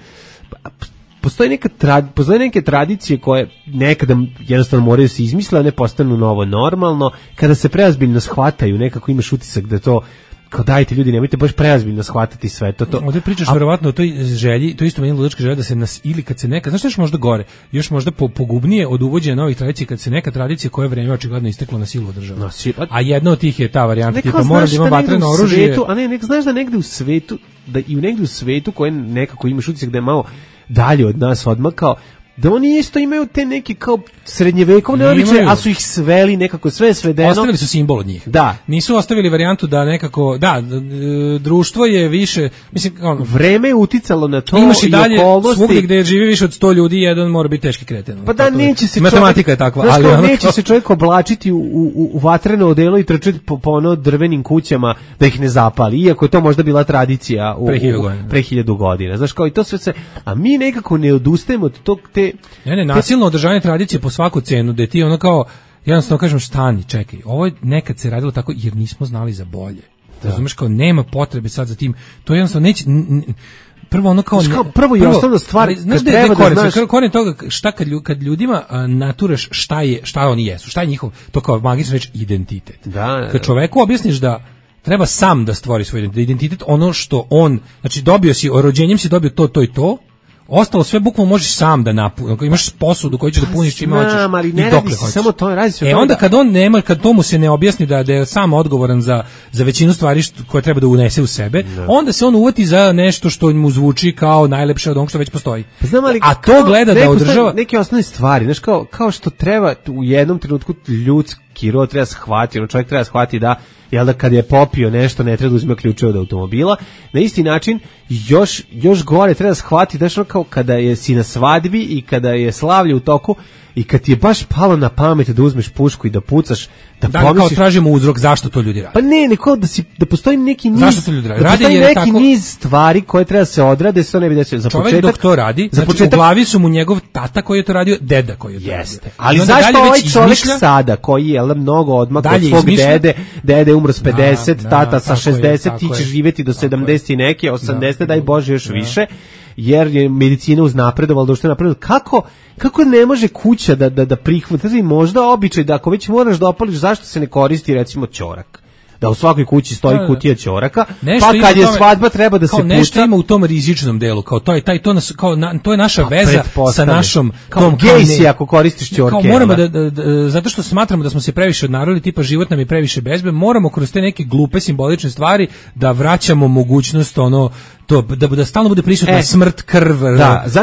Postoje neke tradicije koje nekada jednostavno moraju se izmisliti, a ne postanu novo normalno, kada se preozbiljno shvataju, nekako imaš utisak da to kao dajte ljudi, nemojte baš preozbiljno shvatati sve to. Ovdje pričaš verovatno o toj želji, to isto meni ludačka želja da se nas, ili kad se neka, znaš što još možda gore, još možda pogubnije od uvođenja novih tradicija, kad se neka tradicija koja je vreme očigledno isteklo na silu održava. A jedna od tih je ta varijanta, tipa mora da ima vatreno oružje. Znaš da negde u svetu, koje nekako imaš utisak da je malo dalje od nas odmakao, da oni isto imaju te neke kao srednjevekovne običaje, a su ih sveli nekako sve svedeno. Ostavili su simbol od njih. Da. Nisu ostavili varijantu da nekako, društvo je više, mislim, vreme je uticalo na to imaš i dalje svugdje gdje živi više od 100 ljudi, jedan mora biti teški kreten. Pa da, neće se matematika je takva, ali neće se čovjek oblačiti u vatreno odelo i trčati po drvenim kućama da ih ne zapali, iako je to možda bila tradicija pre 1000 godina. Znaš, kao i to sve se, a mi nekako ne odustajemo od tog nasilno održavanje tradicije po svaku cenu, da ti kao, jednostavno kažem, stani, čekaj, ovo je nekad se radilo tako jer nismo znali za bolje. Razumeš, kao nema potrebe sad za tim, to jednostavno neće, prvo i osnovna stvar, znaš da treba da znaš, koren toga, šta kad ljudima naturaš šta oni jesu, šta je njihov, to kao magična reč, identitet. Kad čoveku objasniš da treba sam da stvori svoj identitet, ono što on, znači dobio si, rođenjem si dobio to i to, ostalo sve bukvalno možeš sam da napuniš. Imaš posudu koju ćeš da puniš čime hoćeš i dokle hoćeš. Samo to radi se. Onda kad on nema, kad to mu se ne objasni da je sam odgovoran za većinu stvari koje treba da unese u sebe, onda se on uvati za nešto što mu zvuči kao najlepše od onog što već postoji. A to gleda da održava neke osnovne stvari, znaš, kao što treba u jednom trenutku ljudski rod treba shvatiti, čovjek treba shvatiti da kad je popio nešto ne treba da uzme ključeve od automobila. Na isti način još gore treba shvatiti da kao kada si na svadbi i kada je slavlje u toku i kad ti je baš palo na pamet da uzmeš pušku i da pucaš, da kao tražimo uzrok zašto to ljudi rade. Pa neko da postoji neki niz, zašto to ljudi rade? Da postoji neki niz stvari koje treba se odrade, se to ne bi desilo. Za čovjek dok to radi, u glavi su mu njegov tata koji je to radio, deda koji je to radio. Ali zašto ovaj čovjek sada koji je mnogo odmakao od svog dede umro s 50, tata sa 60, ti ćeš živjeti do 70 i neke, 80, daj Bože još više. jer je medicina uznapredovala, društvo napredovala. Kako ne može kuća da prihvati, možda običaj da ako već moraš da opališ, zašto se ne koristi recimo ćorak? Da u svakoj kući stoji kutija ćoraka, pa kad je svadba treba da se puca. Nešto ima u tom rizičnom delu, kao to je naša veza sa našom tom gejsi ako koristiš ćorke. Kao moramo zato što smatramo da smo se previše odnarodili, tipa život nam je previše bezbe, moramo kroz te neke glupe simbolične stvari da vraćamo mogućnost to da stalno bude prisutna smrt, krv,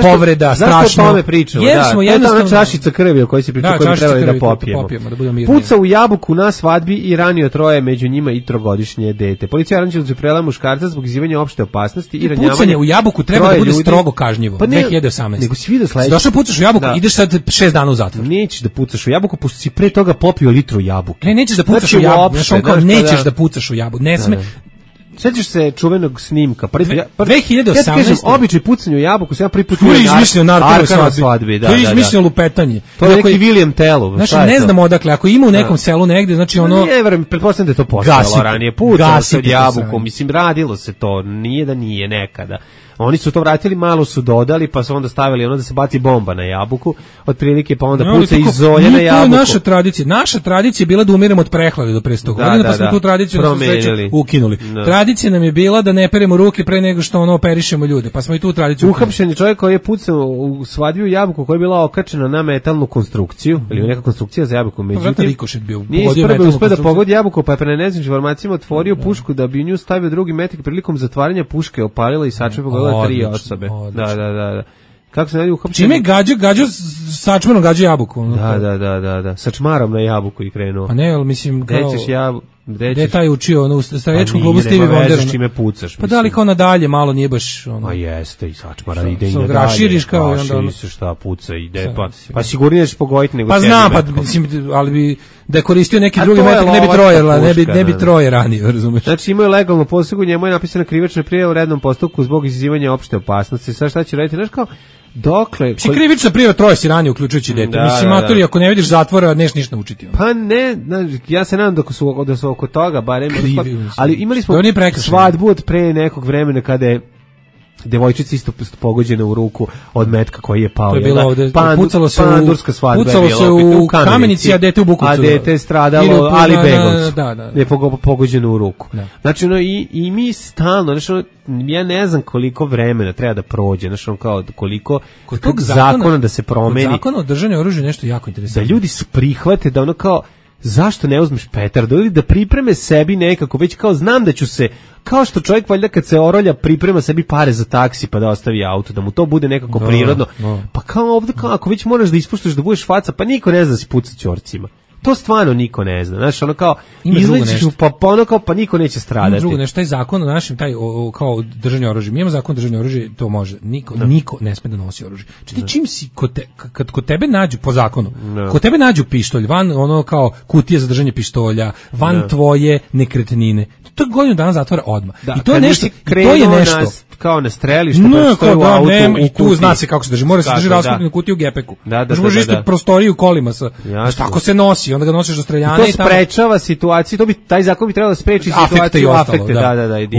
povreda, strašno. Zašto o tome pričamo? Jer smo jednostavno čašica krvi o kojoj se priča, koju treba da popijemo. Puca u jabuku na svadbi i ranio 3 među njima i 3-godišnje dete. Policija Aranđelovcu prela muškarca zbog izazivanja opšte opasnosti i ranjavanja. Pucanje u jabuku treba da bude strogo kažnjivo. 2018. Nego si vidio sledeće. Došao pucaš u jabuku, ideš sad 6 dana u zatvor. Nećeš da pucaš u jabuku, pošto si pre toga popio litru jabuke. Ne, nećeš da pucaš u jabuku. Nećeš da pucaš u jabuku. Ne sme. Sećaš se čuvenog snimka? 2018. Ja kažem, običaj pucanja u jabuku, se ja prvi put to je izmislio na svadbi. To je izmislio lupetanje. To je neki William Tell. Znači, ne znamo odakle, ako ima u nekom selu negde, znači ono... Ne, verujem, pretpostavljam da je to postojalo ranije. Pucalo se od jabuku, mislim, radilo se to, nije da nije nekada. Oni su to vratili, malo su dodali, pa su onda stavili da se baci bomba na jabuku, otprilike pa onda puca iz zolje na jabuku. To je naša tradicija. Naša tradicija je bila da umiremo od prehlade do pre 100 godina, pa smo tu tradiciju na sreću ukinuli. Tradicija nam je bila da ne peremo ruke pre nego što operišemo ljude, pa smo i tu tradiciju ukinuli. Uhapšen je čovjek koji je pucao u svadbi u jabuku koja je bila okačena na metalnu konstrukciju, ili neka konstrukcija za jabuku, međutim nije uspeo da pogodi jabuku, pa je pre neznanim informacijama otvorio pušku da bi u nju stavio drugi metak, prilikom zatvaranja puške opalila i sačmala 3 osobe. Da. Kako se ne uhapšen? Čime gađo sačmarom gađa jabuku? Da. Sačmarom na jabuku i krenuo. Pa ne, ali mislim kao... Dećeš jabuku. Gde taj učio u staračkom klubu Stevie Wonder? Čime pucaš. Pa da li kao nadalje, malo nije baš... A jeste, i sačmara ide i nadalje. Raširiš kao i onda... Raširi se šta puca, ide, pa sigurnije ćeš pogoditi nego... Pa znam, pa mislim, ali bi da je koristio neki drugi metak, ne bi troje ranio, razumeš? Znači imao je legalno posegu, njemu je napisana krivična prijava u rednom postupku zbog izazivanja opšte opasnosti. Sad šta će raditi? Znaš kao, dokle... Krivična prijava, 3 si ranio, uključujući dete. Mislim, matori, ako ne vidiš zatvora, neš ništa naučiti. Pa ne, ja se nadam da su oko toga, barem... Ali imali smo svadbu od pre nekog vremena kada je devojčica isto pogođena u ruku od metka koji je pao. To je bilo ovde, pucalo se u Kamenici, a dete u Bukovcu. A dete je stradalo, ali Begovcu. Je pogođeno u ruku. Znači, i mi stalno, znači, ja ne znam koliko vremena treba da prođe, znači, kao koliko tog zakona da se promeni. Zakon o držanju oružja je nešto jako interesantno. Da ljudi su prihvate da ono kao, zašto ne uzmeš petardu ili da pripreme sebi nekako, već kao znam da ću se, kao što čovjek valjda kad se orolja priprema sebi pare za taksi pa da ostavi auto, da mu to bude nekako prirodno. Pa kao ovdje, kao ako već moraš da ispuštaš da budeš faca, pa niko ne zna da si puca ćorcima. To stvarno niko ne zna. Znaš, ono kao, izlećiš pa niko neće stradati. Ima drugo nešto, taj zakon o našem, kao držanje oružja. Mi imamo zakon o držanju oružja, to može. Niko ne sme da nosi oružje. Znači, čim si, kad kod tebe nađu, po zakonu, kod tebe nađu pištolj, van ono kao kutije za držanje pištolja, van tvoje nekretnine, to je godinu dana zatvora odmah. I to je nešto, kao na strelište, pa stoji u autu, i tu zna se kako se drži. Mora se drži raskupljenu kutiju u gepeku. Može ispred prostoriju kolima. Tako se nosi, onda ga nosiš do streljana i to sprečava situaciju, taj zakon bi trebalo da spreči situaciju afekte.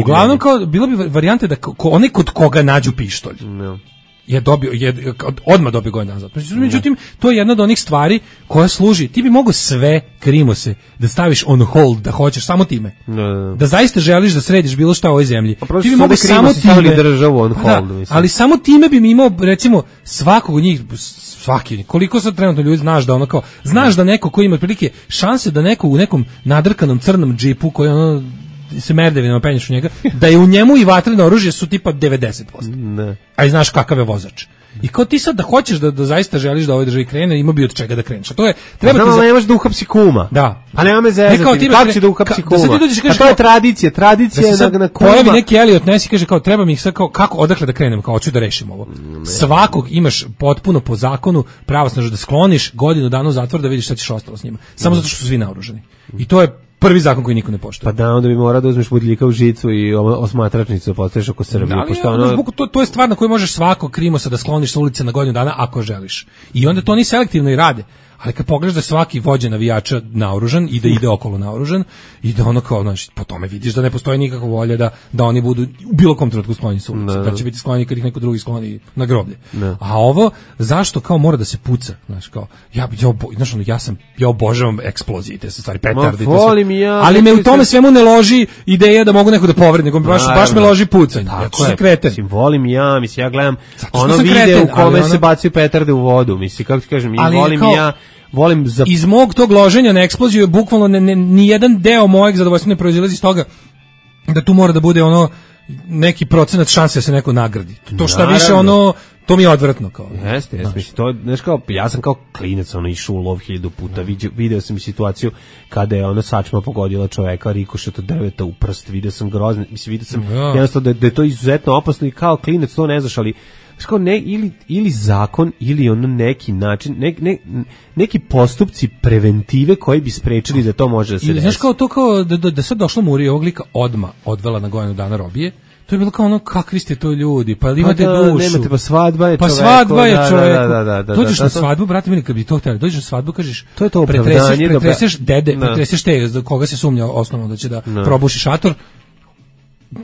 Uglavnom, bilo bi varijante da onaj kod koga nađu pištolj je odmah dobio godinu dana zatvora. Međutim, to je jedna od onih stvari koja služi. Ti bi mogao sve krimose da staviš on hold, da hoćeš samo time. Da zaista želiš da središ bilo šta u ovoj zemlji. Ti bi mogao samo time državu on hold. Ali samo time bi mi imao, recimo, svakog od njih, koliko sad trenutno ljudi znaš da ono kao, znaš da neko ko ima otprilike šanse da neko u nekom nadrkanom crnom džipu koji ono se merdevinama penješ u njega, da je u njemu i vatreno oružje su tipa 90%. A i znaš kakav je vozač. I kao ti sad da hoćeš da zaista želiš da ovoj državi krene, ima bi od čega da kreneš. A to je, treba ti nemaš da uhapsi kuma. Da. A nema me zezati, kako će da uhapsi kuma? A to je tradicija je na kuma. Pojavi neki Elliot Ness i kaže kao, treba mi ih sad kao, kako, odakle da krenem, kao, hoću da rešim ovo. Svakog imaš potpuno po zakonu, pravosnažno da skloniš godinu dana u zatvor da vidiš šta ćeš ostalo s njima. Samo zato što su svi naoružani. I to je prvi zakon koji niko ne poštuje. Pa da, onda bi morao da uzmeš budljika u žicu i osmatračnicu postaviš oko Srbije. To je stvar na koju možeš svakog krimosa da skloniš sa ulice na godinu dana ako želiš. I onda to oni selektivno i rade. Ali kad pogledaš da svaki vođa navijača naoružan i da ide okolo naoružan i da ono kao, znači, po tome vidiš da ne postoji nikakva volja da oni budu u bilo kom trenutku sklonjeni sa ulice, da će biti sklonjeni kad ih neko drugi skloni na groblje. A ovo, zašto kao mora da se puca, znaš, kao, ja obožavam eksplozije, te stvari, petardi, ali me u tome svemu ne loži ideja da mogu neko da povredi, nego baš me loži pucanje. Tako je, mislim, volim ja gledam ono video u kome se bacaju petarde u vodu, mislim, kako ti kažem, volim iz mog tog loženja na eksploziju je bukvalno ni jedan deo mojeg zadovoljstva ne proizilazi iz toga da tu mora da bude ono neki procenat šanse da se neko nagradi. To šta više ono, to mi je odvratno kao. Jeste, mislim, to, znaš, kao, ja sam kao klinac išao u lov 1000 puta, video sam i situaciju kada je ona sačma pogodila čoveka rikošet od drveta u prst, video sam grozno, mislim, video sam jednostavno da je to izuzetno opasno i kao klinac to ne znaš, ali kao ili zakon ili ono neki način, neki postupci preventive koji bi sprečili da to može da se desi. Znaš kao to kao da sad došla Murija ovog lika odmah odvela na godinu dana robije, to je bilo kao ono, kakvi ste to ljudi, pa imate dušu. Nemate, pa svadba je čoveku. Pa svadba je čoveku. Dođeš na svadbu, brate mili, kad bi to htjeli, dođeš na svadbu, kažeš, to je to opravdanje. Pretreseš dede, pretreseš te, za koga se sumnja osnovno da će da probuši šator,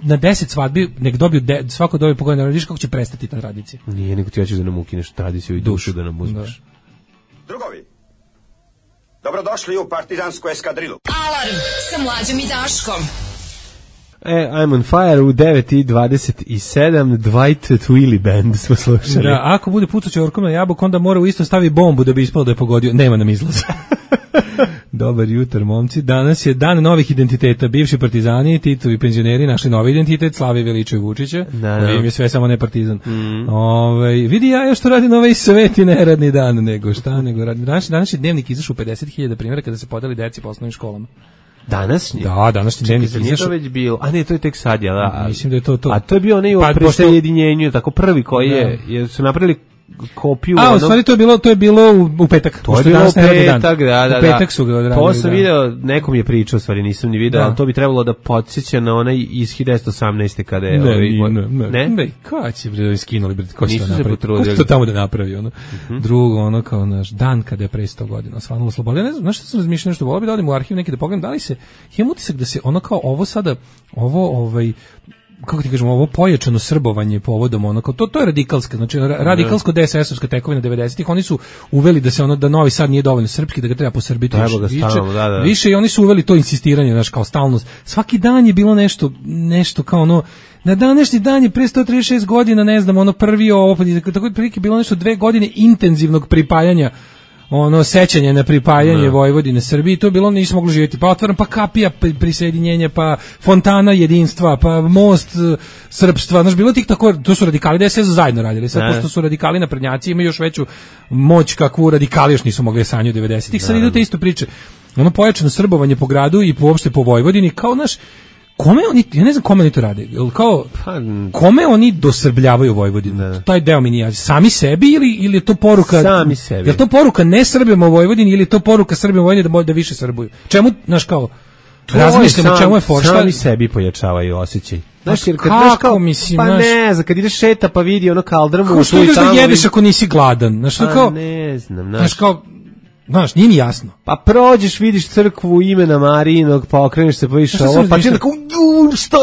na 10 svadbi, nek dobiju svako dobije pogodno, ne vidiš kako će prestati ta tradicija. Nije, nego ti hoćeš da nam ukineš tradiciju i dušu da nam uzmeš. Drugovi, dobrodošli u partizansku eskadrilu. Alarm sa Mlađom i Daškom. I'm on fire u 9:27, Dwight Twilly Band smo slušali. Da, ako bude pucaće orkom na jabuku, onda mora u isto stavi bombu da bi ispalo da je pogodio. Nema nam izlaza. Dobar jutar, momci. Danas je dan novih identiteta. Bivši partizani, Titovi penzioneri našli novi identitet, Slave Veliča i Vučića. Koji im je sve samo ne partizan. Vidi ja što radim ovaj sveti neradni dan, nego radim. Danas je dnevnik izašao u 50.000 primjera kada se podeli deci po osnovnim školama. Današnji? Da, današnji dnevnik izašao. Nije to već bilo. A ne, to je tek sad, ja da. Mislim da je to. A to je bio onaj u presajedinjenju, tako prvi koji je, su napravili kopiju. U stvari to je bilo u petak. To je bilo u petak, da. U petak su ga odradili. To sam video, nekom je pričao, stvari nisam ni video, ali to bi trebalo da podsjeća na onaj iz 1918. kada je... Ne? Kada će bre skinuli, ko će to napraviti? Ko će to tamo da napravi? Drugo, ono kao naš dan kada je pre 100 godina osvanulo sloboda. Ne znam, znaš što sam razmišljao, nešto volio bi da odim u arhiv neki da pogledam, da li se, imam utisak da se ono kao ovo sada, kako ti kažemo, ovo pojačano srbovanje povodom onako, to je radikalska, znači radikalsko DSS-ovska tekovina 90-ih, oni su uveli da se ono, da Novi Sad nije dovoljno srpski, da ga treba posrbiti više i oni su uveli to insistiranje, znaš, kao stalnost. Svaki dan je bilo nešto kao ono, na današnji dan je pre 136 godina, ne znam, ono prvi ovo, tako je prilike bilo nešto 2 godine intenzivnog pripajanja, sećanje na pripajanje Vojvodine Srbiji, to je bilo, nismo mogli živjeti, pa otvaram, pa kapija prisjedinjenja, pa fontana jedinstva, pa most srpstva, znaš, bilo tih tako, to su radikali DSS zajedno radili, sad pošto su radikali naprednjaci, imaju još veću moć kakvu radikali još nisu mogli sanjati u 90-ih, sad idu te isto priče, pojačano srbovanje po gradu i uopšte po Vojvodini, kao naš, kome oni, ja ne znam kome oni to rade, kao, kome oni dosrbljavaju Vojvodinu, taj deo mi nije, sami sebi ili je to poruka, sami sebi, je to poruka ne Srbima u Vojvodini ili je to poruka Srbima u Vojvodini da više srbuju, čemu, znaš kao, razmišljamo čemu je foršta, sami sebi pojačavaju osjećaj. Znaš, jer kad kako, mislim, pa ne znam, kad ideš šeta pa vidi ono kaldrmu, kako što ideš da jedeš ako nisi gladan, znaš, kao, ne znam, znaš, kao, znaš, nije mi jasno. Pa prođeš, vidiš crkvu imena Marijinog, pa okreneš se, pa vidiš ovo, pa ti tako, što,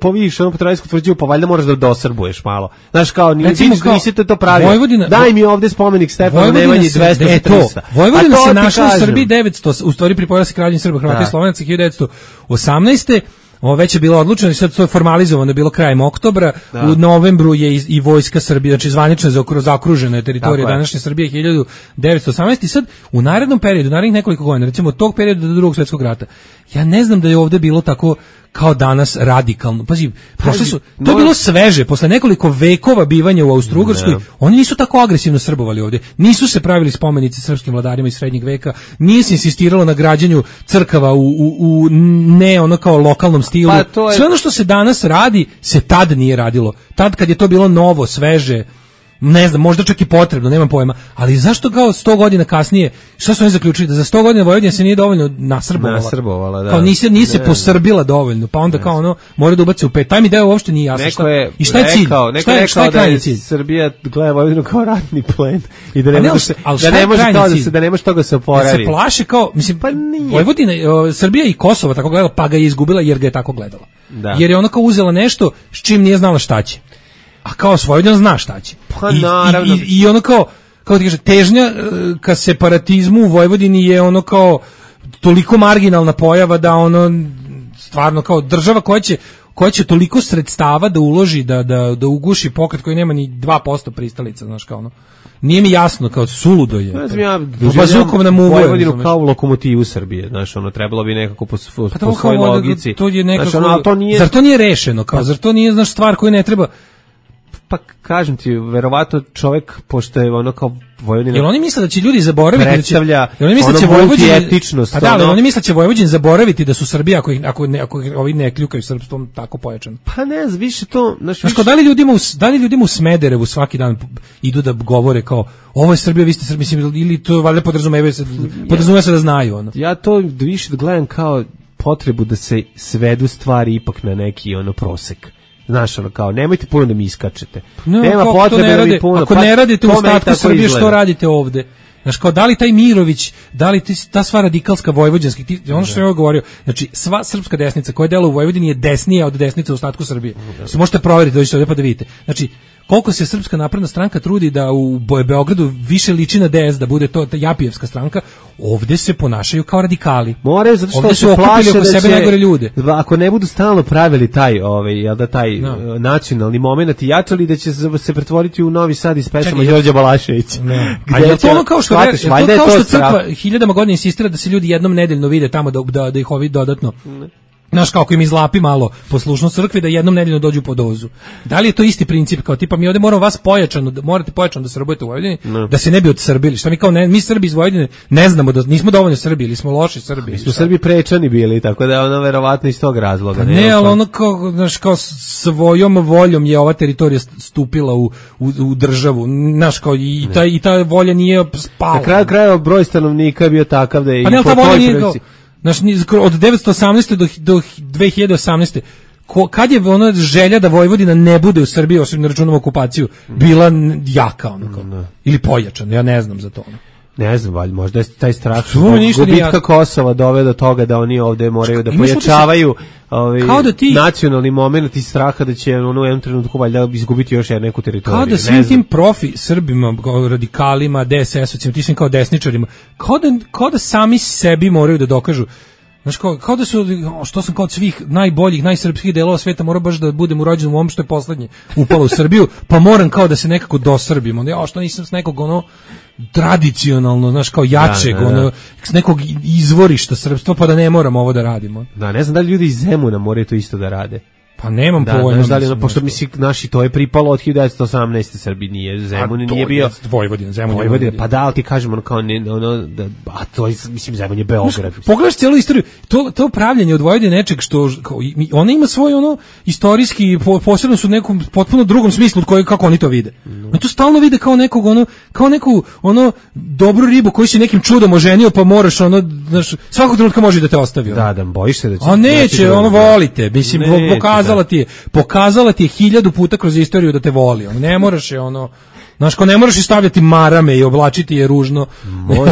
pa vidiš ono Petrojsku tvrđavu, pa valjda moraš da dosrbuješ malo. Znaš, kao, nisi to pravio. Daj mi ovde spomenik Stefanu Nemanji 200-300. Vojvodina se našla u Srbiji 900, u stvari pripojila se Kraljevini Srba, Hrvata i Slovenaca 1918. Ovo već je bilo odlučeno i sad to je formalizovano, je bilo krajem oktobra, u novembru je i vojska Srbije, znači zvanično zaokružena je teritorija današnje Srbije 1918. I sad u narednom periodu, narednih nekoliko godina, recimo od tog perioda do Drugog svjetskog rata, ja ne znam da je ovde bilo tako kao danas radikalno. Pazi, to je bilo sveže, posle nekoliko vekova bivanja u Austro-Ugarskoj, oni nisu tako agresivno srbovali ovdje, nisu se pravili spomenici srpskim vladarima iz srednjeg veka, nije se insistiralo na građenju crkava u ne ono kao lokalnom stilu. Sve ono što se danas radi, se tad nije radilo. Tad kad je to bilo novo, sveže, ne znam, možda čak i potrebno, nemam pojma, ali zašto kao 100 godina kasnije, šta su oni zaključili, da za 100 godina Vojvodina se nije dovoljno nasrbovala, da. Kao nije se posrbila dovoljno, pa onda kao ono, mora da ubace u pet, taj mi deo uopšte nije jasno, i šta je cilj, šta je krajnji cilj? Srbija gleda Vojvodinu kao ratni plen i da ne može toga se oporaviti. Se plaše kao, mislim, Vojvodina, Srbija i Kosovo tako gledala, pa ga je izgubila jer ga je tako gledala. Da. Jer je ona kao uzela nešto s čim nije znala šta će. A kao Vojvodina zna šta će. Pa naravno. I ono kao ti kaže, težnja ka separatizmu u Vojvodini je ono kao toliko marginalna pojava da ono stvarno kao država koja će toliko sredstava da uloži da uguši pokret koji nema ni 2% pristalica, znaš kao ono. Nije mi jasno, kao suludo je. Ne znam, ja bazukom nam uvojim Vojvodinu kao lokomotivu Srbije, znaš, ono, trebalo bi nekako po svojoj logici. To je nekako, znaš, ono, to nije... Zar to nije rešeno, kao, zar to nije, znaš, stvar koju ne treba... Pa kažem ti, verovatno čovjek, pošto je ono kao Vojvodina... Jel oni misle da će ljudi zaboraviti... Predstavlja ono multietničnost. Pa da, ali oni misle da će Vojvođani zaboraviti da su Srbija, ako ovi ne kljukaju srpstvom tako pojačano. Pa ne, više to... Znaš, da li ljudima u Smederevu svaki dan idu da govore kao ovo je Srbija, vi ste Srbija, mislim, ili to valjda podrazumeva se da znaju. Ono. Ja to više gledam kao potrebu da se svedu stvari ipak na neki ono prosek. Znaš, ono kao, nemojte puno da mi iskačete. Nema potrebe da mi puno... Ako ne radite u ostatku Srbije, što radite ovde? Znaš, kao, da li taj Mirović, da li ta sva radikalska vojvođanska, ono što sam ja govorio, znači, sva srpska desnica koja dela u Vojvodini je desnija od desnice u ostatku Srbije. Se možete proveriti, dođite ovdje pa da vidite. Znači, koliko se Srpska napredna stranka trudi da u Beogradu više liči na DS, da bude to ta Japijevska stranka, ovde se ponašaju kao radikali. Moraju, zato što se plaše da sebe najgore ljude. Ako ne budu stalno pravili taj nacionalni moment i jačali, da će se pretvoriti u Novi Sad iz pesama Đorđa Balaševića. A je to ono kao što crkva hiljadama godina insistira da se ljudi jednom nedeljno vide tamo da ih ovi dodatno... Znaš, kako im izlapi malo poslušnost crkvi da jednom nedeljno dođu po dozu. Da li je to isti princip kao tipa mi ovdje moramo vas morate pojačano da se robujete u Vojvodini, da se ne bi odsrbili. Šta mi kao mi Srbi iz Vojvodine ne znamo da nismo dovoljno Srbi ili smo loši Srbi. Mi smo Srbi prečani bili, tako da je ono verovatno iz tog razloga. Ne, ali ono kao, znaš, kao svojom voljom je ova teritorija stupila u državu. Znaš, kao i ta volja nije spala. Na kraju krajeva broj stanovnika je bio takav da je pa ne, ta volja nije kao, znaš, od 1918. do 2018. Kad je ona želja da Vojvodina ne bude u Srbiji, osim na računom okupaciju, bila jaka, ono, ili pojačana, ja ne znam za to. Ono. Ne znam, valjda, možda je taj strah gubitka Kosova doveo do toga da oni ovde moraju da pojačavaju nacionalni moment i straha da će u jednom trenutku valjda izgubiti još neku teritoriju. Kao da svim tim profi Srbima, radikalima, DSS-ovcima, ti svim kao desničarima, kao da sami sebi moraju da dokažu. Znaš, kao da su, što sam kao od svih najboljih, najsrpskih delova sveta, mora baš da budem urođen u ovom što je poslednje upalo u Srbiju, pa moram kao da se nekako dosrbim. Onda, što nisam s nekog tradicionalno, znaš, kao jačeg, s nekog izvorišta srpstva, pa da ne moram ovo da radimo. Da, ne znam da li ljudi iz Zemuna moraju to isto da rade. Pa nemam pojma. Da li pošto misli naši to je pripalo od 1918. Srbiji nije Zemun nije bio Vojvodina, pa da, ali ti kažemo kao a to je, mislim, Zemun je Beograd. Pogledaš cijelu istoriju, to upravljanje od Vojvodine nečeg što ona ima svoj istorijski, posebno su u nekom potpuno drugom smislu od kojeg kako oni to vide. Oni to stalno vide kao nekog kao neku dobru ribu koju si nekim čudom oženio, pa moraš znaš, svakog trenutka može da te ostavi. Da, bojiš se da će. A neće, volite, mislim, pokazala ti je 1000 puta kroz istoriju da te voli. Ne moraš je znaš, ko ne moraš i stavljati marame i oblačiti je ružno.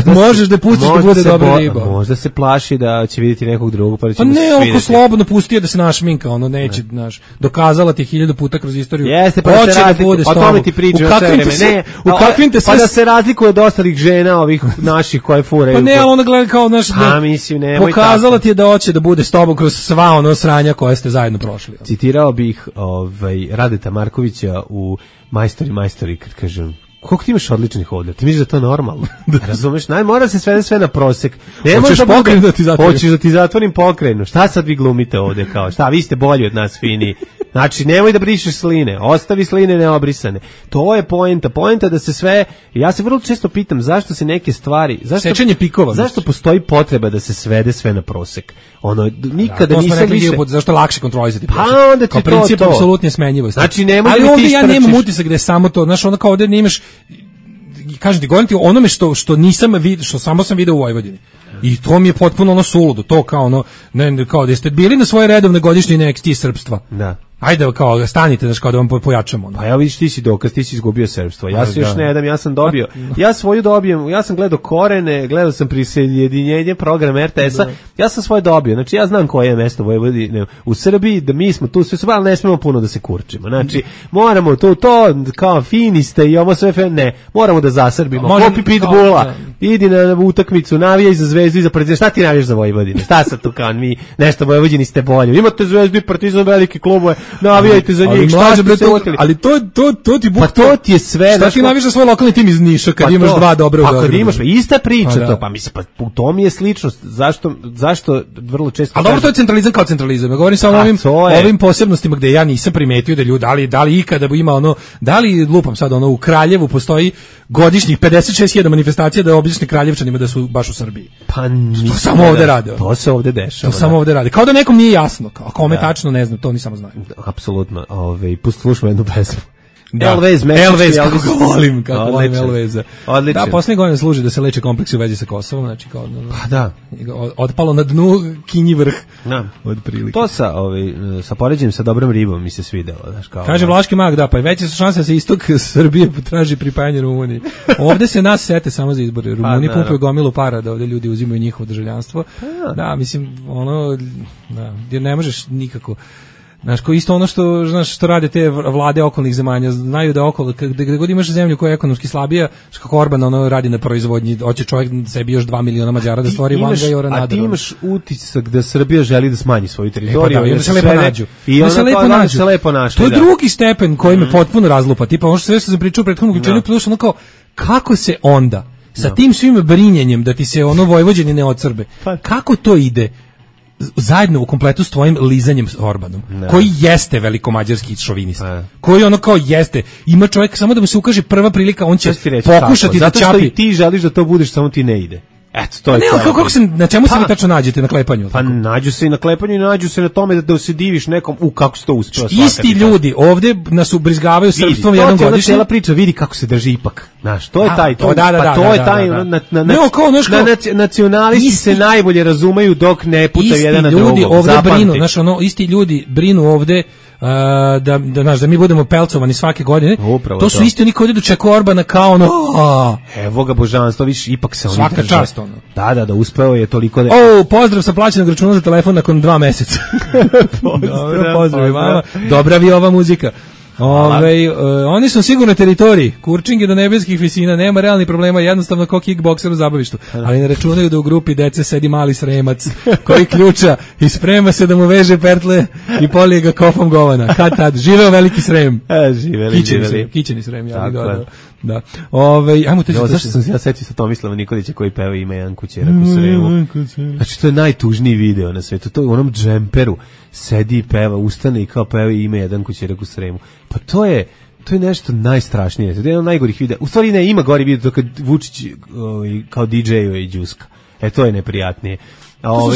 Možeš da pustiš da bude dobra riba. Možda se plaši da će vidjeti nekog drugog, pa da će mu se svidjeti. Ne, slobodno pusti je da se našminka, neće, znaš, dokazala ti je 1000 puta kroz istoriju. Jeste, pa da se razlikuje, o tome ti pričaju sve vreme. Pa da se razlikuje od ostalih žena, ovih naših koje furaju. Pa ne, ali ona gleda kao, znaš, pokazala ti je da hoće da bude s tobom kroz sva sranja koje ste zajedno prošli. Citirao bih Radeta Markovića u Majstori, kad kažem, Koliko ti imaš odličnih ovdje? Ti misliš da to normalno? Razumeš? Mora se svede sve na prosek. Hoćeš pokren da ti zatvorim? Hoćeš da ti zatvorim pokrenu. Šta sad vi glumite ovdje kao? Šta, vi ste bolji od nas, fini. Znači, nemoj da brišeš sline. Ostavi sline neobrisane. To je poenta. Poenta da se sve... Ja se vrlo često pitam zašto se neke stvari... Sečenje pikova. Zašto postoji potreba da se svede sve na prosek? Nikada nisam više... Zašto lakše kontrolisati prosek? Pa onda ti kao princip apsolutne smenjivosti. Znači, nemoj ali da ovdje ti ja nemam utisak da je samo to. Znaš, ono kao ovdje nemaš... Kažem ti, govorim ti o onome što nisam vidio, što samo sam video u Vojvodini. I to mi je potpuno ono suludo, to kao ono, kao da ste bili na svoje redovne godišnje NXT srpstva. Da. Ajde, kao, stanite, znači, kao da vam pojačamo. Pa ja vidiš, ti si dokaz, ti si izgubio srpstvo. Ja se još ne jedam, ja sam dobio. Ja svoju dobijem, ja sam gledao Korene, gledao sam prisjedinjenje program RTS-a, ja sam svoje dobio. Znači, ja znam koje je mesto Vojvodine u Srbiji, da mi smo tu sve, ali ne smemo puno da se kurčimo. Znači, moramo to, kao fini ste i ovo sve, ne, moramo da zasrbimo. Kopi pitbulla, idi na utakmicu, navijaj za Zvezdu i za Partizan. Šta ti navijaš za Vojvodine? Šta sad tu kao mi, nešto Vojvodini ste bolje. Imate Zvezdu i Partizan, velike klubove. Navijajte za njih, šta ste se oteli? Ali to ti pa to ti je sve. Šta ti navijaš za svoj lokalni tim iz Niša kad imaš dva dobra u Beogradu? Kad imaš, ista priča to, pa mislim, pa u tom je sličnost. Zašto vrlo često... A dobro, to je centralizam kao centralizam. Ja govorim samo ovim posebnostima gde ja nisam primetio da ljudi, da li ikada ima ono, da li lupam sad ono, u Kraljevu postoji godišnjih 56.000 manifestacija da obični Kraljevčanima da su baš u Srbiji. Pa to samo ovde rade. To se ovde dešava. To samo ovde rade. Kao da nekom nije jasno, kao kome tačno ne znam, to ni samo znaju. Apsolutno. Slušamo jednu pesmu. Elvez, kako volim Elveza. Odlično. Da, posljednje godine služi da se leče kompleksi u vezi sa Kosovom, znači kao pa da. Otpalo na dnu kinji vrh. Da. Od prilike. To sa poređenjem sa dobrom ribom mi se svidelo, znači kao. Kaže Vlaški mag, da, pa veće su šanse da se istok Srbije traži pripajanje Rumuniji. Ovde se nas sete samo za izbore. Rumuni pumpaju gomilu para da ovde ljudi uzimaju njihovo državljanstvo. Da, mislim, ono, da, gdje ne možeš nikako. Znaš, ko isto ono što rade te vlade okolnih zemalja, znaju da okolo, gde god imaš zemlju koja je ekonomski slabija, kako Orban ono radi na proizvodnji, hoće čovjek sebi još 2 miliona Mađara da stvori Vanga i Oranadar. A ti imaš utisak da Srbija želi da smanji svoju teritoriju. I onda se lepo nađu. I onda se lepo našli. To je drugi stepen koji me potpuno razlupa. Tipa, ono što sve što sam pričao u prethodnom uključenju, plus ono kao, kako se onda, sa tim svim brinjenjem da ti se ono Vojvođani ne ocrbe, kako to ide? Zajedno u kompletu s tvojim lizanjem s Orbanom, koji jeste velikomađarski šovinista, koji ono kao jeste, ima čovjek samo da mu se ukaže prva prilika, on će pokušati da čapi. Zato što i ti želiš da to budeš, samo ti ne ide. Eto, to je na čemu se vi tačno nađete na klepanju? Pa nađu se i na klepanju i nađu se na tome da se diviš nekom kako se to uspeo. Isti ljudi ovdje nas ubrizgavaju srpstvom jednom godišnje. Cijela priča, vidi kako se drži ipak. Znaš, to je taj. To je taj. Nacionalisti se najbolje razumeju dok ne pucaju jedan na drugog. Isti ljudi ovdje brinu, znaš, isti ljudi brinu ovdje da mi budemo pelcovani svake godine. Upravo to su isti oni koji dočekuju Orbana kao ono evo ga božanstvo, viš, ipak se oni svaka čast ono. Da, uspeo je toliko da... pozdrav sa plaćenog računa za telefon nakon 2 meseca. Pozdrav vama. Dobra vi ova muzika. Oni su sigurno teritoriji, kurčinge do nebeskih visina, nema realnih problema, jednostavno kao kickbokser u zabavištu, ali ne računaju da u grupi dece sedi mali Sremac koji ključa i sprema se da mu veže pertle i polije ga kofom govana. Kad tad, živeo veliki Srem. Kićeni Srem, ja bih dodao. Da. Ajmo te zašto sam se ja setio sa Tomislava Nikolića koji peva Ima jedan kućerak u Sremu. Znači to je najtužniji video na svetu. To je u onom džemperu sedi i peva, ustane i kao peva Ima jedan kućerak u Sremu. Pa to je nešto najstrašnije. To je jedan od najgorih videa. U stvari ne, ima gori video kad Vučić kao DJ-uje i džuska. To je neprijatnije. To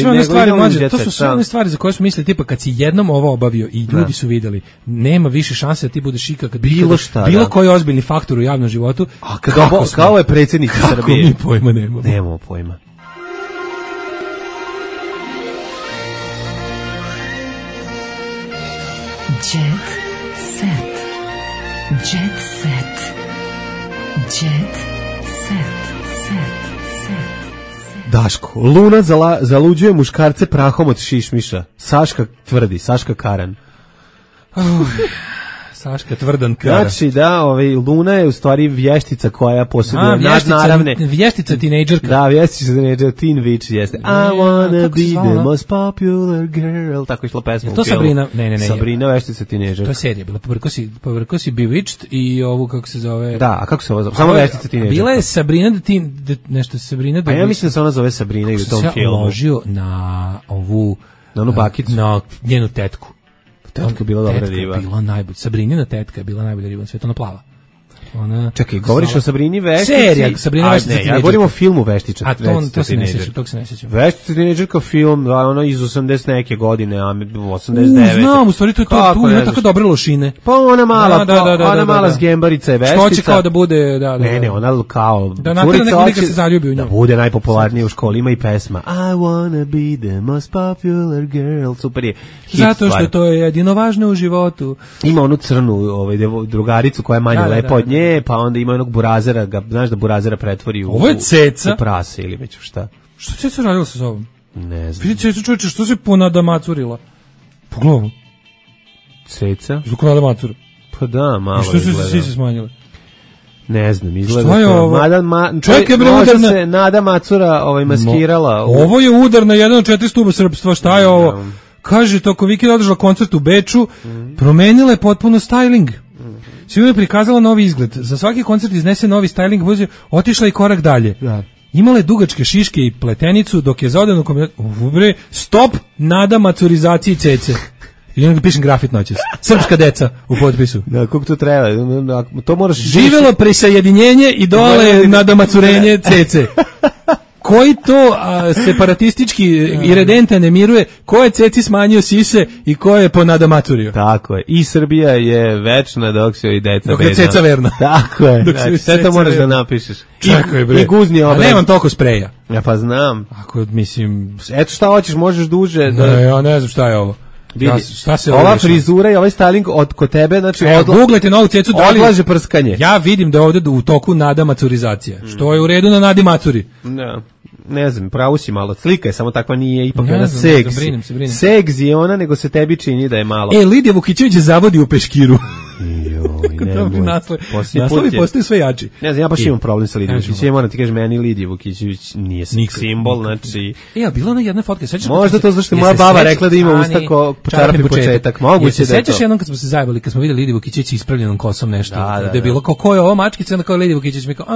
su sve one stvari za koje smo mislili, tipa kad si jednom ovo obavio i ljudi su vidjeli, nema više šanse da ti budeš ikad bilo koji ozbiljni faktor u javnom životu. A kao je predsjednik Srbije. Kako mi pojma nemamo. Nemamo pojma. Jet set. Jet set. Jet set. Daško, Luna zaluđuje muškarce prahom od šišmiša. Saška tvrdi, Saška Karan. Saška tvrdan kara. Znači da, Luna je u stvari vještica koja posjeduje nadnaravne. Vještica tinejdžerka. Da, vještica tinejdžerka, teen witch jeste. I wanna be the most popular girl. Tako je išla pesma. To Sabrina? Ne. Sabrina vještica tinejdžerka. To je serija bila. Povrko si Bewitched i ovu kako se zove. Da, a kako se ovo zove? Samo vještica tinejdžerka. Bila je Sabrina nešto Sabrina. Pa ja mislim da se ona zove Sabrina i u tom filmu. Ja uložio na ovu na onu bakicu, na njenu tetku. Tetka je bila dobra riba. Bila najbolja. Sabrinina tetka je bila najbolja riba na svijetu, ona plava. Čekaj, govoriš o Sabrini Veštici? Serija, Sabrina Veštica tinejdžerka. Ja govorim o filmu Veštica. A to se ne sjećam, tog se ne sjećam. Veštica tinejdžerka film, ono iz 80 neke godine, a 89. Znam, u stvari to je to, tu ima tako dobre lošine. Pa ona mala, ona mala zgembarica je Veštica. Što će kao da bude, da. Ne, ona kao da neka se zaljubi u njoj. Da bude najpopularnija u školi, ima i pesma I wanna be the most popular girl. Super je. Zato što to je jedino važno u životu. Ima onu crnu drugaricu koja je manje lepa od nje, pa onda ima onog burazera, znaš da burazera pretvori u prase ili već šta. Što Ceca radila sa sobom? Ne znam. Vidi Ceca, čovječe, što se ponadamacurila? Po glavu. Ceca? Zbog nadamacura. Pa da, malo izgleda. I što su se smanjile? Ne znam, izgleda što je ovo? Čekaj, bre, udarna. Se Nada Macura maskirala. Ovo je udar na jedan od 4 stuba srpstva, šta je ovo? Kaže, toko vikenda održala koncert u Beču, promenila je potpuno styling. Svima je prikazala novi izgled. Za svaki koncert iznese novi styling, otišla i korak dalje. Da. Imala je dugačke šiške i pletenicu, dok je za odavnu stop Nada Macurizaciji Cece. I onda pišem grafit noćas. Srpska deca u potpisu. Da, kako to treba? To moraš... Živjelo prisajedinjenje i dole Nada Macurenje Cece. Koji to separatistički iredenta ne miruje, ko je Ceci smanjio sise i ko je po nadamaturio. Tako je. I Srbija je večna dok se i deca bedna. Dok je Ceca verna. Tako je. Znači, sve to moraš da napišeš. Čekaj, bre. I guzni obraz. A nemam toliko spreja. Ja pa znam. Ako, mislim... Eto šta hoćeš, možeš duže. Da... Ne, ja ne znam šta je ovo. Šta se ova frizura i ovaj styling kod tebe, znači googlajte novu Cecu, odlaže prskanje. Ja vidim da je ovdje u toku Nada Macurizacija, što je u redu na Nadi Macuri. Ne znam, pravo si malo, slika je samo takva, nije ipak ona brinim se. Segs je ona, nego se tebi čini da je malo. Lidija Vukićević je zavodi u peškiru. Naslovi postaju sve jači. Ne znam, ja baš imam problem sa Lidijom Vukićević. Ja moram ti kažem, meni Lidija Vukićević nije simbol, znači... A bila ona jedna fotka, sećaš? Možda to zašto moja baba rekla da ima usta ko čarapni početak. Moguće da je to. Sećaš jednom kad smo se zajebali, kad smo vidjeli Lidiju Vukićević ispravljenom kosom nešto, da je bilo kao ko je ovo mačkica, onda kao Lidija Vukićević mi kao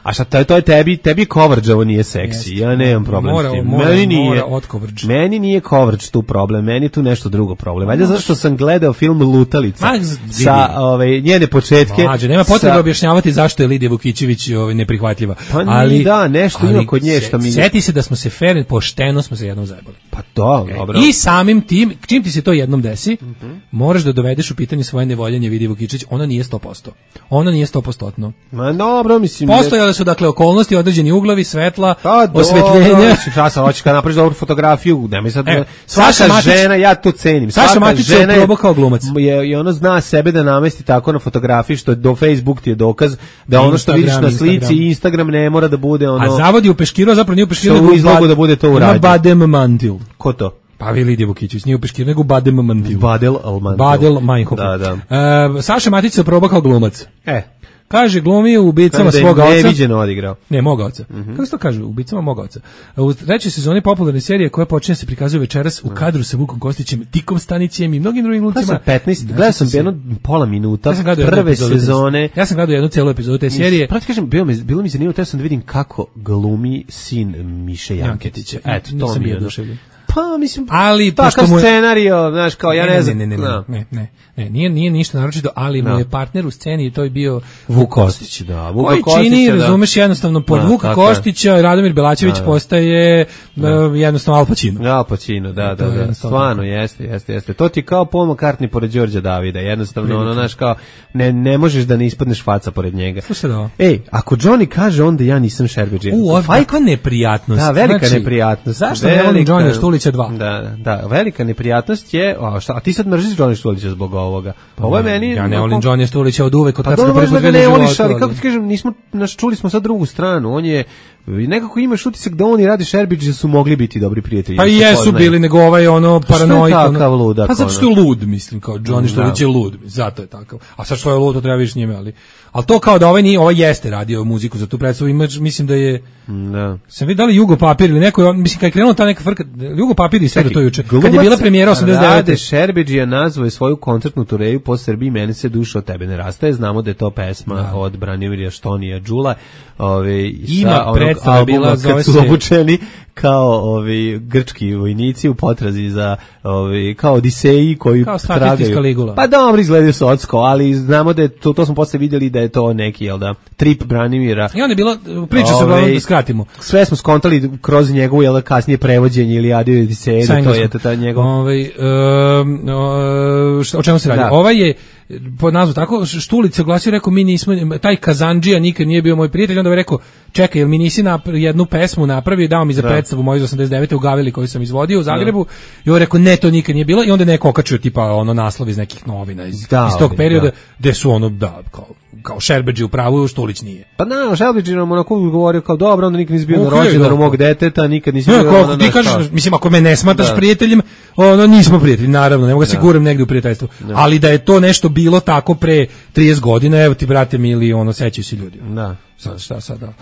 a šta to je tebi coverage, nije seksi. Ja nemam problem s tim. Meni nije coverage tu problem, meni je tu nešto drugo problem. Valjda zašto sam gledao film Lutalica sa njene početke. Nema potrebe objašnjavati zašto je Lidija Vukićević neprihvatljiva. Ali da, nešto ima kod nje što mi... Sjeti se da smo se fair, pošteno smo se jednom zajebali. Pa to, dobro. I samim tim, čim ti se to jednom desi, moraš da dovedeš u pitanje svoje nevoljenje Lidije Vukićević. Ona nije 100%. Ona nije 100%. Ma dobro, mislim... Postojale su, dakle, okolnosti, određeni uglovi, svetla, osvetljenja. Šta sam hoćeš kad napraviš dobru fotografiju, nemoj sad... Svaka žena, ja to cenim. Saša Matić je probao kao glumac. I ono zna sebe da namesti tako na fotografiji, što do Facebook ti je dokaz da ono što vidiš na slici i Instagram ne mora da bude ono... A zavodi u peškiru, a zapravo nije u peškiru, nego izlogu da bude to urađeno. Ima badem mantil. Ko to? Pa vi Lidija Vukićević, nije u peškiru, nego badem mantil. Badel Meinhof. Da. Saša Matić se probao kao glumac. Kaže, glumi u Ubicama svoga oca. Neviđeno odigrao. Ne, moga oca. Kako se to kaže? Ubicama moga oca. U trećoj sezoni popularne serije koja počinje se prikazuje večeras u kadru sa Vukom Kostićem, Tikom Stanićem i mnogim drugim glumcima. Gledao sam jedno pola minuta prve sezone. Ja sam gledao jednu celu epizodu te serije. Pravo ti kažem, bilo mi zanimljivo, teo sam da vidim kako glumi sin Miše Janketića. Eto, to mi je oduševljeno. Pa, mislim, ali takav scenario, znaš, kao, ja ne znam. Ne, nije ništa naročito, ali mu je partner u sceni i to je bio Vuk Kostić, da. Koji čini, razumeš, jednostavno, pod Vuka Kostića, Radomir Belačević postaje jednostavno Al Pacino. Al Pacino, da. Stvarno, jeste. To ti kao Paul McCartney pored Đorđa Davida, jednostavno, ono, znaš, kao, ne možeš da ne ispadneš faca pored njega. Slušaj da ovo. Ako Johnny kaže, onda ja nisam Šerbeđe. Kakva neprijatnost. Da, velika neprijatnost. Zašto ne volim Johnny Štulića? Štulića 2. Da, velika neprijatnost je, a ti sad mrziš Johnny Štulića zbog ovoga. Ovo je meni... Ja ne volim Johnny Štulića od uvek, od kad sam prvi put vidio u životu. Ali kako ti kažem, čuli smo sad drugu stranu, on je... Nekako imaš utisak da on i Rade Šerbić da su mogli biti dobri prijatelji. Pa i jesu bili, nego ovaj paranoik. Što je takav ludak? Pa zato što je lud, mislim, kao Johnny Štulić je lud, zato je takav. A sad što je lud, to treba više njime, ali to kao da ovaj jeste radio muziku za tu predstavu, mislim da je... Da. Sam vidio da li Jugo Papir ili neko, mislim, kad je krenula ta neka frka, Jugo Papir i sve do to juče, kad je bila premijera 89. Rade Šerbić je nazvao svoju koncertnu tureju po Srbiji, meni se duša od tebe ne rastaje, znamo da je to pesma od Branimirja Štonija Đula, ima predstava bila, zove se... obučeni kao grčki vojnici u potrazi za kao Odiseji koji kao statistička Ligula. Pa dobro, izgledaju socsko, ali znamo da je to smo posle vidjeli da je to neki, trip Branimira. I onda je bila, priča se uglavnom da skratimo. Sve smo skontali kroz njegovu, kasnije prevođenje Ilijade i Odiseje, da to je ta njegov... o čemu se radi? Ovaj je po nazvu tako, Štulić se oglasio, rekao, mi nismo, taj Kazandžija nikad nije bio moj prijatelj, onda je rekao, čekaj, jel mi nisi jednu pesmu napravio i dao mi za predstavu moju iz 89. u Gavili koju sam izvodio u Zagrebu, i on rekao, ne, to nikad nije bilo, i onda je neko okačio tipa naslov iz nekih novina iz tog perioda, gde su kao Šerbeđi u pravu, Štulić nije. Pa Šerbeđi nam govorio kao, dobro, onda nikad nisi bio na rođendanu mog deteta, nikad nisi bio ti kažeš, mislim, ako me ne smatraš prijateljem, nismo prijatelji, naravno, ne mogu se guram negdje u prijateljstvu, ali da je to nešto bilo tako pre 30 godina, evo ti, brate mili, sećaju se ljudi. Da. Šta sad, da.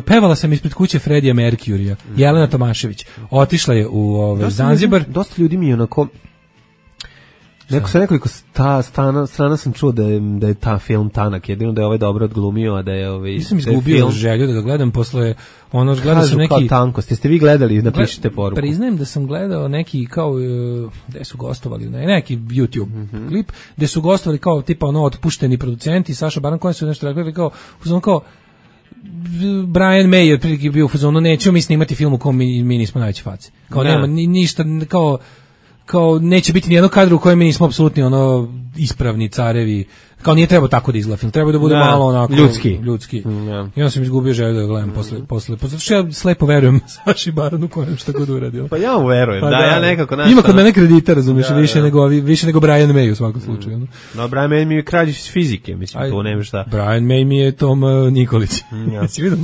Pevala sam ispred kuće Fredija Merkjurija, Jelena Tomašević, otišla je u Zanzibar. Dosta ljudi mi je sa nekoliko strana sam čuo da je ta film tanak, jedino da je ovaj dobro odglumio, a da je Nisam izgubio želju da ga gledam, posle gledao sam neki... Kažu kao tankost, jeste vi gledali, napišite poruku. Priznajem da sam gledao neki kao, gde su gostovali, neki YouTube klip, gde su gostovali kao tipa otpušteni producenti, Saša Baran koji su nešto rekli kao Brian May je prilike bio u fazonu, nećemo mi snimati film u kom mi nismo najveće face. Kao nema ništa, kao neće biti nijednog kadra u kojem mi nismo apsolutni ispravni carevi, kao nije trebao tako da izgleda film, treba da bude malo onako ljudski. I onda sam izgubio želju da ga gledam posle što ja slepo verujem Saši Baranu kojem šta god uradio. Pa ja mu verujem, ja nekako ima kod mene kredita, razumiješ, više nego Brian May u svakom slučaju. No, Brian May mi je kralj iz fizike, mislim, tu nema šta. Brian May mi je Tom Nikolić. Si vidio?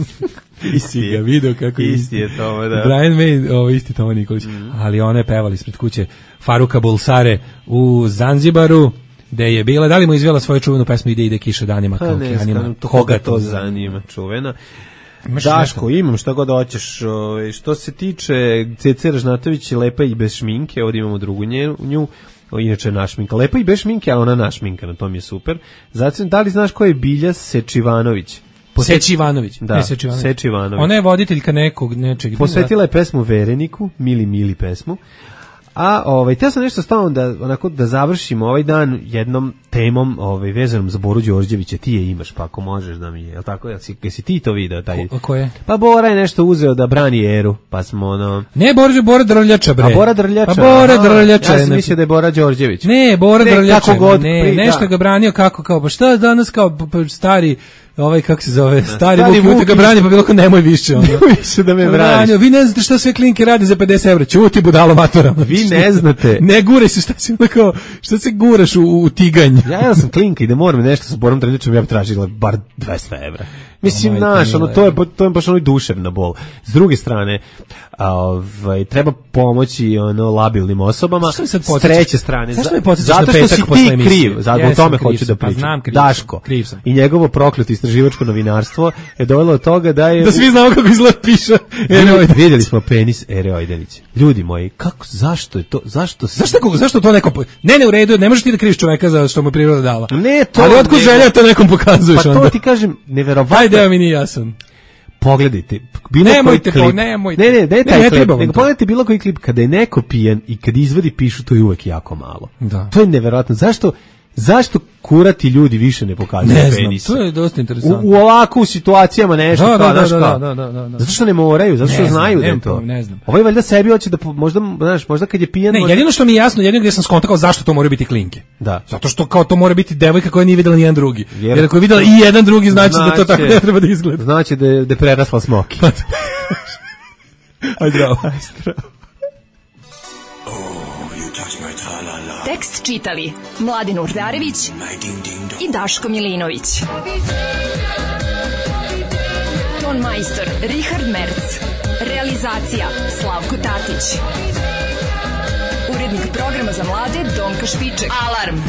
Isti ga video kako isti je to, da. Brian May, isti Tom Nikolić. Ali one pevali ispred kuće Faruka Bulsare u Zanzibaru, gde je bila, da li mu izvela svoju čuvenu pesmu Ide kiša danima kao okeanima. Koga to zanima, čuvena. Daško, imam šta god hoćeš. Što se tiče Cece Ražnatović, lepa i bez šminke, ovdje imamo drugu nju, inače našminka. Lepa i bez šminke, a ona našminka, na tom je super. Zatim, da li znaš ko je Bilja Sečivanović? Sečivanović. Da, Sečivanović. Ona je voditeljka nečeg. Posvetila je pesmu Vereniku, mili pesmu. A teo sam nešto stavno da završimo ovaj dan jednom temom vezanom za Boru Đorđevića. Ti je imaš, pa ako možeš da mi je, jel tako? Jesi ti to video? Ko je? Pa Bora je nešto uzeo da brani Eru, pa smo Ne, Bora Drljača, bre. A Bora Drljača? Pa Bora Drljača. Ja sam mislio da je Bora Đorđević. Ne, Bora Drljača. Nešto ga branio kako, pa šta danas kao stari... kako se zove, stari Vuk ga brani, pa bilo ko nemoj više. Nemoj više da me braniš. Vi ne znate šta sve klinke radi za 50 evra, čuti budalo matora. Vi ne znate. Ne guraj se, šta se guraš u tiganj. Ja sam klinka i da moram nešto sa Borom Drljačom, ja bi tražila bar 200 evra. Mislim, to je baš duševna bol. S druge strane, treba pomoći labilnim osobama. S treće strane, zato što si ti kriv, zato o tome hoću da pričam. Daško i njegovo prokleto istraživačko novinarstvo je dovelo do toga da je... Da svi znamo kako izgleda piša Vidjeli smo penis Ere Ojdelić. Ljudi moji, zašto je to? Zašto to neko... Ne, u redu, ne možeš ti da kriviš čoveka za što mu priroda dala. Ne, to... Ali otkud želja to nekom pokazuješ onda? Pa to ti kažem, neverovatno. Ajde, mi nije jasan. Pogledajte, nemojte, nego pogledajte bilo koji klip kada je neko pijan i kad izvadi pišu, to je uvek jako malo. Da. To je neverovatno. Zašto kurati ljudi više ne pokazuju penisa? To je dosta interesantno. U ovakvu situacijama nešto da. Zato što ne moraju, zato što znaju da je to. Ne znam. Ovaj valjda sebi hoće da možda kad je pijan... Ne, jedino što mi je jasno, jedino gdje sam skontakao zašto to mora biti klinke. Da. Zato što kao to mora biti devojka koja nije videla ni jedan drugi. Jer ako je videla i jedan drugi, znači da to tako ne treba da izgleda. Znači da je prerasla smoki. Aj zdravo. Tekst čitali Mladin Urdarević i Daško Milinović. Ton majstor Richard Merc. Realizacija Slavko Tatić. Urednik programa za mlade Donka Špiček. Alarm!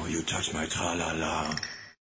You touch my tra-la-la.